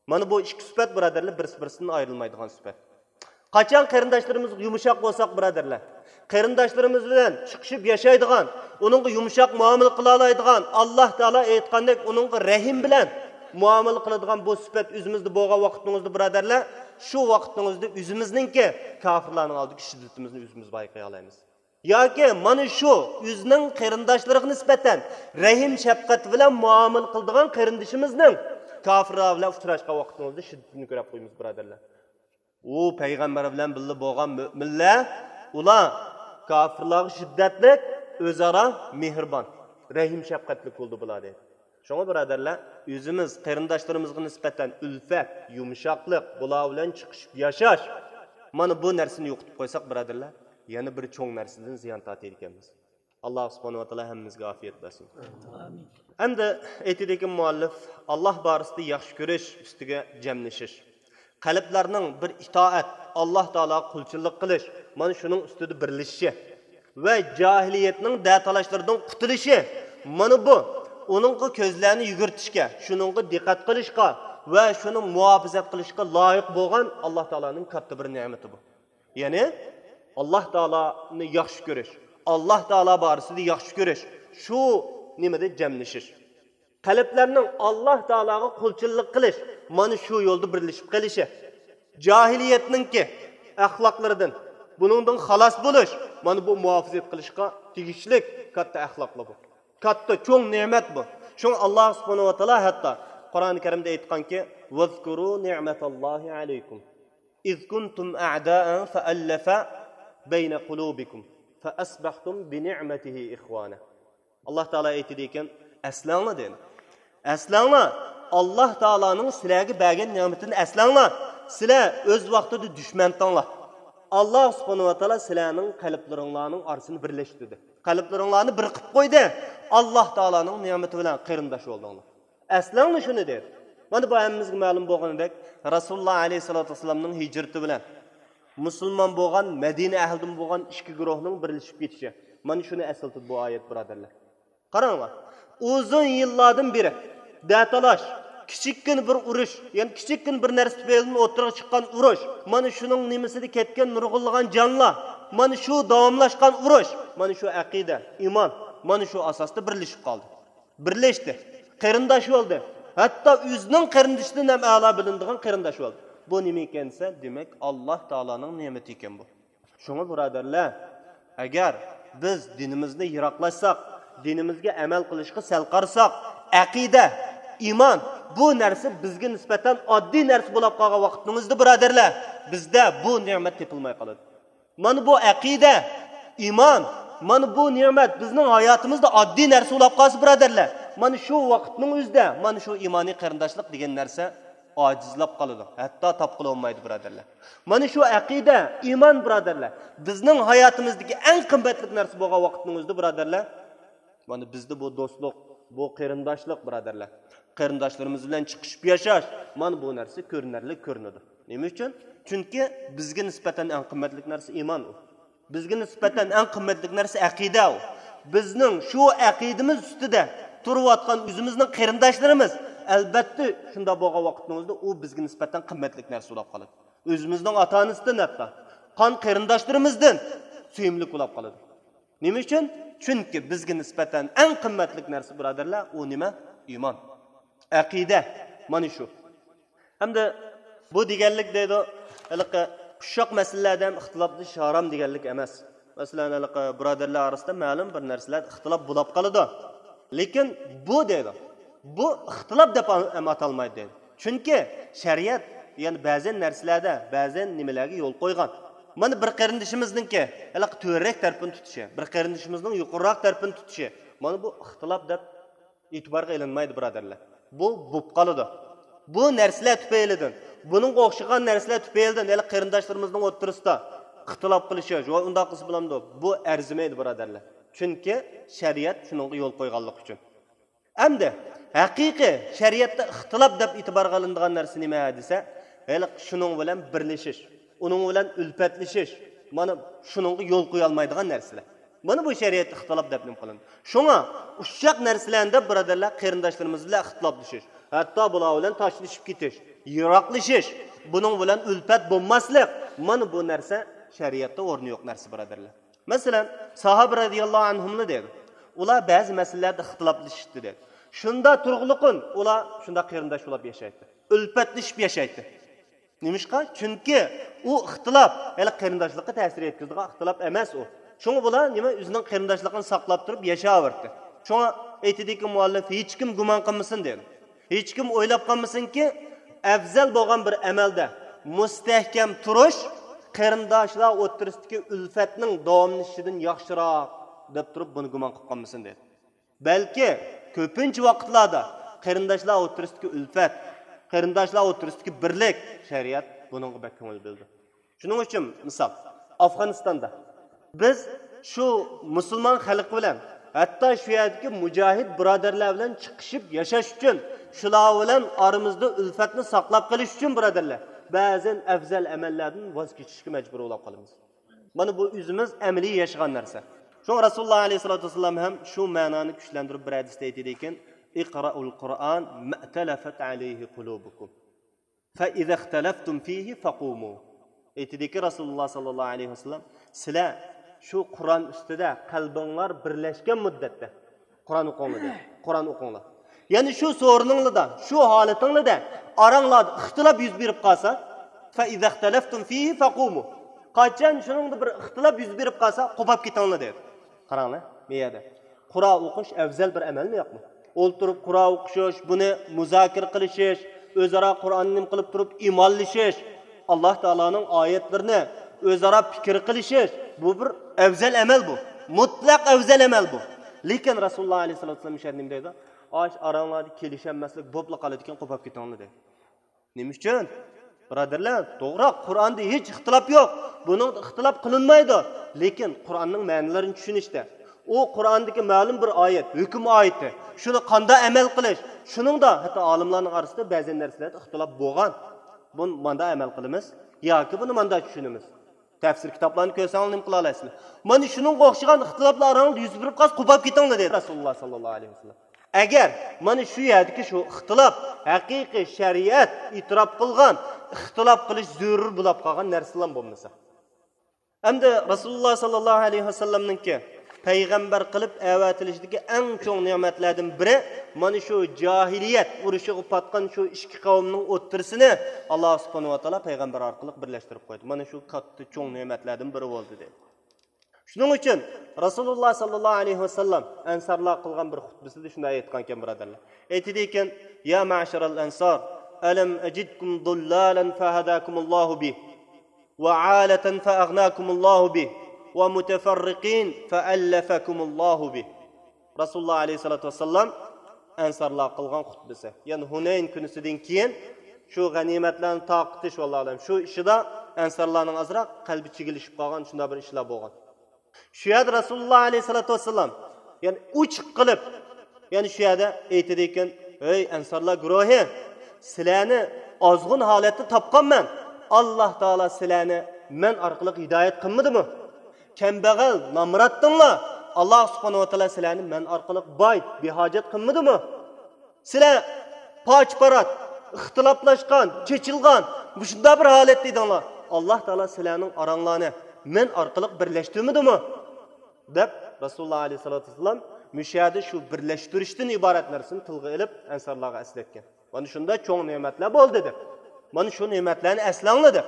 مانا بۇ ئىككى سۈپەت، بۇرادەرلەر، بىرسى-بىرسىدىن ئايرىلمايدىغان سۈپەت. قاچان قېرىنداشلىرىمىزغا يۇمشاق بولساق، بۇرادەرلەر، قېرىنداشلىرىمىز بىلەن چىقىشىپ ياشايدىغان، ئۇنىڭغا يۇمشاق مۇئامىلە قىلالايدىغان، ئاللاھ تائالا ئېيتقاندەك ئۇنىڭغا رەھىم بىلەن مۇئامىلە قىلىدىغان بۇ سۈپەت ئۆزىمىزدە بولغان ۋاقتىڭىزدا، بۇرادەرلەر، شۇ ۋاقتىڭىزدا ئۆزىمىزنىڭكى كاپىرلارنىڭ ئالدىدىكى شىددىتىمىزنى ئۆزىمىز بايقىيالايمىز. ياكى مانا شۇ ئۆزىنىڭ قېرىنداشلىرىغا نىسبەتەن رەھىم شەپقەت بىلەن مۇئامىلە قىلىدىغان قېرىندىشىمىزنىڭ كاپىرلار بىلەن ئۇچراشقان ۋاقتىڭىزدا شىددىتىنى كۆرۈپ قويىمىز، بۇرادەرلەر. ئۇ پەيغەمبەر بىلەن بىللە بولغان مۆمىنلەر، ئۇلار كاپىرلارغا شىددەتلىك، ئۆزئارا مېھرىبان، رەھىم شەپقەتلىك بولدى بۇلار، دەيدۇ. شۇڭا، بۇرادەرلەر، ئۆزىمىز قېرىنداشلىرىمىزغا نىسبەتەن ئۈلپەت، يۇمشاقلىق، بۇلار بىلەن چىقىشىپ ياشاش، مانا بۇ نەرسىنى يوقىتىپ قويساق، بۇرادەرلەر، يەنە بىر چوڭ نەرسىدىن زىيان تارتىدىكەنمىز. ئاللاھ سۇبھانەھۇ ۋە تائالا ھەممىمىزگە ئافىيەت بەرسۇن. ئەمدى ئېيتىدىكەن مۇئەللىپ، ئاللاھ بارىسىدا ياخشى كۆرۈش ئۈستىگە جەملىشىش. قەلبلەرنىڭ بىر ئىتائەت، ئاللاھ تائالاغا قۇلچىلىق قىلىش، مانا شۇنىڭ ئۈستىدە بىرلىشىشى ۋە جاھىلىيەتنىڭ دەتالاشلىرىدىن قۇتۇلۇشى، مانا بۇ ئۇنىڭغا كۆزلەرنى يۈگۈرتۈشكە، شۇنىڭغا دىققەت قىلىشقا ۋە شۇنى مۇھاپىزەت قىلىشقا لايىق بولغان ئاللاھ تائالانىڭ كاتتا بىر نېمىتى بۇ. يەنى، ئاللاھ تائالانى ياخشى كۆرۈش، ئاللاھ تائالا بارىسىدا ياخشى كۆرۈش، شۇ نېمىدە جەملىشىش. قەلبلەرنىڭ ئاللاھ تائالاغا قۇلچىلىق قىلىش، مانا شۇ يولدا بىرلىشىپ قېلىشى. جاھىلىيەتنىڭكى ئەخلاقلىرىدىن، بۇنىڭدىن خالاس بولۇش، مانا بۇ مۇھاپىزەت قىلىشقا تېگىشلىك كاتتا ئەخلاقلار بۇ. كاتتا، چوڭ نېمەت بۇ. شۇڭا ئاللاھ سۇبھانەھۇ ۋە تائالا ھەتتا قۇرئان كەرىمدە ئېيتقانكى، ۋەزكۇرۇ نىئمەتەللاھى ئەلەيكۇم. ئىز كۇنتۇم ئەئدائەن فەئەللەفە بەينە قۇلۇبىكۇم فەئەسبەھتۇم بىنىئمەتىھى ئىخۋانە. ئاللاھ تائالا ئېيتىدىكەن، ئەسلەڭلار دېدى. ئەسلەڭلار، ئاللاھ تائالانىڭ سىلەرگە بەرگەن نېمىتىنى ئەسلەڭلار. سىلەر ئۆز ۋاقتىدا دۈشمەنتىڭلار. ئاللاھ سۇبھانەھۇ ۋە تائالا سىلەرنىڭ قەلبلىرىڭلارنىڭ ئارىسىنى بىرلەشتۈردى. قەلبلىرىڭلارنى بىر قىلىپ قويدى. ئاللاھ تائالانىڭ نېمىتى بىلەن قېرىنداش بولدۇڭلار. ئەسلەڭلار شۇنى دېدى. مانا بۇ ھەممىمىزگە مەلۇم بولغىنىدەك، رەسۇلۇللاھ ئەلەيھىسسالاتۇ ۋەسسالامنىڭ ھىجرىتى بىلەن مۇسۇلمان بولغان، مەدىنە ئەھلىدىن بولغان ئىككى گۇرۇھنىڭ بىرلىشىپ كېتىشى. مانا شۇنى ئەسلىتىدۇ بۇ ئايەت، بۇرادەرلەر. قاراڭلار، ئۇزۇن يىللاردىن بېرى دەتالاش، كىچىككىنە بىر ئۇرۇش، يەنى كىچىككىنە بىر نەرسە تۈپەيلىدىن ئوتتۇرىغا چىققان ئۇرۇش، مانا شۇنىڭ نېمىسىدە كەتكەن نۇرغۇنلىغان جانلار، مانا شۇ داۋاملاشقان ئۇرۇش، مانا شۇ ئەقىدە، ئىمان، مانا شۇ ئاساستا بىرلىشىپ قالدى. بىرلەشتى، قېرىنداش بولدى. ھەتتا ئۆزىنىڭ قېرىندىشىدىن ھەم ئەلا بىلىنىدىغان قېرىنداش بولدى. بۇ نېمە ئىكەن دېسە، دېمەك، ئاللاھ تائالانىڭ نېمىتى ئىكەن بۇ. شۇڭا، بۇرادەرلەر، ئەگەر بىز دىنىمىزنى يىراقلاشساق، دىنىمىزگە ئەمەل قىلىشقا سەل قارىساق، ئەقىدە، ئىمان، بۇ نەرسە بىزگە نىسبەتەن ئاددىي نەرسە بولاپ قالغان ۋاقتىمىزدا، بۇرادەرلەر، بىزدە بۇ نېمەت تېپىلماي قالىدۇ. مانا بۇ ئەقىدە، ئىمان، مانا بۇ نېمەت بىزنىڭ ھاياتىمىزدا ئاددىي نەرسە بولاپ قالسا، بۇرادەرلەر، مانا شۇ ۋاقىتنىڭ ئۆزىدە مانا شۇ ئىمانىي قېرىنداشلىق دېگەن نەرسە ئاجىزلاپ قالىدۇ، ھەتتا تاپقىلى بولمايدۇ، بۇرادەرلەر. مانا شۇ ئەقىدە، ئىمان، بۇرادەرلەر، بىزنىڭ ھاياتىمىزدىكى ئەڭ قىممەتلىك نەرسە بولغان ۋاقىتنىڭ ئۆزىدە، بۇرادەرلەر، مانا بىزدە بۇ دوستلۇق، بۇ قېرىنداشلىق، بۇرادەرلەر. قېرىنداشلىرىمىز بىلەن چىقىشىپ ياشاش، مانا بۇ نەرسە كۆرۈنەرلىك كۆرۈنىدۇ. نېمە ئۈچۈن؟ چۈنكى بىزگە نىسبەتەن ئەڭ قىممەتلىك نەرسە ئىمان ئۇ. بىزگە نىسبەتەن ئەڭ قىممەتلىك نەرسە ئەقىدە ئۇ. بىزنىڭ شۇ ئەقىدىمىز ئۈستىدە تۇرۇۋاتقان ئۆزىمىزنىڭ قېرىنداشلىرىمىز، ئەلبەتتە، شۇنداق بولغان ۋاقىتنىڭ ئۆزىدە ئۇ بىزگە نىسبەتەن قىممەتلىك نەرسە بولاپ قالىدۇ. ئۆزىمىزنىڭ ئاتا-ئانىسىدىن ھەتتا، قان قېرىنداشلىرىمىزدىن سۆيۈملۈك بولاپ قالىدۇ. نېمە ئۈچۈن؟ چۈنكى بىزگە نىسبەتەن ئەڭ قىممەتلىك نەرسە، بۇرادەرلەر، ئۇ نېمە؟ ئىمان. ئەقىدە. مانا شۇ. ھەمدە بۇ دېگەنلىك دەيدۇ، ھېلىقى ئۇششاق مەسىلىلەردە ھەم ئىختىلاپلىشىش ھارام دېگەنلىك ئەمەس. مەسىلەن، ھېلىقى بۇرادەرلەر ئارىسىدا مەلۇم بىر نەرسىلەردە ئىختىلاپ بولاپ قالىدۇ. لېكىن بۇ دەيدۇ، بۇ ئىختىلاپ دەپ ھەم ئاتالمايدۇ دەيدۇ. چۈنكى شەرىئەت، يەنى بەزى نەرسىلەردە، بەزى نېمىلەرگە يول قويغان. مانا بىر قېرىندىشىمىزنىڭكى ھېلىقى تۆۋەنرەك تەرىپىنى تۇتۇشى، بىر قېرىندىشىمىزنىڭ يۇقىرىراق تەرىپىنى تۇتۇشى، مانا بۇ ئىختىلاپ دەپ ئېتىبارغا ئېلىنمايدۇ، بۇرادەرلەر. بۇ بولۇپ قالىدۇ. بۇ نەرسىلەر تۈپەيلىدىن، بۇنىڭغا ئوخشىغان نەرسىلەر تۈپەيلىدىن ھېلىقى قېرىنداشلىرىمىزنىڭ ئوتتۇرىسىدا ئىختىلاپ قىلىشىش، ۋاي ئۇنداق قىلسا بولامدۇ؟ بۇ ئەرزىمەيدۇ، بۇرادەرلەر. چۈنكى شەرىئەت شۇنىڭغا يول قويغانلىقى ئۈچۈن. ئەمدى ھەقىقىي شەرىئەتتە ئىختىلاپ دەپ ئېتىبارغا ئېلىنىدىغان نەرسە نېمە دېسە، ھېلىقى شۇنىڭ بىلەن بىرلىشىش، ئۇنىڭ بىلەن ئۈلپەتلىشىش، مانا شۇنىڭغا يول قويالمايدىغان نەرسىلەر. مانا بۇ شەرىئەتتە ئىختىلاپ دەپ نېمە قىلىنىدۇ. شۇڭا ئۇششاق نەرسىلەرنى دەپ، بۇرادەرلەر، قېرىنداشلىرىمىز بىلەن ئىختىلاپلىشىش، ھەتتا بۇلار بىلەن تاشلىشىپ كېتىش، يىراقلىشىش، بۇنىڭ بىلەن ئۈلپەت بولماسلىق، مانا بۇ نەرسە شەرىئەتتە ئورنى يوق نەرسە، بۇرادەرلەر. مەسىلەن، ساھابە رەزىياللاھۇ ئەنھۇملا دەيدۇ. ئۇلار بەزى مەسىلىلەردە ئىختىلاپلىشىشتى دەيدۇ. شۇندا تۇرغۇلۇقۇن ئۇلار شۇنداق قېرىنداش بولۇپ ياشايتتى. ئۈلپەتلىشىپ ياشايتتى. نېمىشقا؟ چۈنكى ئۇ ئىختىلاپ ھېلى قېرىنداشلىققا تەسىر يەتكۈزىدىغان ئىختىلاپ ئەمەس ئۇ. شۇڭا بۇلار نېمە ئۆزىنىڭ قېرىنداشلىقىنى ساقلاپ تۇرۇپ ياشاۋەردى. شۇڭا ئېيتىدىكى مۇئەللىپ، ھېچكىم گۇمان قىلمىسۇن دېدى. ھېچكىم ئويلاپ قالمىسۇنكى، ئەۋزەل بولغان بىر ئەمەلدە مۇستەھكەم تۇرۇش قېرىنداشلار ئوتتۇرىسىدىكى ئۈلپەتنىڭ داۋاملىشىشىدىن ياخشىراق دەپ تۇرۇپ بۇنى گۇمان قىلىپ قالمىسۇن دېدى. بەلكى كۆپىنچە ۋاقىتلاردا قېرىنداشلار ئوتتۇرىسىدىكى ئۈلپەت، قېرىنداشلار ئوتتۇرىسىدىكى بىرلىك، شەرىئەت بۇنىڭغا بەك كۆڭۈل بۆلىدۇ. شۇنىڭ ئۈچۈن مىسال، ئافغانىستاندا بىز شۇ مۇسۇلمان خەلق بىلەن، ھەتتا شۇ يەردىكى مۇجاھىد بۇرادەرلەر بىلەن چىقىشىپ ياشاش ئۈچۈن، شۇلار بىلەن ئارىمىزدا ئۈلپەتنى ساقلاپ قېلىش ئۈچۈن، بۇرادەرلەر، بەزەن ئەۋزەل ئەمەللەردىن ۋاز كېچىشكە مەجبۇر بولاپ قالىمىز. مانا بۇ ئۆزىمىز ئەمەلىي ياشىغان نەرسە. شۇڭا رەسۇلۇللا ئەلەيھىسسالاتۇ ۋەسسالام ھەم شۇ مەنانى كۈچلەندۈرۈپ بىر ھەدىستە ئېيتىدىكەن، «ئىقرائۇل قۇرئان مەئتەلەفەت ئەلەيھى قۇلۇبۇكۇم. فَإِذَا اخْتَلَفْتُمْ فِيهِ فَقُومُوا.» ئېيتىدىكى رەسۇلۇللا ساللاللاھۇ ئەلەيھى ۋەسەللەم، سىلەر شۇ قۇرئان ئۈستىدە قەلبىڭلار بىرلەشكەن مۇددەتتە قۇرئان ئوقۇڭلار دەيدۇ. قۇرئان ئوقۇڭلار. يەنى شۇ سورۇنۇڭلاردا، شۇ ھالىتىڭلاردا ئاراڭلاردا ئىختىلاپ يۈز بېرىپ قالسا، فَإِذَا اخْتَلَفْتُمْ فِيهِ فَقُومُوا. قاچان شۇنىڭدا بىر ئىختىلاپ يۈز بېرىپ قالسا، قوپاپ كېتىڭلار دەيدۇ. قاراڭلار، بۇ يەردە قۇرئان ئوقۇش ئەۋزەل بىر ئەمەلمۇ يوقمۇ؟ ئولتۇرۇپ قۇرئان ئوقۇشۇش، بۇنى مۇزاكىرە قىلىشىش، ئۆزئارا قۇرئاننى نېمە قىلىپ تۇرۇپ ئىمانلىشىش، ئاللا تائالانىڭ ئايەتلىرىنى ئۆزئارا پىكىر قىلىشىش، بۇ بىر ئەۋزەل ئەمەل بۇ. مۇتلەق ئەۋزەل ئەمەل بۇ. لېكىن رەسۇلۇللا ئەلەيھىسسالاتۇ ۋەسسالام شۇ نېمە دەيدۇ؟ ئاش ئاراڭلاردا كېلىشەلمەسلىك بولۇپلا قالىدىكەن، قوپاپ كېتىڭلار دەيدۇ. نېمە ئۈچۈن؟ بۇرادەرلەر، توغرا، قۇرئاندا ھېچ ئىختىلاپ يوق. بۇنىڭدا ئىختىلاپ قىلىنمايدۇ. لېكىن قۇرئاننىڭ مەنىلىرىنى چۈشىنىشتە، ئۇ قۇرئاندىكى مەلۇم بىر ئايەت، ھۆكۈم ئايىتى، شۇنى قانداق ئەمەل قىلىش، شۇنىڭدا ھەتتا ئالىملارنىڭ ئارىسىدا بەزى نەرسىلەردە ئىختىلاپ بولغان. بۇنى مانداق ئەمەل قىلىمىز ياكى بۇنى مانداق چۈشىنىمىز. تەپسىر كىتابلارنى كۆرسەڭلار نېمە قىلالايسىلەر؟ مانا شۇنىڭغا ئوخشىغان ئىختىلاپلار ئاراڭلاردا يۈز بېرىپ قالسا، قوپاپ كېتىڭلار دېدى رەسۇلۇللا ساللاللاھۇ ئەلەيھى ۋەسەللەم. ئەگەر مانا شۇ يەردىكى شۇ ئىختىلاپ ھەقىقىي شەرىئەت ئېتىراپ قىلغان ئىختىلاپ قىلىش زۆرۈر بولاپ قالغان نەرسىلەر بولمىسا. ئەمدى رەسۇلۇللا ساللاللاھۇ ئەلەيھى ۋەسەللەمنىڭكى پەيغەمبەر قىلىپ ئەۋەتىلىشىدىكى ئەڭ چوڭ نېمەتلەردىن بىرى، مانا شۇ جاھىلىيەت ئۇرۇشىغا پاتقان شۇ ئىككى قەۋمنىڭ ئوتتۇرىسىنى ئاللا سۇبھانەھۇ ۋە تائالا پەيغەمبەر ئارقىلىق بىرلەشتۈرۈپ قويدى. مانا شۇ كاتتا چوڭ نېمەتلەردىن بىرى بولدى دېدى. شۇنىڭ ئۈچۈن رەسۇلۇللا ساللاللاھۇ ئەلەيھى ۋەسەللەم ئەنسارلار قىلغان بىر خۇتبىسىدە شۇنداق ئېيتقانكەن، بۇرادەرلەر. ئېيتىدىكەن، يا مەشەرەل ئەنسار، ئەلەم ئەجىدكۇم زۇللالەن فەھەداكۇمۇللاھۇ بى. وعالة فأغناكم الله به، ومتفرقين فألفكم الله به. رەسۇلۇللاھ ئەلەيھىسسالاتۇ ۋەسسالام ئەنسارلارغا قىلغان خۇتبىسى. يەنى ھۇنەين كۈنىسىدىن كېيىن شۇ غەنىيمەتلەرنى تارقىتىش، ۋاللاھۇ ئەلەم، شۇ ئىشىدا ئەنسارلارنىڭ ئازراق قەلبى چىگىلىشىپ قالغان شۇنداق بىر ئىشلار بولغان. شۇ يەردە رەسۇلۇللاھ ئەلەيھىسسالاتۇ ۋەسسالام يەنى ئوچۇق قىلىپ، يەنى شۇ يەردە ئېيتىدىكەن، ئەي ئەنسارلار گۇرۇھى، سىلەرنى ئازغۇن ھالەتتە تاپقانمەن. ئاللاھ تائالا سىلەرنى مەن ئارقىلىق ھىدايەت قىلمىدىمۇ؟ كەمبەغەل، نامراتتىڭلار، ئاللاھ سۇبھانەھۇ ۋە تائالا سىلەرنى مەن ئارقىلىق باي، بىھاجەت قىلمىدىمۇ؟ سىلەر پاچ-پارات، ئىختىلاپلاشقان، چېچىلغان، مۇشۇنداق بىر ھالەتتە ئىدىڭلار. ئاللاھ تائالا سىلەرنىڭ ئاراڭلارنى مەن ئارقىلىق بىرلەشتۈرمىدىمۇ؟ دەپ، رەسۇلۇللاھ ئەلەيھىسسالاتۇ ۋەسسالام مۇشۇ يەردە شۇ بىرلەشتۈرۈشتىن ئىبارەت نەرسىنى تىلغا ئېلىپ، ئەنسارلارغا ئەسلەتكەن. مانا شۇنداق چوڭ نېمەتلەر بولدى دەپ. مانا شۇ نېمەتلەرنى ئەسلەڭلار دەپ.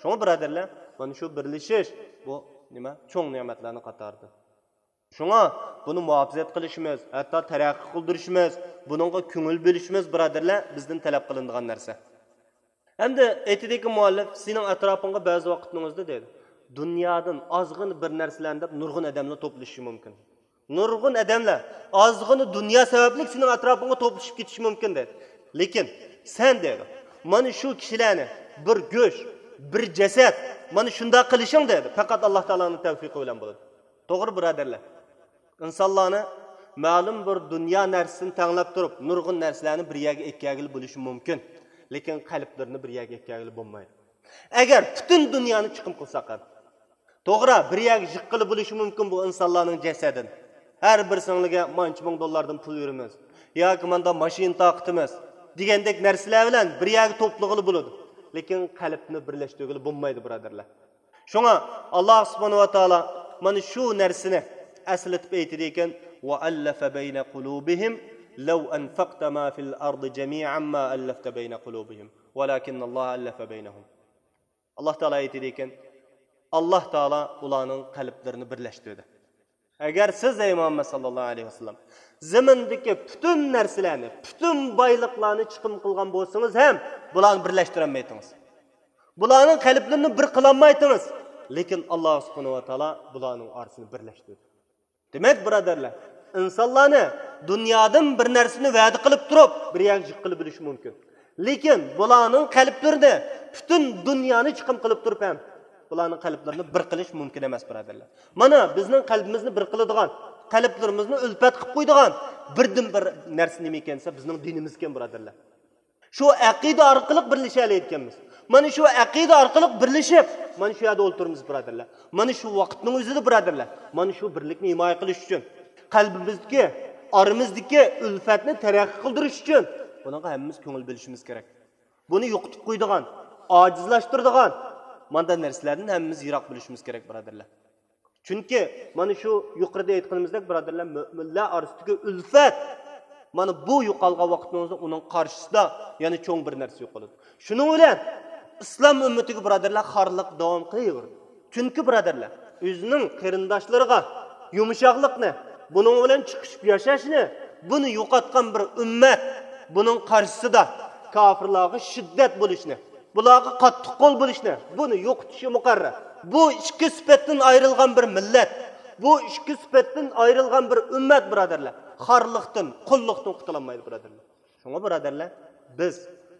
شۇڭا بۇرادەرلەر، مانا شۇ بىرلىشىش، بۇ نېمە؟ چوڭ نېمەتلەرنىڭ قاتارىدىن. شۇڭا بۇنى مۇھاپىزەت قىلىشىمىز، ھەتتا تەرەققىي قىلدۇرۇشىمىز، بۇنىڭغا كۆڭۈل بۆلۈشىمىز، بۇرادەرلەر، بىزدىن تەلەپ قىلىنىدىغان نەرسە. ئەمدى ئېيتىدىكى مۇئەللىپ، سېنىڭ ئەتراپىڭغا بەزى ۋاقىتنىڭ ئۆزىدە دەيدۇ، دۇنيادىن ئازغىنە بىر نەرسىلەرنى دەپ نۇرغۇن ئادەملەر توپلىشىشى مۇمكىن. نۇرغۇن ئادەملەر ئازغىنە دۇنيا سەۋەبلىك سېنىڭ ئەتراپىڭغا توپلىشىپ كېتىشى مۇمكىن دەيدۇ. لېكىن سەن دەيدۇ، مانا شۇ كىشىلەرنى بىر گۆش، بىر جەسەت، مانا شۇنداق قىلىشىڭ دەيدۇ، پەقەت ئاللاھ تائالانىڭ تەۋپىقى بىلەن بولىدۇ. توغرا، بۇرادەرلەر. ئىنسانلارنى مەلۇم بىر دۇنيا نەرسىسىنى تەڭلەپ تۇرۇپ، نۇرغۇن نەرسىلەرنى بىر يەرگە ئەكەلگىلى بولۇشى مۇمكىن. لېكىن قەلبلىرىنى بىر يەرگە ئەكەلگىلى بولمايدۇ. ئەگەر پۈتۈن دۇنيانى چىقىم قىلساق ھەم. توغرا، بىر يەرگە يىغقىلى بولۇشى مۇمكىن بۇ ئىنسانلارنىڭ جەسەتىنى. ھەر بىرسىڭلارغا مانچە مىڭ دوللاردىن پۇل بېرىمىز. ياكى ماندا ماشىنا تارقىتىمىز. دېگەندەك نەرسىلەر بىلەن بىر يەرگە توپلىغىلى بولىدۇ. لېكىن قەلبنى بىرلەشتۈرگىلى بولمايدۇ، بۇرادەرلەر. شۇڭا ئاللاھ سۇبھانەھۇ ۋە تائالا مانا شۇ نەرسىنى ئەسلىتىپ ئېيتىدىكەن، وألف بين قلوبهم لو أنفقت ما في الأرض جميعا ما ألفت بين قلوبهم ولكن الله ألف بينهم. ئاللاھ تائالا ئېيتىدىكەن، ئاللاھ تائالا ئۇلارنىڭ قەلبلىرىنى بىرلەشتۈردى. ئەگەر سىز، ئەي مۇھەممەد ساللاللاھۇ ئەلەيھى ۋەسەللەم، زېمىندىكى پۈتۈن نەرسىلەرنى، پۈتۈن بايلىقلارنى چىقىم قىلغان بولسىڭىز ھەم، بۇلارنى بىرلەشتۈرەلمەيتىڭىز. بۇلارنىڭ قەلبلىرىنى بىر قىلالمايتىڭىز. لېكىن ئاللاھ سۇبھانەھۇ ۋە تائالا بۇلارنىڭ ئارىسىنى بىرلەشتۈردى. دېمەك، بۇرادەرلەر، ئىنسانلارنى دۇنيادىن بىر نەرسىنى ۋەدە قىلىپ تۇرۇپ، بىر يەرگە يىغقىلى بولۇشى مۇمكىن. لېكىن بۇلارنىڭ قەلبلىرىنى پۈتۈن دۇنيانى چىقىم قىلىپ تۇرۇپ ھەم بۇلارنىڭ قەلبلىرىنى بىر قىلىش مۇمكىن ئەمەس، بۇرادەرلەر. مانا بىزنىڭ قەلبىمىزنى بىر قىلىدىغان، قەلبلىرىمىزنى ئۈلپەت قىلىپ قويىدىغان بىردىن بىر نەرسە نېمە ئىكەن دېسە، بىزنىڭ دىنىمىزكەن، بۇرادەرلەر. شۇ ئەقىدە ئارقىلىق بىرلىشەلەيدىكەنمىز. مانا شۇ ئەقىدە ئارقىلىق بىرلىشىپ، مانا شۇ يەردە ئولتۇرىمىز، بۇرادەرلەر. مانا شۇ ۋاقىتنىڭ ئۆزىدە، بۇرادەرلەر، مانا شۇ بىرلىكنى ھىمايە قىلىش ئۈچۈن، قەلبىمىزدىكى، ئارىمىزدىكى ئۈلپەتنى تەرەققىي قىلدۇرۇش ئۈچۈن بۇنىڭغا ھەممىمىز كۆڭۈل بۆلۈشىمىز كېرەك. بۇنى يوقىتىپ قويىدىغان، ئاجىزلاشتۇرىدىغان مانداق نەرسىلەردىن ھەممىمىز يىراق بولۇشىمىز كېرەك، بۇرادەرلەر. چۈنكى مانا شۇ يۇقىرىدا ئېيتقىنىمىزدەك، بۇرادەرلەر، مۆمىنلەر ئارىسىدىكى ئۈلپەت، مانا بۇ يوقالغان ۋاقتىمىزدا ئۇنىڭ قارشىسىدا يەنە چوڭ بىر نەرسە يوقىلىدۇ. شۇنىڭ بىلەن ئىسلام ئۈممىتىگە، بۇرادەرلەر، خارلىق داۋام قىلىۋېرىدۇ. چۈنكى، بۇرادەرلەر، ئۆزىنىڭ قېرىنداشلىرىغا يۇمشاقلىقنى، بۇنىڭ بىلەن چىقىشىپ ياشاشنى، بۇنى يوقاتقان بىر ئۈممەت، بۇنىڭ قارشىسىدا كاپىرلارغا شىددەت بولۇشنى، بۇلارغا قاتتىق قول بولۇشنى، بۇنى يوقىتىشى مۇقەررەر. بۇ ئىككى سۈپەتتىن ئايرىلغان بىر مىللەت، بۇ ئىككى سۈپەتتىن ئايرىلغان بىر ئۈممەت، بۇرادەرلەر، خارلىقتىن، قۇللۇقتىن قۇتۇلالمايدۇ، بۇرادەرلەر. شۇڭا، بۇرادەرلەر، بىز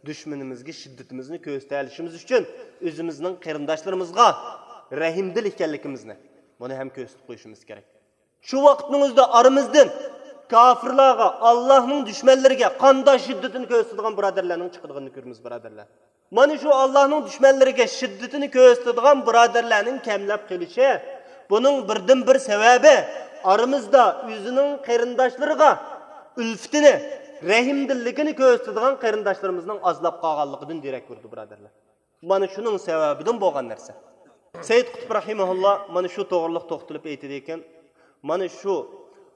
دۈشمىنىمىزگە شىددىتىمىزنى كۆرسىتەلىشىمىز ئۈچۈن ئۆزىمىزنىڭ قېرىنداشلىرىمىزغا رەھىمدىل ئىكەنلىكىمىزنى، بۇنى ھەم كۆرسىتىپ قويۇشىمىز كېرەك. شۇ ۋاقىتنىڭ ئۆزىدە ئارىمىزدىن كاپىرلارغا، ئاللاھنىڭ دۈشمەنلىرىگە قانداق شىددىتىنى كۆرسىتىدىغان بۇرادەرلەرنىڭ چىقىدىغىنىنى كۆرىمىز، بۇرادەرلەر. مانا شۇ ئاللاھنىڭ دۈشمەنلىرىگە شىددىتىنى كۆرسىتىدىغان بۇرادەرلەرنىڭ كەملەپ قېلىشى، بۇنىڭ بىردىنبىر سەۋەبى، ئارىمىزدا ئۆزىنىڭ قېرىنداشلىرىغا ئۈلپىتىنى، رەھىمدىللىكىنى كۆرسىتىدىغان قېرىنداشلىرىمىزنىڭ ئازلاپ قالغانلىقىدىن دېرەك بېرىدۇ، بۇرادەرلەر. مانا شۇنىڭ سەۋەبىدىن بولغان نەرسە. سەييىد قۇتۇب رەھىمەھۇللا مانا شۇ توغرىلىق توختىلىپ ئېيتىدىكەن، مانا شۇ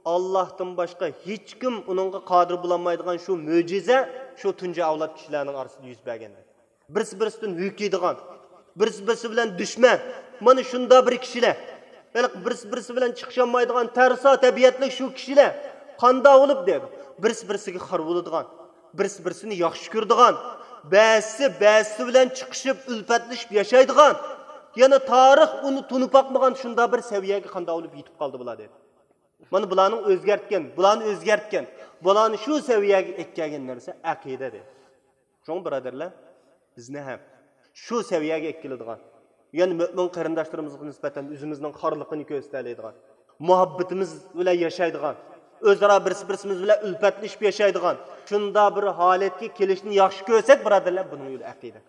ئاللاھتىن باشقا ھېچكىم ئۇنىڭغا قادىر بولالمايدىغان شۇ مۆجىزە شۇ تۇنجى ئەۋلاد كىشىلەرنىڭ ئارىسىدا يۈز بەرگەن. بىرسى بىرسىدىن ھۆكۈيدىغان، بىرسى بىرسى بىلەن دۈشمەن، مانا شۇنداق بىر كىشىلەر، ھېلىقى بىرسى بىرسى بىلەن چىقىشالمايدىغان تەرسا تەبىئەتلىك شۇ كىشىلەر قانداق بولۇپ دەيدۇ، بىرسى بىرسىگە خار بولىدىغان، بىرسى بىرسىنى ياخشى كۆرىدىغان، بەزىسى بەزىسى بىلەن چىقىشىپ ئۈلپەتلىشىپ ياشايدىغان، يەنە تارىخ ئۇنى تونۇپ باقمىغان شۇنداق بىر سەۋىيەگە قانداق بولۇپ يېتىپ قالدى بۇلار دەيدۇ. مانا بۇلارنىڭ ئۆزگەرتكەن، بۇلارنى ئۆزگەرتكەن، بۇلارنى شۇ سەۋىيەگە ئەكەلگەن نەرسە ئەقىدە دەيدۇ. شۇڭا بۇرادەرلەر، بىزنى ھەم شۇ سەۋىيەگە ئەكېلىدىغان، يەنى مۆمىن قېرىنداشلىرىمىزغا نىسبەتەن ئۆزىمىزنىڭ خارلىقىنى كۆرسىتەلەيدىغان، مۇھەببىتىمىز بىلەن ياشايدىغان، ئۆزئارا بىرسى بىرسىمىز بىلەن ئۈلپەتلىشىپ ياشايدىغان شۇنداق بىر ھالەتكە كېلىشنى ياخشى كۆرسەك، بۇرادەرلەر، بۇنىڭ يولى ئەقىدە.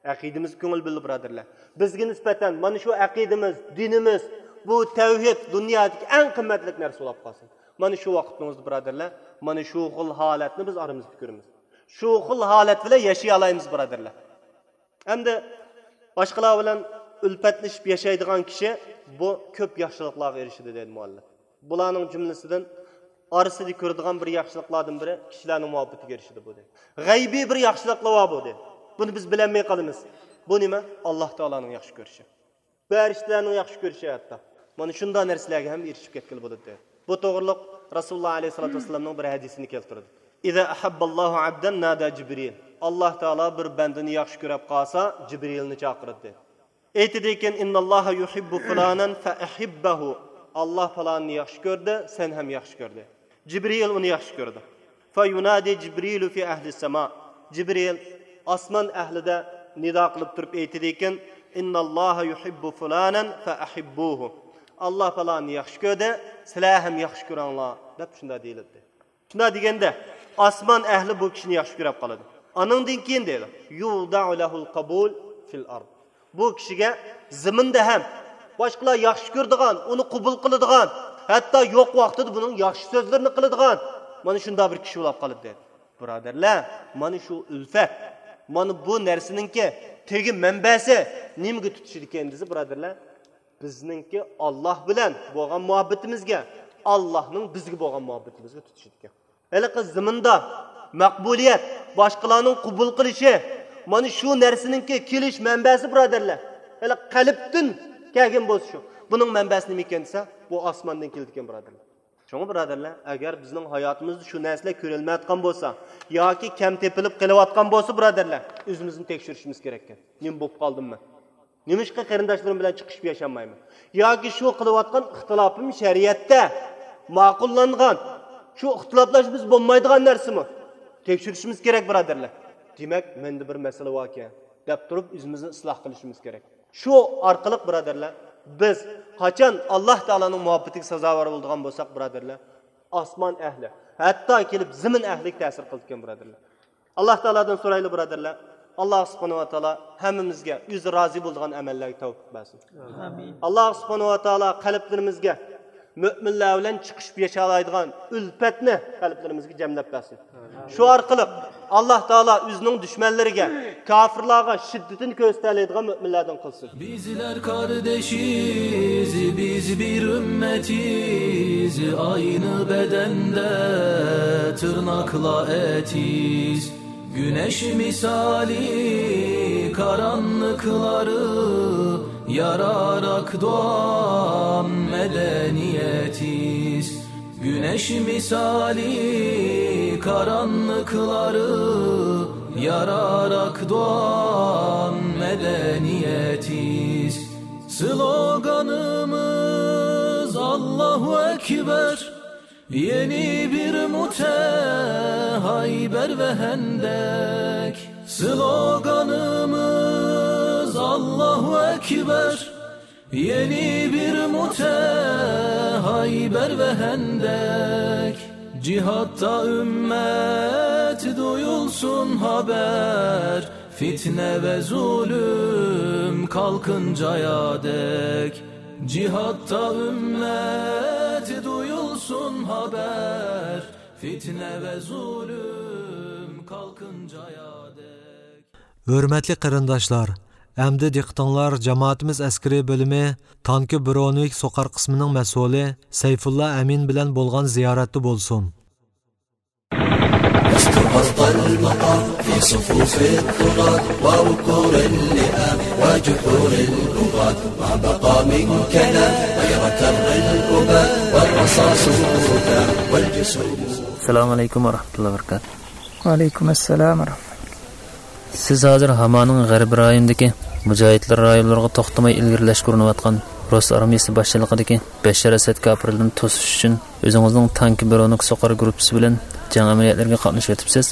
ئەقىدىمىزگە كۆڭۈل بۆلدى، بۇرادەرلەر. بىزگە نىسبەتەن مانا شۇ ئەقىدىمىز، دىنىمىز، بۇ تەۋھىد دۇنيادىكى ئەڭ قىممەتلىك نەرسە بولۇپ قالسۇن. مانا شۇ ۋاقىتنىڭ ئۆزىدە، بۇرادەرلەر، مانا شۇ خىل ھالەتنى بىز ئارىمىزدا كۆرىمىز. شۇ خىل ھالەت بىلەن ياشىيالايمىز، بۇرادەرلەر. ئەمدى باشقىلار بىلەن ئۈلپەتلىشىپ ياشايدىغان كىشى بۇ كۆپ ياخشىلىقلارغا ئېرىشىدۇ، دەيدۇ مۇئەللىپ. بۇلارنىڭ جۈملىسىدىن ئارىسىدا كۆرىدىغان بىر ياخشىلىقلاردىن بىرى كىشىلەرنىڭ مۇھەببىتىگە ئېرىشىدۇ، بۇ، دەيدۇ. غەيبىي بىر ياخشىلىقلار بار، بۇ، دەيدۇ. بۇنى بىز بىلەلمەي قالىمىز. بۇ نېمە؟ ئاللاھ تائالانىڭ ياخشى كۆرۈشى، پەرىشتىلەرنىڭ ياخشى كۆرۈشى ھەتتا. مانا شۇنداق نەرسىلەرگە ھەم ئېرىشىپ كەتكىلى بولىدۇ، دەيدۇ. بۇ توغرىلىق رەسۇلۇللاھ ئەلەيھىسسالاتۇ ۋەسسالامنىڭ بىر ھەدىسىنى كەلتۈرىدۇ. إذا أحب الله عبدا نادى جبريل. ئاللاھ تائالا بىر بەندىنى ياخشى كۆرۈپ قالسا، جىبرىلنى چاقىرىدۇ، دەيدۇ. ئېيتىدىكەن، إن الله يحب فلانا فأحبه. ئاللاھ پالاننى ياخشى كۆردى، سەن ھەم ياخشى كۆردى. جىبرىل ئۇنى ياخشى كۆرىدۇ. فينادي جبريل في أهل السماء. جىبرىل ئاسمان ئەھلىدە نىدا قىلىپ تۇرۇپ ئېيتىدىكەن، إن الله يحب فلانا فأحبوه. ئاللاھ پالاننى ياخشى كۆردى، سىلەر ھەم ياخشى كۆرۈڭلار، دەپ شۇنداق دېيىلىدۇ. شۇنداق دېگەندە، ئاسمان ئەھلى بۇ كىشىنى ياخشى كۆرۈپ قالىدۇ. ئانىڭدىن كېيىن دەيدۇ، يوضع له القبول في الأرض. بۇ كىشىگە زېمىندا ھەم باشقىلار ياخشى كۆرىدىغان، ئۇنى قوبۇل قىلىدىغان، ھەتتا يوق ۋاقتىدا بۇنىڭ ياخشى سۆزلىرىنى قىلىدىغان، مانا شۇنداق بىر كىشى بولۇپ قالىدۇ، دەيدۇ. بۇرادەرلەر، مانا شۇ ئۈلپەت، مانا بۇ نەرسىنىڭكى تېگى مەنبەسى نېمىگە تۇتىشىدىكەن دېسە، بۇرادەرلەر، بىزنىڭكى ئاللاھ بىلەن بولغان مۇھەببىتىمىزگە، ئاللاھنىڭ بىزگە بولغان مۇھەببىتىمىزگە تۇتىشىدىكەن. ھېلىقى زېمىندا مەقبۇلىيەت، باشقىلارنىڭ قوبۇل قىلىشى، مانا شۇ نەرسىنىڭكى كېلىش مەنبەسى، بۇرادەرلەر. ھېلىقى قەلبتىن كەلگەن بولسا شۇ. بۇنىڭ مەنبەسى نېمە ئىكەن دېسە، بۇ ئاسماندىن كېلىدىكەن، بۇرادەرلەر. شۇڭا، بۇرادەرلەر، ئەگەر بىزنىڭ ھاياتىمىزدا شۇ نەرسىلەر كۆرۈلمەيۋاتقان بولسا ياكى كەم تېپىلىپ قېلىۋاتقان بولسا، بۇرادەرلەر، ئۆزىمىزنى تەكشۈرۈشىمىز كېرەككەن. نېمە بولۇپ قالدىم مەن؟ نېمىشقا قېرىنداشلىرىم بىلەن چىقىشىپ ياشالمايمەن؟ ياكى شۇ قىلىۋاتقان ئىختىلاپىم شەرىئەتتە ماقۇللانغان، شۇ ئىختىلاپلاشمىسا بولمايدىغان نەرسىمۇ؟ تەكشۈرۈشىمىز كېرەك، بۇرادەرلەر. دېمەك، مەندە بىر مەسىلە باركەن، دەپ تۇرۇپ ئۆزىمىزنى ئىسلاھ قىلىشىمىز كېرەك. شۇ ئارقىلىق، بۇرادەرلەر، بىز قاچان ئاللاھ تائالانىڭ مۇھەببىتىگە سازاۋەر بولىدىغان بولساق، بۇرادەرلەر، ئاسمان ئەھلى، ھەتتا كېلىپ زېمىن ئەھلىگە تەسىر قىلىدىكەن، بۇرادەرلەر. ئاللاھ تائالادىن سورايلى، بۇرادەرلەر. ئاللاھ سۇبھانەھۇ ۋە تائالا ھەممىمىزگە ئۆزى رازى بولىدىغان ئەمەللەرگە تەۋپىق بەرسۇن. ئامىن. ئاللاھ سۇبھانەھۇ ۋە تائالا قەلبلىرىمىزگە مۆمىنلەر بىلەن چىقىشىپ ياشالايدىغان ئۈلپەتنى قەلبلىرىمىزگە جەملەپ بەرسۇن. شۇ ئارقىلىق ئاللاھ تائالا ئۆزىنىڭ دۈشمەنلىرىگە، كاپىرلارغا شىددىتىنى كۆرسىتەلەيدىغان مۆمىنلەردىن قىلسۇن. بىزلەر قاردىشىز، بىز بىر ئۈممەتىز، ئاينى بەدەندە تىرناقلار ئەتىز. گۈنەش مىسالى قارانلىقلارنى ياراراق داۋام مەدەنىيەتىز. گۈنەش مىسالى قارانلىقلارنى ياراراق داۋام مەدەنىيەتىز. سلوگانىمىز ئاللاھۇ ئەكبەر، يەنى بىر مۇتە ھەيبەر ۋە ھەندەك. سلوگانىمىز ئاللاھۇ ئەكبەر، يەنى بىر مۇتە ھەيبەر ۋە ھەندەك. جىھادتا ئۈممەت دۇيۇلسۇن خەۋەر، فىتنە ۋە زۇلۇم قالقىن جايادەك. جىھادتا ئۈممەت دۇيۇلسۇن خەۋەر، فىتنە ۋە زۇلۇم قالقىن جايادەك. ھۆرمەتلىك قېرىنداشلار، ئەمدى دىققىتىڭلار جامائىتىمىز ئەسكىرىي بۆلۈمى تانكى برونېۋىك سوقار قىسمىنىڭ مەسئۇلى سەيفۇللا ئەمىن بىلەن بولغان زىيارەتتە بولسۇن. لست فوق المقام في صفوف الطغاة ووقور اللئام وجحور البغاة. ما بقى من كلام غير كر الأباء والرصاص هتام والجسوم. السلام عليكم ورحمة الله وبركاته. ۋەئەلەيكۇم ئەسسالام ۋە رەھمەتۇللا. سىز ھازىر ھامانىڭ غەربىي رايونىدىكى مۇجاھىدلار رايونلىرىغا توختىماي ئىلگىرىلەشكە ئۇرۇنۇۋاتقان رۇس ئارمىيىسى باشچىلىقىدىكى بەششار ئەسەد كاپىرلىرىنى توسۇش ئۈچۈن ئۆزىڭىزنىڭ تانكى برونوك سوقار گۇرۇپپىسى بىلەن جەڭ ئەمەلىيەتلىرىگە قاتنىشىۋېتىپسىز.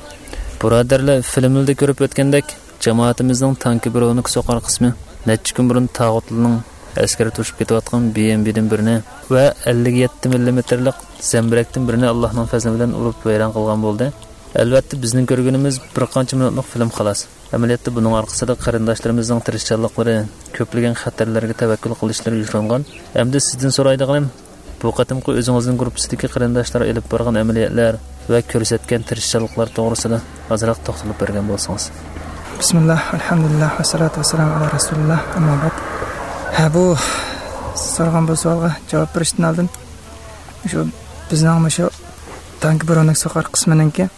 بۇرادەرلەر، فىلىملىرىدا كۆرۈپ ئۆتكەندەك، جامائىتىمىزنىڭ تانكى برونوك سوقار قىسمى نەچچە كۈن بۇرۇن تاغۇتلىنىڭ ئەسكىرى توشۇپ كېتىۋاتقان بى ئېم بىدىن بىرنى ۋە ئەللىك يەتتە مىللىمېتىرلىق زەمبىرەكتىن بىرنى ئاللاھنىڭ پەزلى بىلەن ئۇرۇپ ۋەيران قىلغان بولدى. ئەلۋەتتە، بىزنىڭ كۆرگىنىمىز بىر قانچە مىنۇتلۇق فىلىم، خالاس. ئەمەلىيەتتە، بۇنىڭ ئارقىسىدا قېرىنداشلىرىمىزنىڭ تىرىشچانلىقلىرى، كۆپلىگەن خەتەرلەرگە تەۋەككۈل قىلىشلىرى يوشۇرۇنغان. ئەمدى سىزدىن سورايدىغىنىم، بۇ قېتىمقى ئۆزىڭىزنىڭ گۇرۇپپىسىدىكى قېرىنداشلار ئېلىپ بارغان ئەمەلىيەتلەر ۋە كۆرسەتكەن تىرىشچانلىقلار توغرىسىدا ئازراق توختىلىپ بەرگەن بولسىڭىز. بىسمىللا، ئەلھەمدۇلىللا، ۋەسسالاتۇ ۋەسسالامۇ ئالا رەسۇلىللا، ئەمما بەئد. ھە، بۇ سورىغان بۇ سوئالغا جاۋاب بېرىشتىن ئالدىن، شۇ بىزنىڭ مۇشۇ تانكى برونوك سوقار قىسمىنىڭكى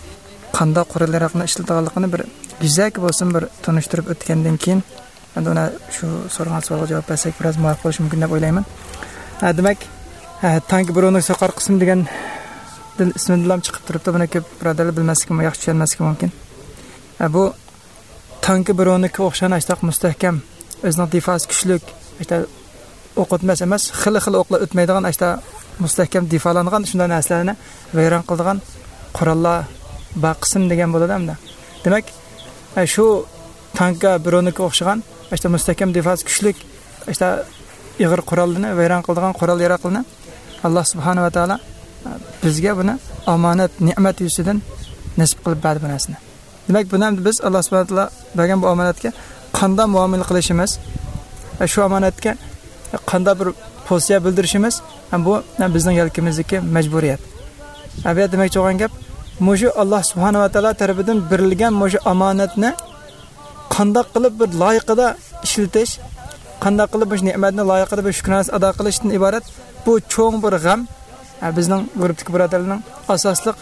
قانداق قورال ياراغنى ئىشلىتىدىغانلىقىنى بىر يۈزەكى بولسۇن بىر تونۇشتۇرۇپ ئۆتكەندىن كېيىن، ئەمدى ئۇنى شۇ سورىغان سوئالغا جاۋاب بەرسەك بىراز مۇۋاپىق بولۇشى مۇمكىن دەپ ئويلايمەن. ھە، دېمەك، ھە، تانكى برونوك سوقار قىسمى دېگەن دىل ئىسمىدىنلا چىقىپ تۇرۇپتۇ. بۇنى كۆپ بۇرادەرلەر بىلمەسلىكى، ياخشى چۈشەنمەسلىكى مۇمكىن. ھە، بۇ تانكى برونوكقا ئوخشىغان ئاشتاق مۇستەھكەم، ئۆزىنىڭ دىفاسى كۈچلۈك، ئاشتا ئوق ئۆتمەس ئەمەس، خېلى خېلى ئوقلار ئۆتمەيدىغان ئاشتا مۇستەھكەم دىفالانغان شۇنداق نەرسىلەرنى ۋەيران قىلىدىغان قوراللار بار قىسىم دېگەن بولىدۇ ئەمدى. دېمەك، ئە، شۇ تانكا برونوكقا ئوخشىغان ئاشتا مۇستەھكەم دىفاسى كۈچلۈك ئاشتا ئېغىر قوراللىرىنى ۋەيران قىلىدىغان قورال ياراقلىرىنى ئاللا سۇبھانەھۇ ۋە تائالا، ئە، بىزگە بۇنى ئامانەت، نېمەت يۈزىسىدىن نېسىپ قىلىپ بەردى بۇ نەرسىنى. دېمەك، بۇنى ئەمدى بىز ئاللا سۇبھانەھۇ ۋە تائالا بەرگەن بۇ ئامانەتكە قانداق مۇئامىلە قىلىشىمىز، شۇ ئامانەتكە قانداق بىر پوزىتسىيە بىلدۈرۈشىمىز، بۇ بىزنىڭ يەلكىمىزدىكى مەجبۇرىيەت. ئە، بۇ يەردە دېمەكچى بولغان گەپ، مۇشۇ ئاللا سۇبھانەھۇ ۋە تائالا تەرىپىدىن بېرىلگەن مۇشۇ ئامانەتنى قانداق قىلىپ بىر لايىقىدا ئىشلىتىش، قانداق قىلىپ مۇشۇ نېمەتنى لايىقىدا بىر شۈكرانىسى ئادا قىلىشتىن ئىبارەت بۇ چوڭ بىر غەم، ئە، بىزنىڭ گۇرۇپپىدىكى بۇرادەرلەرنىڭ ئاساسلىق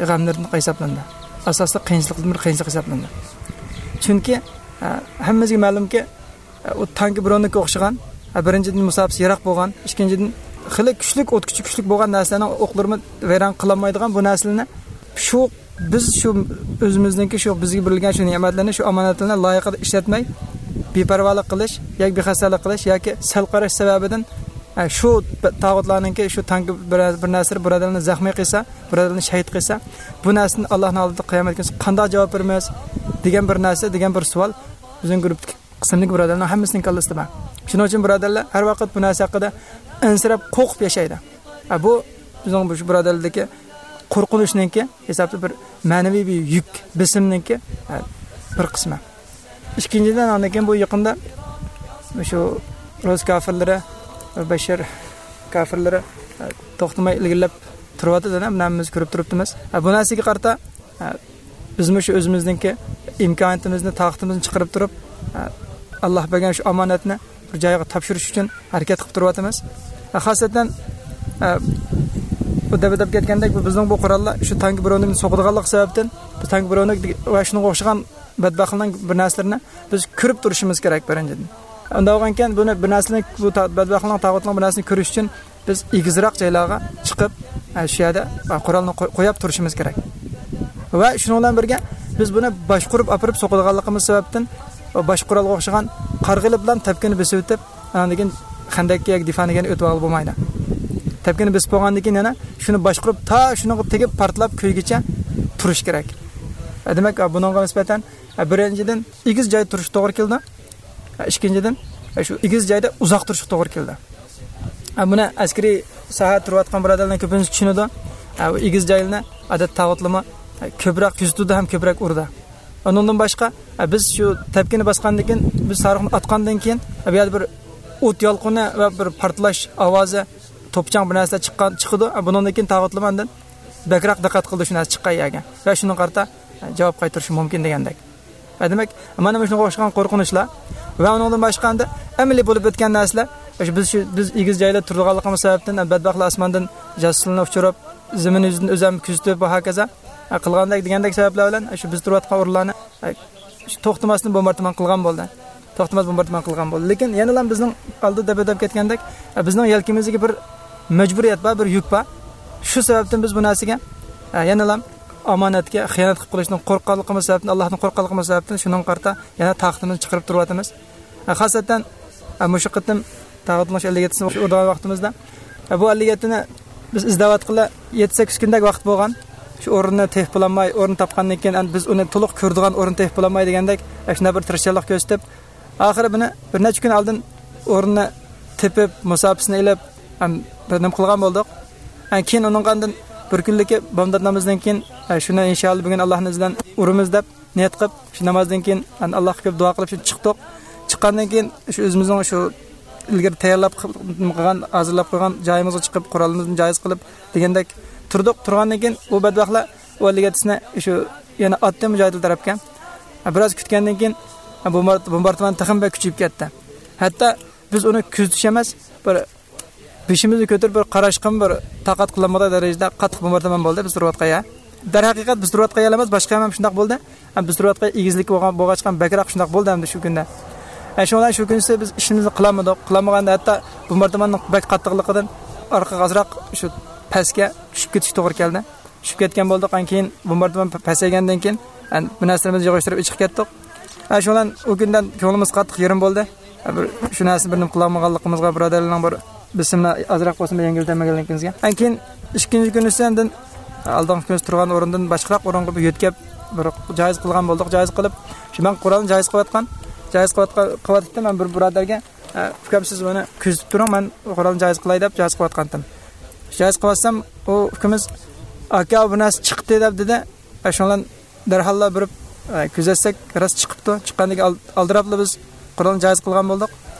غەملىرىدىن ھېسابلىنىدۇ. ئاساسلىق قىيىنچىلىقتىن بىر قىيىنچىلىق ھېسابلىنىدۇ. چۈنكى، ھە، ھەممىمىزگە مەلۇمكى، ھە، ئۇ تانكى برونوكقا ئوخشىغان، ھە، بىرىنچىدىن، مۇساپىسى يىراق بولغان، ئىككىنچىدىن، خېلى كۈچلۈك، ئوتكۈچى كۈچلۈك بولغان نەرسىلەرنىڭ ئوقلىرىمۇ ۋەيران قىلالمايدىغان بۇ نەرسىلەرنى شۇ، بىز شۇ ئۆزىمىزنىڭكى شۇ بىزگە بېرىلگەن شۇ نېمەتلەرنى، شۇ ئامانەتلەرنى لايىقىدا ئىشلەتمەي، بىپەرۋالىق قىلىش ياكى بىخەستەلىك قىلىش ياكى سەل قاراش سەۋەبىدىن، ھە، شۇ تاغۇتلارنىڭكى شۇ تانكى بىر، بىر نەرسىلەر بۇرادەرلىرىنى زەخمىي قىلسا، بۇرادەرلىرىنى شەھىت قىلسا، بۇ نەرسىدىن ئاللانىڭ ئالدىدا قىيامەت كۈنى قانداق جاۋاب بېرىمىز دېگەن بىر نەرسە، دېگەن بىر سوئال بىزنىڭ گۇرۇپپىدىكى قىسىمدىكى بۇرادەرلەرنىڭ ھەممىسىنىڭ كاللىسىدا بار. شۇنىڭ ئۈچۈن بۇرادەرلەر ھەر ۋاقىت بۇ نەرسە ھەققىدە ئەنسىرەپ، قورقۇپ ياشايدۇ. ھە، بۇ بىزنىڭ بۇ شۇ بۇرادەرلەردىكى قورقۇنچنىڭكى ھېسابتا بىر مەنىۋى بىر يۈك، بېسىمنىڭكى، ھە، بىر قىسمى. ئىككىنچىدىن، ئاندىن كېيىن بۇ يېقىندا شۇ رۇس كافىرلىرى، بەششار كافىرلىرى، ھە، توختىماي ئىلگىرىلەپ تۇرۇۋاتىدۇ، بۇنى ھەممىمىز كۆرۈپ تۇرۇپتىمىز. ھە، بۇ نەرسىگە قارىتا، ھە، بىزمۇ شۇ ئۆزىمىزنىڭكى ئىمكانىيىتىمىزنى، تاقىتىمىزنى چىقىرىپ تۇرۇپ، ھە، ئاللا بەرگەن شۇ ئامانەتنى بىر جايغا تاپشۇرۇش ئۈچۈن ھەرىكەت قىلىپ تۇرۇۋاتىمىز. ھە، خاسەتەن، ھە، بۇ دەپ ئۆتۈپ كەتكەندەك، بۇ بىزنىڭ بۇ قوراللار شۇ تانكى برونوكنى سوقىدىغانلىقى سەۋەبتىن، بۇ تانكى برونوك ۋە شۇنىڭغا ئوخشىغان بەتبەختلەرنىڭ بىر نەرسىلىرىنى بىز كۆرۈپ تۇرۇشىمىز كېرەك، بىرىنچىدىن. ئۇنداق بولغانكەن، بۇنى بىر نەرسىنى، بۇ تا-، بەتبەختلەرنىڭ، تاغۇتنىڭ بىر نەرسىنى كۆرۈش ئۈچۈن بىز ئېگىزراق جايلارغا چىقىپ، ئە، شۇ يەردە قورالنى قوي-، قوياپ تۇرۇشىمىز كېرەك. ۋە شۇنىڭ بىلەن بىرگە، بىز بۇنى باشقۇرۇپ ئاپىرىپ سوقىدىغانلىقىمىز سەۋەبتىن، باش قورالغا ئوخشىغان قارىغىلى بىلەن تەپكىنى بېسىۋېتىپ، ئاندىن كېيىن خەندەككە ياكى دىفانىگە ئۆتۈۋالغىلى بولمايدۇ. تەپكىنى بېسىپ بولغاندىن كېيىن يەنە شۇنى باشقۇرۇپ، تا شۇنىڭغا تېگىپ پارتلاپ كۆيگۈچە تۇرۇش كېرەك. ئە، دېمەك، بۇنىڭغا نىسبەتەن، ئە، بىرىنچىدىن، ئېگىز جايدا تۇرۇشقا توغرا كېلىدۇ. ئىككىنچىدىن، شۇ ئېگىز جايدا ئۇزاق تۇرۇشقا توغرا كېلىدۇ. بۇنى ئەسكىرىي ساھەدە تۇرۇۋاتقان بۇرادەرلەرنىڭ كۆپىنچىسى چۈشىنىدۇ. بۇ ئېگىز جايلىرىنى ئادەتتە تاغۇتلىرىمۇ كۆپرەك كۆزىتىدۇ ھەم كۆپرەك ئۇرىدۇ. ئۇنىڭدىن باشقا، بىز شۇ تەپكىنى باسقاندىن كېيىن، بىز ساروخنى ئاتقاندىن كېيىن، بۇ يەردە بىر ئوت يالقۇنى ۋە بىر پارتلاش ئاۋازى، توپا-چاڭ بىر نەرسىلەر چىققان، چىقىدۇ. بۇنىڭدىن كېيىن تاغۇتلىرىمۇ ئاندىن بەكرەك دىققەت قىلىدۇ شۇ نەرسە چىققان يەرگە. ۋە شۇنىڭغا قارىتا جاۋاب قايتۇرۇشى مۇمكىن دېگەندەك. ھە، دېمەك، مانا مۇشۇنىڭغا ئوخشىغان قورقۇنچلار ۋە ئۇنىڭدىن باشقا ئەمدى ئەمەلىي بولۇپ ئۆتكەن نەرسىلەر، شۇ بىز، شۇ، بىز ئېگىز جايدا تۇرىدىغانلىقىمىز سەۋەبتىن، بەتبەختلەر ئاسماندىن جاسۇسلىرىنى ئۇچۇرۇپ، زېمىن يۈزىدىن ئۆزەم كۆزىتىپ ۋە ھاكازا، ھە، قىلغاندەك دېگەندەك سەۋەبلەر بىلەن، شۇ بىز تۇرۇۋاتقان ئورۇنلارنى، ھە، شۇ توختىماستىن بومباردىمان قىلغان بولدى. توختىماس بومباردىمان قىلغان بولدى. لېكىن يەنىلا بىزنىڭ ئالدىدا دەپ ئۆتۈپ كەتكەندەك، بىزنىڭ يەلكىمىزدىكى بىر مەجبۇرىيەت بار، بىر يۈك بار. شۇ سەۋەبتىن بىز بۇ نەرسىگە، ئە، يەنىلا ئامانەتكە خىيانەت قىلىپ قېلىشتىن قورققانلىقىمىز سەۋەبتىن، ئاللاھتىن قورققانلىقىمىز سەۋەبتىن شۇنىڭغا قارىتا يەنە تاقىتىمىزنى چىقىرىپ تۇرۇۋاتىمىز. خاسەتەن، ئە، مۇشۇ قېتىم تاغۇتنىڭ شۇ ئەللىك يەتتىسىنى ئۇرغان ۋاقتىمىزدا، ئە، بۇ ئەللىك يەتتىنى بىز ئىزدەۋاتقىلى يەتتە سەككىز كۈندەك ۋاقىت بولغان. شۇ ئورۇننى تېپىپ بولالماي، ئورۇن تاپقاندىن كېيىن، ئەمدى بىز ئۇنى تولۇق كۆرىدىغان ئورۇن تېپىپ بولالماي دېگەندەك، ئە، شۇنداق بىر تىرىشچانلىق كۆرسىتىپ، ئاخىرى بۇنى بىر نەچچە كۈن ئالدىن ئورۇننى تېپىپ، مۇساپىسىنى ئېلىپ، ئەم، بىر نېمە قىلغان بولدۇق. ئە، كېيىن ئۇنىڭغا ئاندىن بىر كۈنلۈكى بامدات نامىزىدىن كېيىن، ئە، شۇنى ئىنشائاللا بۈگۈن ئاللاھنىڭ ئىزنى بىلەن ئۇرىمىز دەپ نىيەت قىلىپ، شۇ نامازدىن كېيىن، ئەن، ئاللاھقا كۆپ دۇئا قىلىپ، شۇ چىقتۇق. چىققاندىن كېيىن، شۇ ئۆزىمىزنىڭ شۇ ئىلگىرى تەييارلاپ قىلغان، ھازىرلاپ قويغان جايىمىزغا چىقىپ، قورالىمىزنى جايىز قىلىپ دېگەندەك تۇردۇق. تۇرغاندىن كېيىن، ئۇ بەدبەختلەر ئۇ ئەللىك يەتتىسىنى شۇ يەنە ئاتتى مۇجاھىدلار تەرەپكە. بىراز كۈتكەندىن كېيىن، بومبار-، بومباردىمان تېخىمۇ بەك كۈچىيىپ كەتتى. ھەتتا بىز ئۇنى كۆزىتىش ئەمەس، بىر بېشىمىزنى كۆتۈرۈپ بىر قاراشقىمۇ بىر تاقەت قىلالمىغۇدەك دەرىجىدە قاتتىق بومباردىمان بولدى بىز تۇرۇۋاتقان يەر. دەرھەقىقەت بىز تۇرۇۋاتقان يەر ئەمەس، باشقا يەر ھەم شۇنداق بولدى. ھەم بىز تۇرۇۋاتقان يەر ئېگىزلىك بولغان، بولغاچقا بەكرەك شۇنداق بولدى ئەمدى شۇ كۈندە. ئە، شۇنىڭ بىلەن شۇ كۈنسى بىز ئىشىمىزنى قىلالمىدۇق. قىلالمىغاندا ھەتتا بومباردىماننىڭ بەك قاتتىقلىقىدىن ئارقىغا ئازراق شۇ پەسكە چۈشۈپ كېتىش توغرا كەلدى. چۈشۈپ كەتكەن بولدۇق. ئان كېيىن بومباردىمان پە-، پەسەيگەندىن كېيىن، ئەن، بۇ نەرسىلىرىمىزنى يىغىشتۇرۇپ ئېچىقىپ كەتتۇق. ئە، شۇنىڭ بىلەن ئۇ كۈندىن كۆڭلىمىز قاتتىق يېرىم بولدى. ئە، بىر شۇ نەرسىنى بىر نېمە قىلالمىغانلىقىمىزغا، بۇرادەرلەرنىڭ بىر بېسىمىنى ئازراق بولسىمۇ يەڭگىللىتەلمىگەنلىكىمىزگە. ئەن كېيىن ئىككىنچى كۈنى ئىسەندىن ئالدىنقى كۈنى تۇرغان ئورۇندىن باشقىراق ئورۇنغا بىر يۆتكەپ، بىر جايىز قىلغان بولدۇق. جايىز قىلىپ، شۇ مەن قورالنى جايىز قىلىۋاتقان، جايىز قىلىۋاتقان، قىلىۋاتاتتىم مەن بىر بۇرادەرگە. ئە، ئۇكام، سىز مانا كۆزىتىپ تۇرۇڭ، مەن قورالنى جايىز قىلاي دەپ جايىز قىلىۋاتقانتىم. جايىز قىلىۋاتسام، ئۇ ئۇكىمىز، ئاكا، بۇ نەرسە چىقتى دەپ دېدى. ئە، شۇنىڭ بىلەن دەرھاللا بېرىپ، ئە، كۆزەتسەك، راست چىقىپتۇ. چىققاندىن كېيىن ئال-، ئالدىراپلا بىز قورالنى جايىز قىلغان بولدۇق.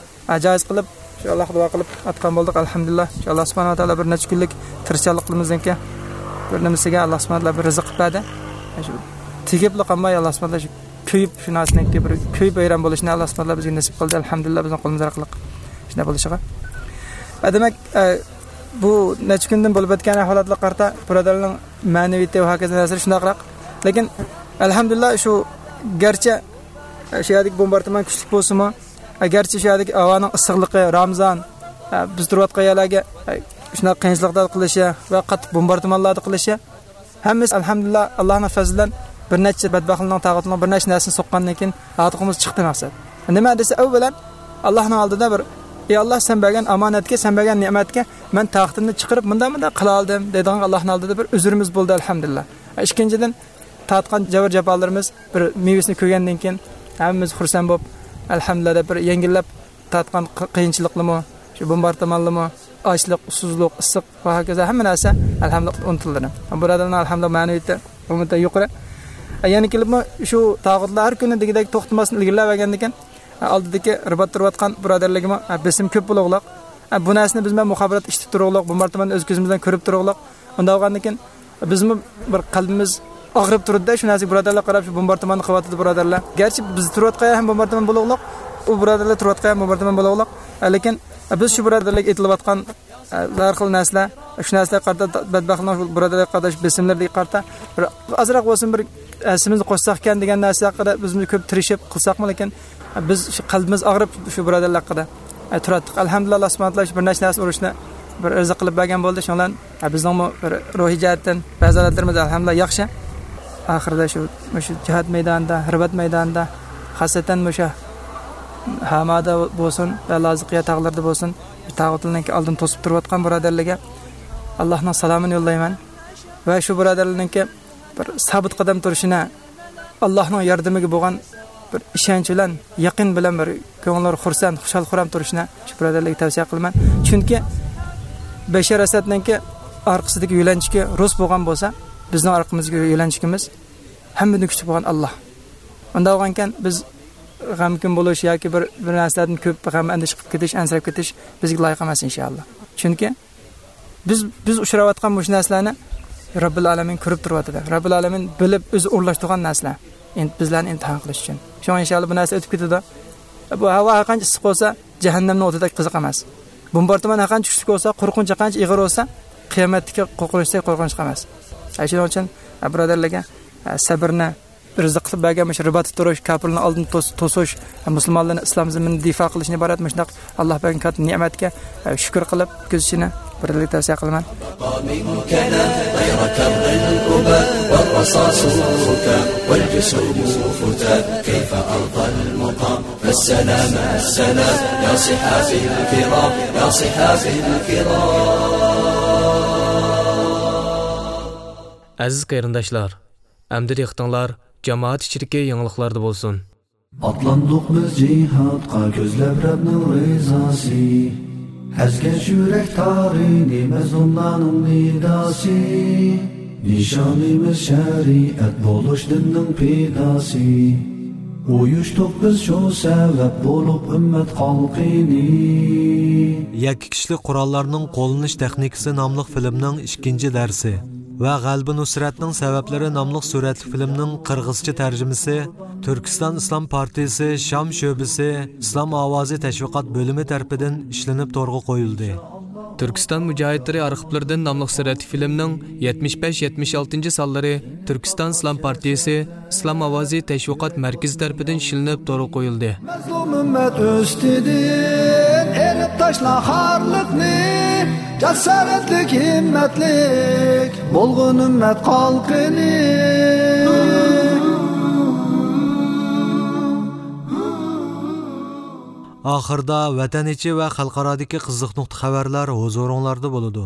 ئە، جايىز قىلىپ، شۇ ئاللاھقا دۇئا قىلىپ ئاتقان بولدۇق، ئەلھەمدۇلىللا. شۇ ئاللا سۇبھانەھۇ ۋە تائالا بىر نەچچە كۈنلۈك تىرىشچانلىقىمىزنىڭكى بىر نېمىسىگە ئاللا سۇبھانەھۇ ۋە تائالا بىر رىزىق قىلىپ بەردى. شۇ تېگىپلا قالماي، ئاللا سۇبھانەھۇ ۋە تائالا شۇ كۆيۈپ، شۇ نەرسىنىڭكى بىر كۆيۈپ ۋەيران بولۇشنى ئاللا سۇبھانەھۇ ۋە تائالا بىزگە نېسىپ قىلدى، ئەلھەمدۇلىللا، بىزنىڭ قولىمىز ئارقىلىق شۇنداق بولۇشىغا. ئە، دېمەك، ئە، بۇ نەچچە كۈندىن بولۇپ ئۆتكەن ئەھۋالاتلارغا قارىتا بۇرادەرلەرنىڭ مەنىۋىيىتى ۋە ھاكازا نەرسىلەر شۇنداقراق. لېكىن، ئەلھەمدۇلىللا، شۇ گەرچە، ئە، شۇ يەردىكى بومباردىمان كۈچلۈك بولسىمۇ، ئە، گەرچە شۇ يەردىكى ھاۋانىڭ ئىسسىقلىقى، رامىزان، ئە، بىز تۇرۇۋاتقان يەرلەرگە، ئە، شۇنداق قىيىنچىلىقلاردا قىلىشى ۋە قاتتىق بومباردىمانلاردا قىلىشى، ھەممىسى ئەلھەمدۇلىللا، ئاللانىڭ پەزلى بىلەن بىر نەچچە بەدبەختلەرنىڭ، تاغۇتنىڭ بىر نەچچە نەرسىنى سوققاندىن كېيىن ھاردۇقىمىز چىقتى مەقسەت. نېمە دېسە، ئەۋۋەلەن، ئاللانىڭ ئالدىدا بىر، ئى ئاللا، سەن بەرگەن ئامانەتكە، سەن بەرگەن نېمەتكە مەن تاغۇتۇمنى چىقىرىپ، مۇنداق، مۇنداق قىلالىدىم دەيدىغان ئاللانىڭ ئالدىدا بىر ئۆزرىمىز بولدى، ئەلھەمدۇلىللا. ئىككىنچىدىن، تارتقان جەۋر جاپالىرىمىز بىر مېۋىسىنى كۆرگەندىن كېيىن، ھەممىمىز خۇرسەن بولۇپ، ئەلھەمدۇلىللا دەپ بىر يەڭگىللەپ تارتقان قى-، قىيىنچىلىقلىمۇ، شۇ بومباردىمانلىمۇ، ئاچلىق، ئۇسسۇزلۇق، ئىسسىق ۋە ھاكازا ھەممە نەرسە ئەلھەمدۇلىللا ئۇنتۇلدى. بۇرادەرلەرنىڭ ئەلھەمدۇلىللا مەنىۋىيىتى ئومۇمەن يۇقىرى. يەنە كېلىپمۇ شۇ تاغۇتلار ھەر كۈنى دېگۈدەك توختىماستىن ئىلگىرىلەۋەرگەندىكىن، ئالدىدىكى رىبات تۇرۇۋاتقان بۇرادەرلەرگىمۇ بېسىم كۆپ بولۇغلۇق. بۇ نەرسىنى بىز بىلەن مۇخابىرات ئىشلىتىپ تۇرۇغلۇق، بومباردىمان ئۆز كۆزىمىز بىلەن كۆرۈپ تۇرۇغلۇق. ئۇنداق بولغاندىكىن بىزمۇ بىر قەلبىمىز ئاغرىپ تۇرىدۇ-دە، شۇ نەرسىگە بۇرادەرلەر قاراپ، شۇ بومباردىمان قىلىۋاتىدۇ بۇرادەرلەر. گەرچە بىز تۇرۇۋاتقان ھەم بومباردىمان بولۇغلۇق، ئۇ بۇرادەرلەر تۇرۇۋاتقان ھەم بومباردىمان بولۇغلۇق. لېكىن بىز شۇ بۇرادەرلەرگە ئېتىلىۋاتقان، ئە، ھەر خىل نەرسىلەر، شۇ نەرسىلەرگە قارىتا، بەدبەختلەرنىڭ شۇ بۇرادەرلەرگە قارىتا، شۇ بېسىملىرىگە قارىتا بىر ئازراق بولسۇن بىر ھەسسىمىزنى قوشساق ئىكەن دېگەن نەرسە ھەققىدە بىزمۇ كۆپ تىرىشىپ قىلساقمۇ، لېكىن بىز شۇ قەلبىمىز ئاغرىپ شۇ بۇرادەرلەر ھەققىدە، ئە، تۇراتتۇق. ئەلھەمدۇلىللا، ئاللا سۇبھانەھۇ ۋە تائالا شۇ بىر نەچچە نەرسە ئۇرۇشنى بىر ئىرزا قىلىپ بەرگەن بولدى. شۇنىڭ بىلەن، ئە، بىزنىڭمۇ بىر روھىي جەھەتتىن بەزى ھالەتلىرىمىز ئەلھەمدۇلىللا ياخشى. ئاخىرىدا شۇ، مۇشۇ جىھاد مەيدانىدا، رىبات مەيدانىدا، خاسەتەن مۇشۇ ھامادا بولسۇن ۋە لازىقىيە تاغلىرىدا بولسۇن، تاغۇتلارنىڭكى ئالدىنى توسۇپ تۇرۇۋاتقان بۇرادەرلەرگە ئاللانىڭ سالامىنى يوللايمەن. ۋە شۇ بۇرادەرلەرنىڭكى بىر سابىت قەدەم تۇرۇشىنى، ئاللانىڭ ياردىمىگە بولغان بىر ئىشەنچ بىلەن، يەقىن بىلەن بىر كۆڭۈللىرى خۇرسەن، خۇشال-خۇرام تۇرۇشىنى شۇ بۇرادەرلەرگە تەۋسىيە قىلىمەن. چۈنكى بەشەر ئەسەدنىڭكى ئارقىسىدىكى يۆلەنچۈكى رۇس بولغان بولسا، بىزنىڭ ئارقىمىزدىكى يۆلەنچۈكىمىز ھەممىدىن كۈچلۈك بولغان ئاللا. ئۇنداق بولغانكەن، بىز غەمكىن بولۇش ياكى بىر، بىر نەرسىلەردىن كۆپ غەم ئەندىشە قىلىپ كېتىش، ئەنسىرەپ كېتىش بىزگە لايىق ئەمەس، ئىنشائاللا. چۈنكى بىز، بىز ئۇچراۋاتقان مۇشۇ نەرسىلەرنى رەببىل ئالەمىن كۆرۈپ تۇرۇۋاتىدۇ. رەببىل ئالەمىن بىلىپ، ئۆزى ئورۇنلاشتۇرغان نەرسىلەر. ئىم-، بىزلەرنى ئىمتىھان قىلىش ئۈچۈن. شۇڭا ئىنشائاللا بۇ نەرسە ئۆتۈپ كېتىدۇ. بۇ ھاۋا ھەرقانچە ئىسسىق بولسا، جەھەننەمنىڭ ئوتىدەك قىزىق ئەمەس. بومباردىمان ھەرقانچە كۈچلۈك بولسا، قورقۇنچ ھەرقانچە ئېغىر بولسا، قىيامەتتىكى قورقۇنچتەك قورقۇنچلۇق ئەمەس. ئە، شۇنىڭ ئۈچۈن، ئە، بۇرادەرلەرگە، ئە، سەبرنى، رىزىق قىلىپ بەرگەن مۇشۇ رىباتتا تۇرۇش، كاپىرلارنىڭ ئالدىنى توس-، توسۇش، مۇسۇلمانلارنىڭ ئىسلام زېمىنىنى دىفا قىلىشنى ئىبارەت مۇشۇنداق ئاللا بەرگەن كاتتا نېمەتكە، ئە، شۈكۈر قىلىپ ئۆتكۈزۈشىنى بىردىنلىك تەۋسىيە قىلىمەن. رصاصك والجسوم فتات، كيف أرضى المقام؟ فالسلام السلام يا صحابي الكرام، يا صحابي الكرام. ئەزىز قېرىنداشلار، ئەمدى دىققىتىڭلار جامائەت ئىچىدىكى يېڭىلىقلاردا بولسۇن. ئاتلاندۇق بىز جىھادقا كۆزلەپ رەبنىڭ رىزاسى. ئەزگەن يۈرەك تارىنى مەزلۇملارنىڭ نىداسى. نىشانىمىز شەرىئەت بولۇش دىننىڭ پىداسى. ئۇيۇشتۇق بىز شۇ سەۋەب بولۇپ ئۈممەت خەلقىنى. يەككە كىشىلىك قوراللارنىڭ قوللىنىش تېخنىكىسى ناملىق فىلىمنىڭ ئىككىنچى دەرسى ۋە غەلىبە نۇسرەتنىڭ سەۋەبلىرى ناملىق سۈرەتلىك فىلىمنىڭ قىرغىزچە تەرجىمىسى تۈركىستان ئىسلام پارتىيىسى شام شۆبىسى ئىسلام ئاۋازى تەشۋىقات بۆلۈمى تەرىپىدىن ئىشلىنىپ تورغا قويۇلدى. تۈركىستان مۇجاھىدلىرى ئارخىپلىرىدىن ناملىق سۈرەتلىك فىلىمنىڭ يەتمىش بەش، يەتمىش ئالتىنچى سانلىرى تۈركىستان ئىسلام پارتىيىسى ئىسلام ئاۋازى تەشۋىقات مەركىزى تەرىپىدىن ئىشلىنىپ تورغا قويۇلدى. مەزلۇم ئۈممەت ئۈستىدىن ئېلىپ تاشلا خارلىقنى، جاسارەتلىك، ھىممەتلىك بولغىن ئۈممەت خەلقىنى. ئاخىردا ۋەتەن ئىچى ۋە خەلقئارادىكى قىزىق نۇقتا خەۋەرلەر ھۇزۇرۇڭلاردا بولىدۇ.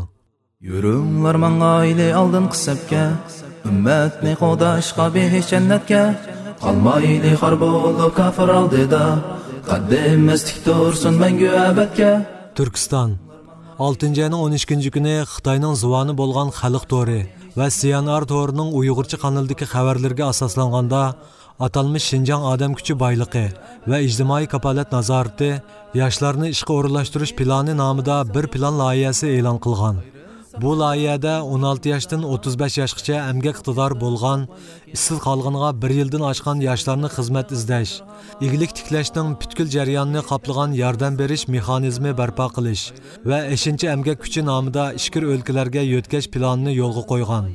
يۈرۈڭلار ماڭايلى ئالدىنقى سەپكە، ئۈممەتنى قوغداشقا بېھىش جەننەتكە. قالمايلى خار بولۇپ كاپىر ئالدىدا، قەددىمىز تىك تۇرسۇن مەڭگۈ ئەبەدكە. تۈركىستان. ئالتىنچى ئاينىڭ ئون ئىككىنچى كۈنى خىتاينىڭ زۇۋانى بولغان خەلق تورى ۋە سىيەنئار تورىنىڭ ئۇيغۇرچە قانىلىدىكى خەۋەرلىرىگە ئاساسلانغاندا، ئاتالمىش شىنجاڭ ئادەم كۈچى بايلىقى ۋە ئىجتىمائىي كاپالەت نازارىتى ياشلارنى ئىشقا ئورۇنلاشتۇرۇش پىلانى نامىدا بىر پىلان لايىھەسى ئېلان قىلغان. بۇ لايىھەدە ئون ئالتە ياشتىن ئوتتۇز بەش ياشقىچە ئەمگەك ئىقتىدارى بولغان، ئىشسىز قالغىنىغا بىر يىلدىن ئاشقان ياشلارنى خىزمەت ئىزدەش، ئىگىلىك تىكلەشنىڭ پۈتكۈل جەريانىنى قاپلىغان ياردەم بېرىش مېخانىزمى بەرپا قىلىش ۋە ئېشىنچا ئەمگەك كۈچى نامىدا ئىچكىرى ئۆلكىلەرگە يۆتكەش پىلانىنى يولغا قويغان.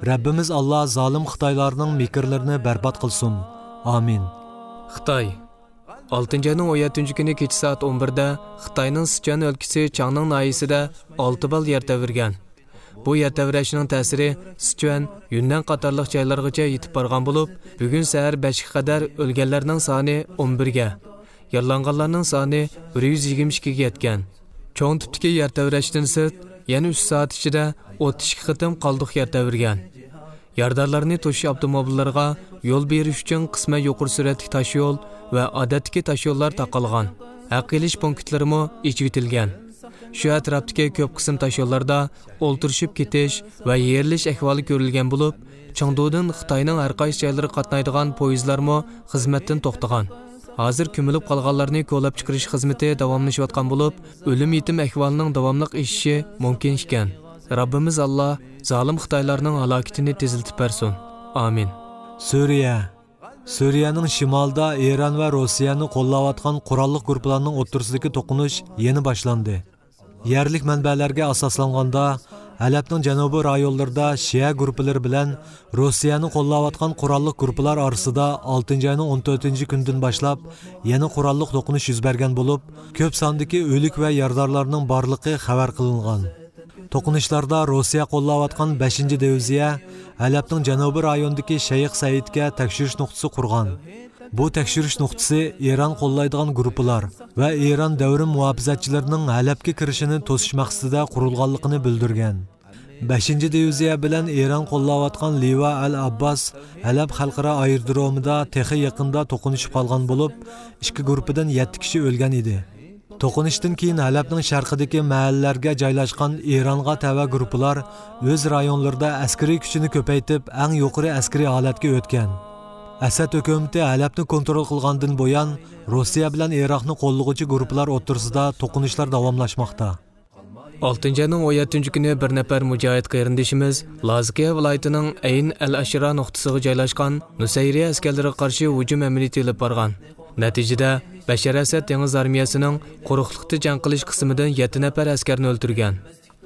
رەببىمىز ئاللا زالىم خىتايلارنىڭ مىكىرلىرىنى بەربات قىلسۇن. ئامىن. خىتاي. ئالتىنچى ئاينىڭ ئون يەتتىنچى كۈنى كېچە سائەت ئون بىردە خىتاينىڭ سىچۈەن ئۆلكىسى چاڭنىڭ ناھىيەسىدە ئالتە بال يەر تەۋرىگەن. بۇ يەر تەۋرەشنىڭ تەسىرى سىچۈەن، يۈننەن قاتارلىق جايلارغىچە يېتىپ بارغان بولۇپ، بۈگۈن سەھەر بەشكە قەدەر ئۆلگەنلەرنىڭ سانى ئون بىرگە، يارىلانغانلارنىڭ سانى بىر يۈز يىگىرمە ئىككىگە يەتكەن. چوڭ تىپتىكى يەر تەۋرەشتىن سىرت، يەنە ئۈچ سائەت ئىچىدە ئوتتۇز ئىككى قېتىم قالدۇق يەر تەۋرىگەن. يارىدارلارنى توشۇش ئاپتوموبىللىرىغا يول بېرىش ئۈچۈن قىسمەن يۇقىرى سۈرئەتلىك تاشيول ۋە ئادەتتىكى تاشيوللار تاقالغان. ھەق ئېلىش پونكىتلىرىمۇ ئېچىۋېتىلگەن. شۇ ئەتراپتىكى كۆپ قىسىم تاشيوللاردا ئولتۇرۇشۇپ كېتىش ۋە يېرىلىش ئەھۋالى كۆرۈلگەن بولۇپ، چېڭدۇدىن خىتاينىڭ ھەر قايسى جايلىرىغا قاتنايدىغان پويىزلارمۇ خىزمەتتىن توختىغان. ھازىر كۆمۈلۈپ قالغانلارنى كولاپ چىقىرىش خىزمىتى داۋاملىشىۋاتقان بولۇپ، ئۆلۈم يېتىم ئەھۋالىنىڭ داۋاملىق ئېشىشى مۇمكىن ئىكەن. رەببىمىز ئاللا زالىم خىتايلارنىڭ ھالاكىتىنى تېزلىتىپ بەرسۇن. ئامىن. سۈرىيە. سۈرىيەنىڭ شىمالىدا ئىران ۋە روسىيەنى قوللاۋاتقان قوراللىق گۇرۇپپىلارنىڭ ئوتتۇرىسىدىكى توقۇنۇش يەنە باشلاندى. يەرلىك مەنبەلەرگە ئاساسلانغاندا، ھەلەبنىڭ جەنۇبىي رايونلىرىدا شىئە گۇرۇپپىلىرى بىلەن روسىيەنى قوللاۋاتقان قوراللىق گۇرۇپپىلار ئارىسىدا ئالتىنچى ئاينىڭ ئون تۆتىنچى كۈنىدىن باشلاپ يەنە قوراللىق توقۇنۇش يۈز بەرگەن بولۇپ، كۆپ ساندىكى ئۆلۈك ۋە يارىدارلارنىڭ بارلىقى خەۋەر قىلىنغان. توقۇنۇشلاردا روسىيە قوللاۋاتقان بەشىنچى دىۋىزىيە ھەلەبنىڭ جەنۇبىي رايونىدىكى شەيخ سەئىدكە تەكشۈرۈش نۇقتىسى قۇرغان. بۇ تەكشۈرۈش نۇقتىسى ئىران قوللايدىغان گۇرۇپپىلار ۋە ئىران دەۋرىي مۇھاپىزەتچىلىرىنىڭ ھەلەبكە كىرىشىنى توسۇش مەقسىتىدە قۇرۇلغانلىقىنى بىلدۈرگەن. بەشىنچى دىۋىزىيە بىلەن ئىران قوللاۋاتقان لىۋا ئەل ئابباس ھەلەب خەلقئارا ئايرودرومىدا تېخى يېقىندا توقۇنۇشۇپ قالغان بولۇپ، ئىككى گۇرۇپپىدىن يەتتە كىشى ئۆلگەن ئىدى. توقۇنۇشتىن كېيىن ھەلەبنىڭ شەرقىدىكى مەھەللىلەرگە جايلاشقان ئىرانغا تەۋە گۇرۇپپىلار ئۆز رايونلىرىدا ئەسكىرىي كۈچىنى كۆپەيتىپ، ئەڭ يۇقىرى ئەسكىرىي ھالەتكە ئۆتكەن. ئەسەد ھۆكۈمىتى ھەلەبنى كونترول قىلغاندىن بۇيان، روسىيە بىلەن ئىراقنى قوللىغۇچى گۇرۇپپىلار ئوتتۇرىسىدا توقۇنۇشلار داۋاملاشماقتا. ئالتىنچى ئاينىڭ ئون يەتتىنچى كۈنى بىر نەپەر مۇجاھىد قېرىندىشىمىز لازكىيە ۋىلايىتىنىڭ ئەين ئەل ئەشرا نۇقتىسىغا جايلاشقان نۇسەيرىيە ئەسكەرلىرىگە قارشى ھۇجۇم ئەمەلىيىتى ئېلىپ بارغان. نەتىجىدە، بەشەر ئەسەد دېڭىز ئارمىيەسىنىڭ قۇرۇقلۇقتا جەڭ قىلىش قىسمىدىن يەتتە نەپەر ئەسكەرنى ئۆلتۈرگەن.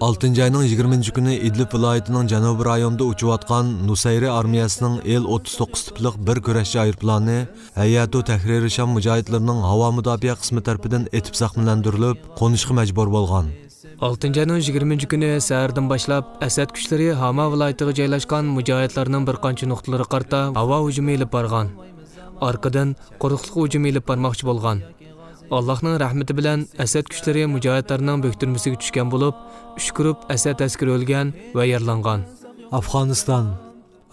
ئالتىنچى ئاينىڭ يىگىرمىنچى كۈنى ئىدلىب ۋىلايىتىنىڭ جەنۇبىي رايونىدا ئۇچۇۋاتقان نۇسەيرى ئارمىيەسىنىڭ ئېل ئوتتۇز توققۇز تىپلىق بىر كۈرەشچى ئايروپىلانى ھەيئەتۇ تەھرىرى شام مۇجاھىدلىرىنىڭ ھاۋا مۇداپىئە قىسمى تەرىپىدىن ئېتىپ زەخىملەندۈرۈلۈپ، قونۇشقا مەجبۇر بولغان. ئالتىنچى ئاينىڭ يىگىرمىنچى كۈنى سەھەردىن باشلاپ، ئەسەد كۈچلىرى ھاما ۋىلايىتىغا جايلاشقان مۇجاھىدلارنىڭ بىر قانچە نۇقتىلىرىغا قارىتا ھاۋا ھۇجۇمى ئېلىپ بارغان. ئارقىدىن قۇرۇقلۇق ھۇجۇمى ئېلىپ بارماقچى بولغان. ئاللاھنىڭ رەھمىتى بىلەن ئەسەد كۈچلىرى مۇجاھىدلارنىڭ بۆكتۈرمىسىگە چۈشكەن بولۇپ، ئۈچ گۇرۇپ ئەسەد ئەسكىرى ئۆلگەن ۋە يارىلانغان. ئافغانىستان.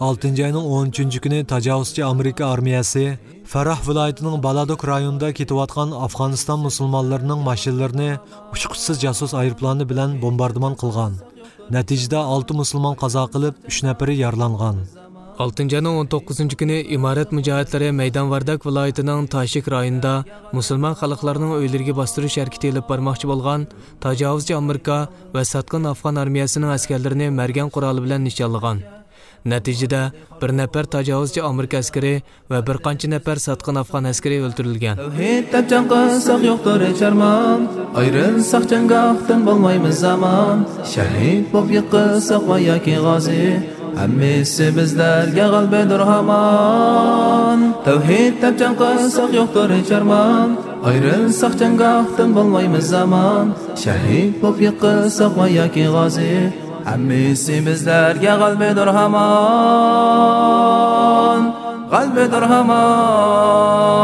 ئالتىنچى ئاينىڭ ئون ئۈچىنچى كۈنى تاجاۋۇزچى ئامېرىكا ئارمىيەسى فەراھ ۋىلايىتىنىڭ بالادوك رايونىدا كېتىۋاتقان ئافغانىستان مۇسۇلمانلىرىنىڭ ماشىنىلىرىنى ئۇچقۇچىسىز جاسۇس ئايروپىلانى بىلەن بومباردىمان قىلغان. نەتىجىدە ئالتە مۇسۇلمان قازا قىلىپ، ئۈچ نەپىرى يارىلانغان. ئالتىنچى ئاينىڭ ئون توققۇزىنچى كۈنى ئىمارەت مۇجاھىدلىرى مەيدان ۋارداك ۋىلايىتىنىڭ تاشىك رايونىدا مۇسۇلمان خەلقلەرنىڭ ئۆيلىرىگە باستۇرۇش ھەرىكىتى ئېلىپ بارماقچى بولغان تاجاۋۇزچى ئامېرىكا ۋە ساتقىن ئافغان ئارمىيەسىنىڭ ئەسكەرلىرىنى مەرگەن قورالى بىلەن نىشانلىغان. نەتىجىدە، بىر نەپەر تاجاۋۇزچى ئامېرىكا ئەسكىرى ۋە بىر قانچە نەپەر ساتقىن ئافغان ئەسكىرى ئۆلتۈرۈلگەن. تەۋھىد دەپ جەڭ قىلساق يوقتۇر ھېچ ئارمان، ئايرىلساق جەڭگاھتىن بولمايمىز ئامان. شەھىد بولۇپ يىقىلساق ۋە ياكى غازى، ھەممىسى بىزلەرگە غەلىبىدۇر ھامان. تەۋھىد دەپ جەڭ قىلساق يوقتۇر ھېچ ئارمان، ئايرىلساق جەڭگاھتىن بولمايمىز ئامان. شەھىد بولۇپ يىقىلساق ۋە ياكى غازى، ھەممىسى بىزلەرگە غەلىبىدۇر ھامان. غەلىبىدۇر ھامان.